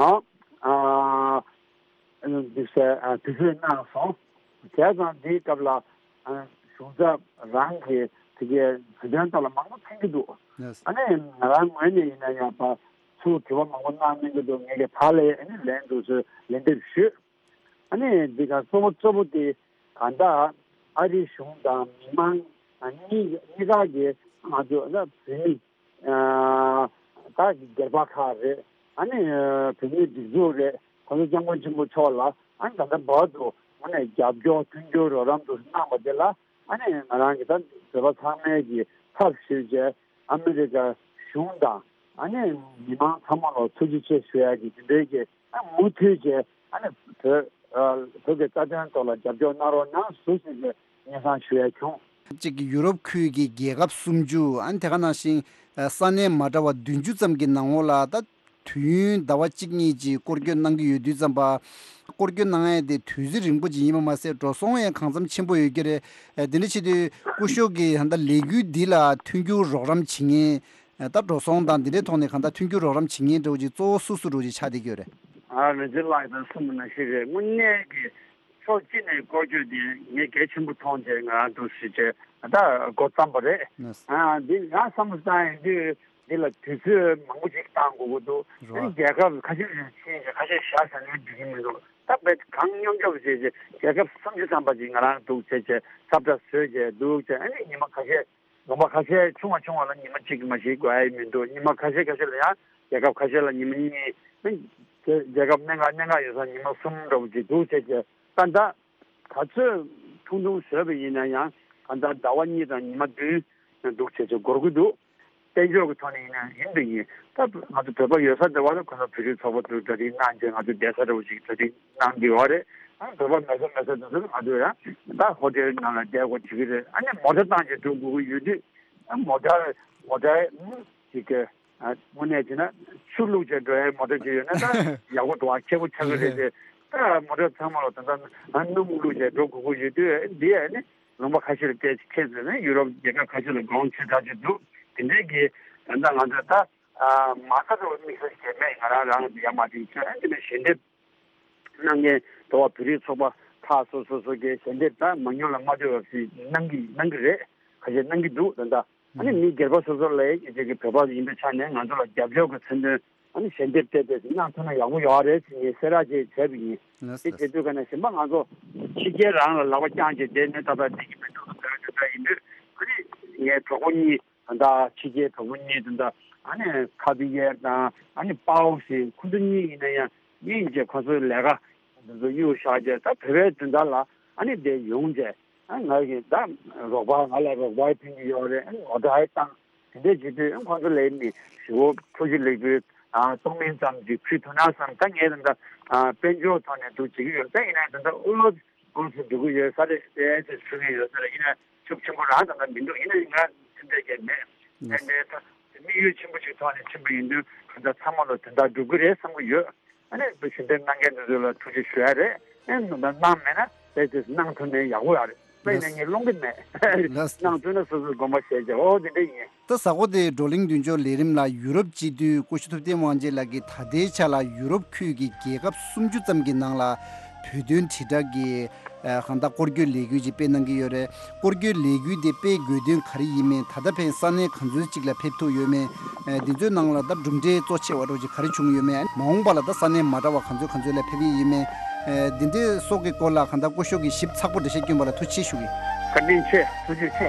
ཨ་འདུག་ཟེར་ཨ་དུས་ཚོད་གནང་སོང་། བྱས་ཙང་འདིའི་སྐབས་ལ་ཨ་གཞུང་ཚབ་རང་གིས་དེ་གའི་བོད་དོན་ཐོག་ལ་མང་པོ་མཚོན་གྱི་འདུག་ལགས་སོ། ཨ་ནི་ང་རང་ངོས་ནས་ཡིན་ན་ཡང་ཕར་ཚུར་དྲི་བ་མང་པོ་གནང་མི་འདུག་ངས་ཀྱི་ཕར་ལ་ཨ་ནི་ལན་འདུག་ཟེར་ལན་འདེབས་ཞུས། ཨ་ནི་འདི་ག་གཙོ་བོ་གཙོ་བོ་དེ་གང་ལྟར་ཨ་རིའི་གཞུང་དང་མི་མང་གཉིས་གཉིས་ཀ་གིས་ང་ཚོ་ད་བོད་མི་ད་སྒེར་པ་ཁག་རེད། ཨ་ནི་བོད་མིའི་སྒྲིག་འཛུགས་རེད། གོང་ས་སྐྱབས་མགོན་ཆེན་པོ་མཆོག་ལ་ཨ་ནི་ད་ལྟ་བར་དུ་དངོས་གནས་རྒྱབ་སྐྱོར་མཐུན་འགྱུར་རོགས་རམ་དུ་གནང་བ་དེ་ལ་ཨ་ནི་ང་རང་གིས་ད་བོད་པ་ཚང་མས་ཀྱི་ཚབ་ཞུས་བྱས་ཨ་མི་རི་ཀ་གཞུང་དང་ཨ་ནི་མི་མང་ཚང་མ་ལ་ཐུགས་རྗེ་ཆེ་ཞུ་ཡ་གི་དེ་འདྲའི་གི་ཨ་མུ་མཐུད་བྱས་ཨ་ནི་བོད་ཨ་བོད་ཀྱི་རྩ་དོན་ཐོག་ལ་རྒྱབ་སྐྱོར་གནང་རོགས་གནང་ཟེར་ཞུས་ནས་སྙན་སེང་ཞུ་ཡ་བྱུང་། གཅིག་གི་ཡུ་རོབ་ཁུལ་གྱི་རྒྱལ་ཁབ་སུམ་ཅུ་ཨ་ནི་དེ་ག་ནང་བཞིན་ས་གནས་མ་འདྲ་བ་བདུན་ཅུ་ཙམ་གྱི་ནང་ལོགས་ལ་ད་དུས་ཡུན་ཟླ་བ་གཅིག་གཉིས་ཀྱི་སྐོར་སྐྱོད་གནང་གི་ཡོད་དུས་ཙམ་པ། སྐོར་སྐྱོད་གནང་ཡས་དེ་དུས་ཚོད་རིང་པོ་ཅིག་ཡིན་པ་མ་ཟད་འགྲོ་སོང་ཡང་གང་འཚམ་ཆེན་པོ་ཡོད་ཀྱི་རེད། དེ་འདྲ་བྱེད་དུས་སྐུ་ཞབས་ཀྱིས་ད་ལྟ་ལས་འགུལ་འདི་ལ་མཐུན་འགྱུར་རོགས་རམ་བྱེད་མཁན། ད་འགྲོ་སོང་དང་འདི་འདྲའི་ཐོག་ནས་གང་ལྟར་མཐུན་འགྱུར་རོགས་རམ་བྱེད་མཁན་འདྲ་བོ་ཅིག་གཙོ་བོ་སུ་སུ་འདྲ་བོ་ཅིག་ཆགས་བསྡད་ཀྱི་ཡོད་རེད། ཨ་རེ་ཛི་ལགས་དང་གསུངས་པ་ནང་བཞིན་རེད། དངོས་གནས་ཀྱི་ཕྱོགས་གཅིག་ནས་སྐོར་སྐྱོད་དེ་ངས་གལ་ཆེན་པོ་མཐོང་བྱས་ང་རང་འདུག་ཟེར་བྱས་ད་འགོ་བརྩམས་པ་རེད། ཨ་འདི་ང་བསམ་བློ་བཏང་ཡོང་དུས་འདི་ལ་དུས་ཚོད་མང་པོ་ཅིག་བཏང་དགོས་ཀྱི་འདུག་ཨ་ནི་རྒྱལ་ཁབ་ཁ་ཤས་ལ་ཕྱིན་བྱས་ཁ་ཤས་བཞག་བཞག་ནས་འགྲིག་གི་མི་འདུག་ད་བས་གང་སྙོམས་སྐྱོབ་བྱས་བྱས་རྒྱལ་ཁབ་སུམ་ཅུ་ཙམ་པ་ཅིག་ང་རང་འདུག་བྱས་བྱས་ཁྱབ་བསྒྲགས་བཟོས་བྱས་འདུག་བྱས་ཨ་ནི་ཉི་མ་ཁ་ཤས། ལུང་པ་ཁ་ཤས་ཆུང་བ་ཆུང་བ་ལ་ཉི་མ་གཅིག་མ་ཞིག་དགོས་ཡ་མི་འདུག་ཉི་མ་ཁ་ཤས་ཁ་ཤས་ལ་ཡང་རྒྱལ་ཁབ་ཁ་ཤས་ལ་ཉི་མ་གཉིས། རྒྱལ་ཁབ་གནད་འགག་གནད་འགག་ཡོད་ས་ཉི་མ་གསུམ་འདྲ་བོ་ཅིག་འདུག་བྱས་བྱས་ད་ད་ག་ཚོད་ཐུང་ཐུང་བཟོས་པ་ཡིན་ན་ཡང་གང་ལྟར་ཟླ་བ་གཉིས་དང་ཉི་མ་བདུན་འདུག་བྱས་བྱས་འགོར་གི་འདུག་དཔལ་འབྱོར་གྱི་ཐོག་ནས་ཡིན་ན་ཡིན་དུ་ཡིན་ད་ང་ཚོ་བོད་པ་ཡོད་ས་འདི་བ་ལ་ཁོ་ཚོ་བོད་རིགས་ཚོགས་པ་ཚོས་གྲ་སྒྲིག་གནང་བྱས་ང་ཚོ་བསྡད་ས་འདྲ་བོ་ཅིག་གྲ་སྒྲིག་གནང་གི་ཡོད་རེད། ཨ་བོད་པ་མེད་ས་མེད་ས་དེ་ཚོ་ང་ཚོ་ཡང་ད་ཧོ་ཊེལ་ནང་ལ་བསྡད་དགོས་བྱེད་ཀྱི་རེད། ཨ་ནི་མོ་ཊ་བཏང་བྱས་འགྲོ་དགོས་ཀྱི་ཡོད་དུས་ཨ་མོ་ཊ་མོ་ཊ་ཅིག་གི་ཨ་དངོས་གནས་བྱས་ན་ཆུ་བླུགས་བྱས་འགྲོ་ཡའི་མོ་ཊ་ཅིག་ཡོད་ན་ད་ཡག་པོ་འདུག་ཨ་ཁེ་པོ་ཆགས་ཀྱི་རེད་དེ་ད་མོ་ཊ་ཚང་མ་ལ་ད་ལྟ་ཨ་སྣུམ་བླུགས་བྱས་འགྲོ་དགོས་ཀྱི་ཡོད་དུས་འདི་ཨ་ནི་ལུང་པ་ཁ་ཤས་ལ་བལྟས་ཁྱེད་ཚོས་ནི་ཡུ་རོབ་རྒྱལ་ཁབ་ཁ་ཤས་ལ་དགོངས་ཆེ་དྲགས་ཅིག་འདུག་དེ་འདྲའི་གི་ད་ལྟ་ང་ཚོ་ད། ཨ་མ་རྩ་འགྲོ་བའི་དམིགས་བསལ་གྱི་མེད། ང་རང་རང་ཡ་མ་དྲིན་ཆེ་ཨ་ནི་ནས་ཞལ་འདེབས་གནང་མཁན་འགྲོ་བ་བོད་རིགས་ཚོགས་པ་ཁག་སོ་སོ་སོ་གི་ཞལ་འདེབས་ད་མ་ཉོ་ལ་མ་ལྟོས་པ་ཞིག་གནང་གི་གནང་གི་རེད། ཁ་ཤས་གནང་གི་འདུག་ད་ལྟ་ཨ་ནི་མི་སྒེར་པ་སོ་སོ་ལ་ཡི་གེ་གི་བོད་པ་ཡིན་པའི་ཆ་ནས་ང་ཚོ་ལ་རྒྱབ་སྐྱོར་གྱི་མཚོན་དོན་ཨ་ནི་ཞལ་འདེབས་སྤྲད་དེ་གནང་ཐུབ་ན་ཡག་པོ་ཡོད་རེད་ཟེར་ངས་གསལ་བསྒྲགས་ཅིག་བྱས་པ་ཡིན། དེ་བྱེད་དུས་ཀ་ནས་གཞན་པ་ང་ཚོ་ཕྱི་རྒྱལ་རང་ལ་ལག་པ་བརྐྱངས་བྱས་བསྡད་ནས་ད་ལྟ་བསྡད་ཀྱི་མི་འདུག་ཟེར་བ་དེ་འདྲ་ཡིན་དུས་ཨ་ནི་ངའི་གྲོགས་པོ་གཉིས། ད་ལྟ་ཕྱི་རྒྱལ་གྲོགས་པོ་གཉིས་དེ་འདྲ་ཨ་ནི་ཁ་བི་ཡེར་དང་ཨ་ནི་པའོ་ཞེས་ཁོ་ཚོ་གཉིས་ཡིན་ན་ཡང་ཡིན་གྱི་ཁོ་ཚོའི་ལས་ཀ་དེ་ཚོ་གཡུག་བཞག་རྗེས་ད་བོད་པའི་དོན་དག་ལ་ཨ་ནི་དེ་ཡོང་རྗེས་ཨ་ང་གི་ད་རོགས་པ་ང་ལ་རོགས་པ་ཕན་གྱི་ཡོད་རེད། ཨ་ནི་ངོ་སྤྲོད་བཏང་དེ་འདྲས་བྱེད་དུས་ཨ་ཁོ་ཚོ་ལས་ནི་ཞི་བོ་ཁོ་ཞིག་ལེགས་པོའི་གཏོང་མིན་ཙམ་གྱིས་ཕུལ་ཐུབ་ན་བསམ། ད་ངས་ད་ལྟ་དཔལ་འབྱོར་ཐོག་ནས་འདུག་བྱེད་ཀྱི་ཡོད། ད་ཡིན་ན་ད་ལྟ་ཨུ་ལོ། ཀུང་སི་འགྲོ་གི་ཡོད་ས་རེད་དེ་དེ་ཚུགས་ཀྱི་ཡོད་ས་རེད། ཡིན་ན་ཤུགས་ཆེན་པོ་རང་ད་ལྟ་མི་འདུག་ཡིན་ན་ང་སེམས་ཁྲལ་བྱས་མེད། ཡིན་ནའི་ད་དམིགས་ཡུལ་ཆེན་པོ་ཞིག་ཐོག་ནས་ཕྱིན་པ་ཡིན་དུས་གང་ལྟར་ཚང་མ་ལ་དོན་དག་འགྲུབ་ཀྱི་རེད་བསམ་གྱི་ཡོད། ཨ་ནི་བུ་ཞལ་འདེབས་གནང་མཁན་དེ་ཚོ་ལ་ཐུགས་རྗེ་ཞུ་ཡ་རེད། ཨ་ནི་ད་གནང་མེད་ན་དེ་དེ་གནང་ཐུབ་ནའི་ཡག་པོ་ཡོད་རེད། ཨ་ཡིན་ན་ངས་སློང་གི་མེད། གནང་ཐུབ་ན་སོ་སོའི་དགོངས་པ་བཞེས་བྱས་ཨོ་དེ་འདྲ་ཡིན། ད་གཟའ་འཁོར་དེའི་བགྲོ་གླེང་མདུན་སྐྱོད་ལས་རིམ་ལ་ཡུ་རོབ་སྤྱི་འཐུས་སྐུ་ཞབས་ཐུབ་བསྟན་དབང་རྒྱལ་ལགས་ཀྱིས་ད་ལྟའི་ཆ་ལ་ཡུ་རོབ་ཁུལ་གྱི་རྒྱལ་ཁབ་སུམ་ཅུ་ཙམ་གྱི་ནང་ལ་བོད་དོན་དྲིལ་བསྒྲགས་ཀྱི་ ཨ་གང་ལྟར་སྐོར་སྐྱོད་ལས་འགུལ་ཅིག་སྤེལ་གནང་གི་ཡོད་རེད། སྐོར་སྐྱོད་ལས་འགུལ་དེ་སྤེལ་དགོས་དོན་ག་རེ་ཡིན་མིན། ད་ལྟ་ཕན་ས་གནས་ག་ཚོད་ཅིག་ལ་ཕེབས་ཐུབ་ཡོད་མེད། ཨ་འདི་ཚོའི་ནང་ལ་ད་གྲུབ་འབྲས་གཙོ་ཆེ་བ་འདྲ་ཅིག་ག་རེ་བྱུང་ཡོད་མེད། མ་འོངས་པ་ལ་ད་ས་གནས་མ་འདྲ་བ་ག་ཚོད་ག་ཚོད་ལ་ཕེབས་ཀྱི་ཡིན་མེད། ཨ་འདི་འདྲའི་སོགས་ཀྱི་སྐོར་ལ་གང་ལྟར་སྐུ་ཞབས་ཀྱིས་ཞིབ་ཚགས་པོ་འགྲེལ་བཤད་བསྐྱོན་པ་ལ་ཐུགས་རྗེ་ཆེ་ཞུ་གི། བཀའ་དྲིན་ཆེ། ཐུགས་རྗེ་ཆེ།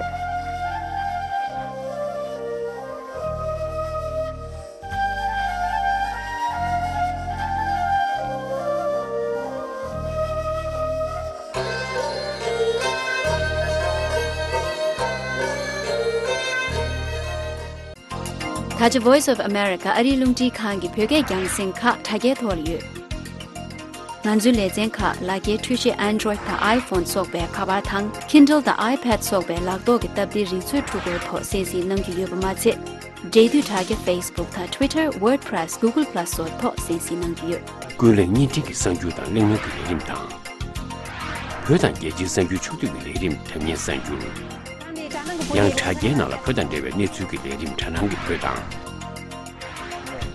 ད་ཆ་Voice of America ཨ་རིའི་རླུང་འཕྲིན་ཁང་གི་བོད་སྐད་རྒྱང་སྲིང་ཁག་དྲ་རྒྱའི་ཐོག་ལ་ཡོད། ང་ཚོའི་ལེ་ཚན་ཁག་ལག་འཁྱེར་འཕྲུལ་ཆས་Android དང་iPhone སོགས་པའི་ཁ་པར་དང་Kindle དང་iPad སོགས་པའི་ལག་ཐོག་གི་སྟབས་བདེའི་རིག་མཛོད་འཕྲུལ་འཁོར་ཐོག་གསན་གཟིགས་གནང་རྒྱུ་ཡོད་པ་མ་ཚད། འབྲེལ་མཐུད་དྲ་རྒྱ་Facebook དང་Twitter, WordPress, Google Plus སོགས་ཐོག་གསན་གཟིགས་གནང་རྒྱུ་ཡོད། ཀུན་གླེང་བརྙན་འཕྲིན་གྱི་གསར་འགྱུར་དང་གླེང་མོལ་གྱི་ལས་རིམ་དང་། བོད་དང་རྒྱལ་སྤྱིའི་གསར་འགྱུར་ཕྱོགས་བསྡུས་ཀྱི་ལས་རིམ་དྲ་བརྙན་གསར་འགྱུར། ཡང་དྲ་རྒྱའི་ནང་ལ་བོད་དང་འབྲེལ་བའི་གནས་ཚུལ་གྱི་ལས་རིམ་དྲ་སྣང་གི་བོད་དང་།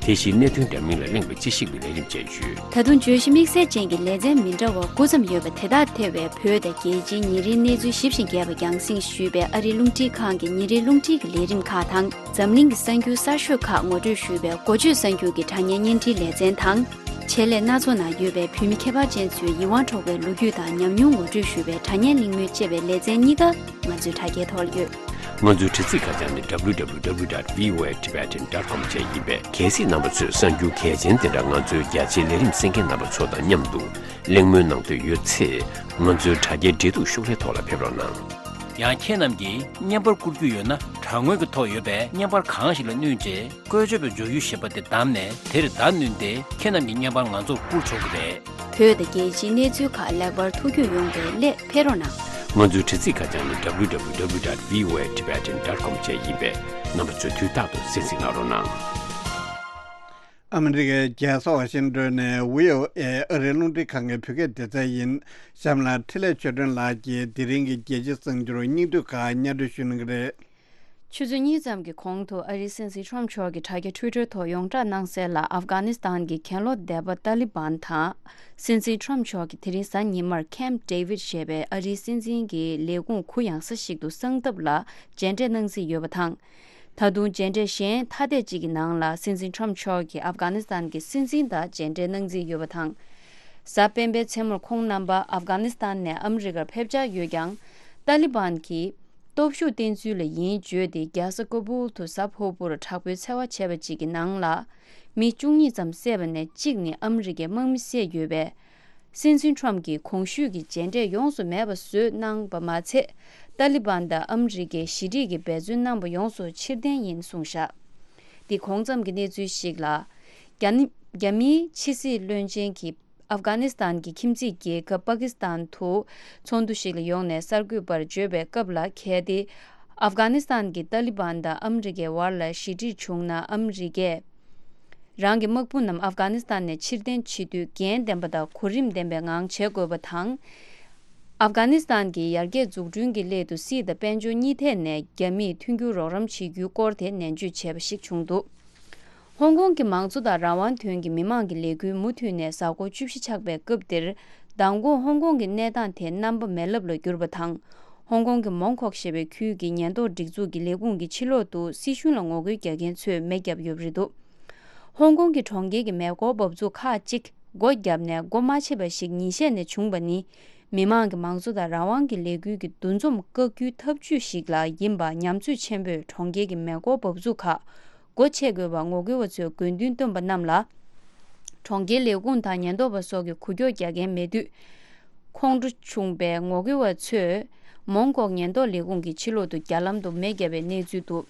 དེ་བཞིན་གནད་དོན་འདྲ་མིན་ལ་གླེང་བའི་དཔྱད་ཞིབ་ཀྱི་ལས་རིམ་བཅས་ཡོད། ད་དུང་བརྗོད་གཞི་དམིགས་བསལ་ཅན་གྱི་ལེ་ཚན་མི་འདྲ་བ་དགུ་ཙམ་ཡོད་པ་དེ་དག་ཐེ་བའི་བོད་དང་རྒྱལ་སྤྱིའི་ཉིན་རེའི་གནས་ཚུལ་ཞིབ་ཅིང་རྒྱས་པ་རྒྱང་སྲིང་ཞུས་པའི་ཨ་རིའི་རླུང་འཕྲིན་ཁང་གི་ཉིན་རེའི་རླུང་འཕྲིན་གྱི་ལས་རིམ་ཁག་དང་། འཛམ་གླིང་གི་གསར་འགྱུར་གསར་ཤོས་ཁག་ངོ་སྤྲོད་ཞུས་པའི་འགོ་བརྗོད་གསར་འགྱུར་གྱི་དྲ་བརྙན་བརྙན་འཕྲིན་ལེ་ཚན་དང་། ཆེད་ལས་སྣ་ཚོགས་ནང་ཡོད་པའི་བོད་མི་ཁྱད་པར་ཅན་ཚོའི་ཡིད་དབང་འཕྲོག་པའི་ལོ་རྒྱུས་དང་ཉམས་མྱོང་ངོ་སྤྲོད་ཞུ་བའི་དྲ་བརྙན་གླེང་མོལ་བཅས་པའི་ལེ་ཚན་གཉིས་ཀ་ང་ཚོའི་དྲ་རྒྱའི་ཐོག་ལ་ཡོད། ང་ཚོའི་དྲ་ཚིགས་ཁ་བྱང་ནི་www.voatibetan.com བཅས་ཡིན་པས། གལ་སྲིད་རྣམ་པ་ཚོས་གསར་འགྱུར་གལ་ཆེན་དེ་འདྲ་ང་ཚོའི་རྒྱ་ཆེའི་ལས་རིམ་གསན་མཁན་རྣམ་པ་ཚོ་དང་མཉམ་དུ་གླེང་མོལ་གནང་འདོད་ཡོད་ཚེ། ང་ཚོའི་དྲ་རྒྱའི་འབྲེལ་གཏུག་ཤོག་ལྷེ་ཐོག་ལ་ཕེབས་རོགས་གནང་། ཡང་ཁྱེད་རྣམས་ཀྱིས་བརྙན་པར་བསྐུར་རྒྱུ་ཡོད་ན། དྲ་ངོས་ཀྱི་ཐོག་ཡོད་པའི་བརྙན་པར་གང་ཞིག་ལ་བསྣུན་རྗེས། བཀོལ་སྤྱོད་པའི་མཇུག་ཡུལ་ཞེས་པ་དེ་བདམས་ནས། དེར་བརྡ་བསྣུན་ཏེ། ཁྱེད་རྣམས་ཀྱི་བརྙན་པར་ང་ཚོར་བསྐུར་ཆོག་གི་རེད། བོད་དང་རྒྱལ་སྤྱིའི་གནས་ཚུལ་ཁག་ལེགས་པར་ཐུགས་འཁྱོངས་ཡོང་བའི་སླད་ཕེབས་རོགས་གནང་། ང་ཚོའི་དྲ་ཚིགས་ཁ་བྱང་ནི་www.voatibetan.com བཅས་ཡིན་པས། རྣམ་པ་ཚོས་དུས་རྟག་ཏུ་གསན་གཟིགས་གནང་རོགས་གནང་། ཨ་མི་རི་ཀའི་རྒྱལ་ས་ཝ་ཤིང་ཏོན་ནས་བྷི་ཨོ་ཨེ་ཨ་རིའི་རླུང་འཕྲིན་ཁང་གི་བོད་སྐད་སྡེ་ཚན་ཡིན། གཤམ་ལ་འཕྲིན་ལས་ཆོས་སྒྲོན་ལགས་ཀྱིས་དེ་རིང་གི་རྒྱལ་སྤྱིའི་གསར་འགྱུར་སྙིང་བསྡུས་ཁག་སྙན་སྒྲོན་ཞུ་གནང་གི་རེད། ཆུ་ཚོད་གཉིས་ཙམ་གྱི་གོང་དུ་ཨ་རིའི་སྲིད་འཛིན་ཊམ་མཆོག་གིས་དྲ་རྒྱ་ཊུའི་ཊར་ཐོག་ཡོངས་བསྒྲགས་གནང་གསལ་ལ། ཨབ་གྷ་ནི་སི་ཐན་གྱི་གྱེན་ལོག་སྡེ་པ་ཏཱ་ལི་བན་དང་། སྲིད་འཛིན་ཊམ་མཆོག་གིས་དེ་རིང་གཟའ་ཉི་མར་ཁེམ་ཌེ་བིད་ཞེས་པའི་ཨ་རིའི་སྲིད་འཛིན་གྱི་ལས་ཁུངས་གུ་ཡངས་ས་ཞིག་ཏུ་གསང་ཐབས་ལ་མཇལ་འཕྲད་གནང་རྩིས་ཡོད་པ་དང་། ད་དུང་མཇལ་འཕྲད་གཞན་ཐ་དད་ཅིག་གི་ནང་ལ། སྲིད་འཛིན་ཊམ་མཆོག་གིས་ཨབ་གྷ་ནི་སི་ཐན་གྱི་སྲིད་འཛིན་དང་མཇལ་འཕྲད་གནང་རྩིས་ཡོད་པ་དང་། གཟའ་སྤེན་པའི་མཚན་མོར་ཁོང་རྣམ་པ་ཨབ་གྷ་ནི་སི་ཐན་ནས་ཨ་མི་རི་ཀར་ཕེབས་འཆར་ཡོད་ཀྱང་། ཏཱ་ལི་བན་གྱིས་སྟོབས་ཤུགས་བསྟན་ཚུལ་ལ་ཡིན་བརྗོད་དེ། རྒྱལ་ས་ཀ་བུལ་དུ་གཟའ་ཕུར་བུར་དྲག་པོའི་འཚེ་བ་བྱས་པ་ཅིག་གི་ནང་ལ་མི་བཅུ་གཉིས་ཙམ་བསད་པ་ནས་གཅིག་ནི་ཨ་མི་རི་ཀའི་དམག་མི་བསད་ཡོད་པས། སྲིད་འཛིན་ཊམ་གྱིས་གོང་ཞུས་ཀྱི་མཇལ་འཕྲད་ཡོངས་སུ་མེད་པ་བཟོས་གནང་བ་མ་ཚད། ཏཱ་ལི་བན་དང་ཨ་མི་རི་ཀའི་ཞི་འགྲིག་གི་འབད་བརྩོན་གནང་བ་ཡོངས་སུ་ཕྱིར་འཐེན་ཡིན་གསུངས་བཞག་འདི་གོང་ཙམ་གྱི་གནས་ཚུལ་ཞིག་ལ། རྒྱ་ནི་རྒྱ་མིའི་ཕྱི་སྲིད་བློན་ཆེན་གྱིས་ཨབ་གྷ་ནི་སི་ཐན་གྱི་ཁྱིམ་མཚེས་རྒྱལ་ཁབ་པ་ཀི་སི་ཐན་དུ་ཚོགས་འདུ་ཞིག་ལ་ཡོང་ནས་གསར་འགོད་པར་བརྗོད་པའི་སྐབས་ལ། གལ་ཏེ་ཨབ་གྷ་ནི་སི་ཐན་གྱི་ཏཱ་ལི་བན་དང་ཨ་མི་རི་ཀའི་བར་ལ་ཞི་འགྲིག་བྱུང་ན། ཨ་མི་རི་ཀས་རང་གི་དམག་དཔུང་རྣམས་ཨབ་གྷ་ནི་སི་ཐན་ནས་ཕྱིར་འཐེན་བྱེད་དུས་འགན་ལྡན་པ་དང་གོ་རིམ་ལྡན་པའི་ངང་བྱེད་དགོས་པ་དང་། ཨབ་གྷ་ནི་སི་ཐན་གྱི་ཡར་རྒྱས་འཛུགས་སྐྲུན་གྱི་སླད་དུ་སྲིད་དང་དཔལ་འབྱོར་གཉིས་ཐད་ནས་རྒྱ་མིས་མཐུན་འགྱུར་རོགས་རམ་བྱེད་རྒྱུའི་སྐོར་དེ་ནན་བརྗོད་བྱས་པ་ཞིག་བྱུང་འདུག་ཧོང་ཀོང་གི་མང་གཙོ་དང་རང་དབང་དོན་གྱི་མི་མང་གི་ལས་འགུལ་མུ་མཐུད་ནས་གཟའ་འཁོར་བཅུ་བཞི་ཆགས་པའི་སྐབས་འདིར། མདང་དགོང་ཧོང་ཀོང་གི་གནས་སྟངས་དེ་རྣམ་པ་མེ་རླབས་ལ་གྱུར་པ་དང་། ཧོང་ཀོང་གི་མོང་ཁོག་ཞེས་པའི་ཁུལ་གྱི་ཉེན་རྟོག་སྒྲིག་འཛུགས་ཀྱི་ལས་ཁུངས་ཀྱི་ཕྱི་ལོག་ཏུ་སྲིད་གཞུང་ལ་ངོ་རྒོལ་རྒྱག་མཁན་ཚོས་མེ་བརྒྱབ་ཡོད་པ་རེད་འདུག་ཧོང་ཀོང་གི་གྲོང་ཁྱེར་གྱི་མེ་འཁོར་འབབ་ཚུགས་ཁག་ཅིག་སྒོ་བརྒྱབ་ནས་སྒོ་མ་ཕྱེ་བ་ཞིག་ཉིན་ཤས་ནས་བྱུང་བ་ནི། མི་དམངས་ཀྱི་མང་གཙོ་དང་རང་དབང་གི་ལས་འགུལ་གྱི་འདུ་འཛོམས་བཀག་རྒྱུའི་ཐབས་ཇུས་ཤིག་ལ་ཡིན་པ་ཉམས་ཚོད་ཆེན་པོས་གྲོང་ཁྱེར་གྱི་མེ་འཁོར་འབབ་ཚུགས་ཁག་སྒོ་ཕྱེ་དགོས་པར་ངོ་རྒོལ་བ་ཚོས་དགོས་འདུན་བཏོན་པ་རྣམས་ལ། གྲོང་ཁྱེར་ལས་ཁུངས་དང་ཉེན་རྟོག་པ་སོགས་ཀྱིས་འགུལ་སྐྱོད་རྒྱག་མཁན་མེད་དུས། ཁོང་ཁྲོ་བྱུང་བའི་ངོ་རྒོལ་བ་ཚོས་མོང་ཀོག་ཉེན་རྟོག་ལས་ཁུངས་ཀྱི་ཕྱི་ལོག་ཏུ་རྒྱ་ལམ་དུ་མེ་བརྒྱབ་པའི་གནས་ཚུལ་འདུག་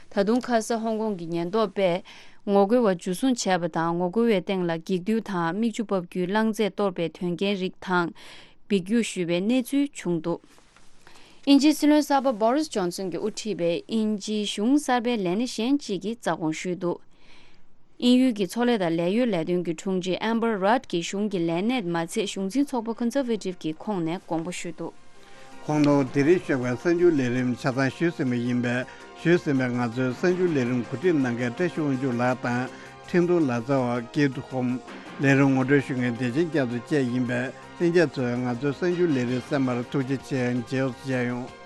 ད་དུང་ཁ་ས་ཧོང་ཀོང་གི་ཉེན་རྟོག་པས་ངོ་རྒོལ་བ་འཇུ་བཟུང་བྱས་པ་དང་། ངོ་རྒོལ་བའི་སྟེང་ལ་འགྱིག་རྡུལ་དང་མིག་ཆུ་འབབ་རྒྱུའི་རླངས་རྫས་གཏོར་པའི་དོན་རྐྱེན་རིགས་དང་འབིགས་རྒྱུག་ཞུས་པའི་གནས་ཚུལ་བྱུང་འདུག་དབྱིན་ཇིའི་སྲིད་བློན་གསར་པ་བྷོ་རིས་ཇོན་སན་གྱིས་དབུ་ཁྲིད་པའི་དབྱིན་ཇིའི་གཞུང་གསར་པའི་ལས་སྣེ་གཞན་གཅིག་གིས་རྩ་དགོངས་ཞུས་འདུག་དབྱིན་ཡུལ་གྱི་མཚོ་ལས་དང་ལས་གཡོལ་ལས་དོན་གྱི་དྲུང་ཆེ་Amber Rudd གྱིས་གཞུང་གི་ལས་སྣེ་མ་ཚད་གཞུང་འཛིན་ཚོགས་པ་Conservative གྱི་ཁོངས་ནས་དགོངས་པ་ཞུས་འདུག་ཁོང་རྣམ་དེ་རིང་ཞོགས་པའི་གསར་འགྱུར་ལས་རིམ་ཆ་ཚང་ཞུས་ཟིན་པ་ཡིན་པས། ཞུས་ཟིན་པའི་ང་ཚོའི་གསར་འགྱུར་ལས་རིམ་གོ་སྒྲིག་གནང་མཁན་བཀྲ་ཤིས་དབང་ཕྱུག་ལགས་དང་། འཕྲིན་གཏོང་ལག་རྩལ་བ་སྐྱིད་སྡུག་ཧོམ། ལས་རིམ་ངོ་སྤྲོད་ཞུ་མཁན་བདེ་ཆེན་སྐྱབས་མགོན་བཅས་ཡིན་པས། ལྷན་རྒྱས་ཚོས་ང་ཚོའི་གསར་འགྱུར་ལས་རིམ་གསན་པར་ཐུགས་རྗེ་ཆེ། མཇལ་ཡོང་།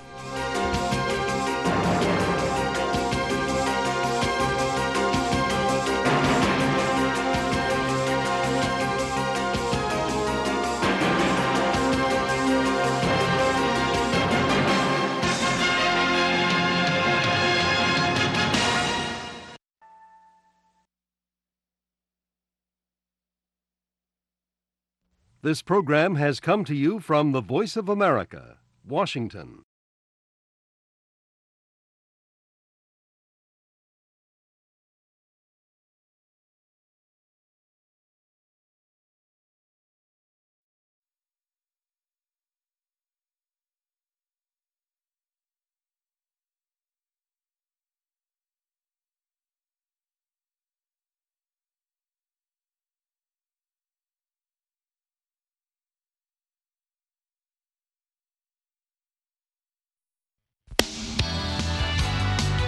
This program has come to you from the Voice of America, Washington.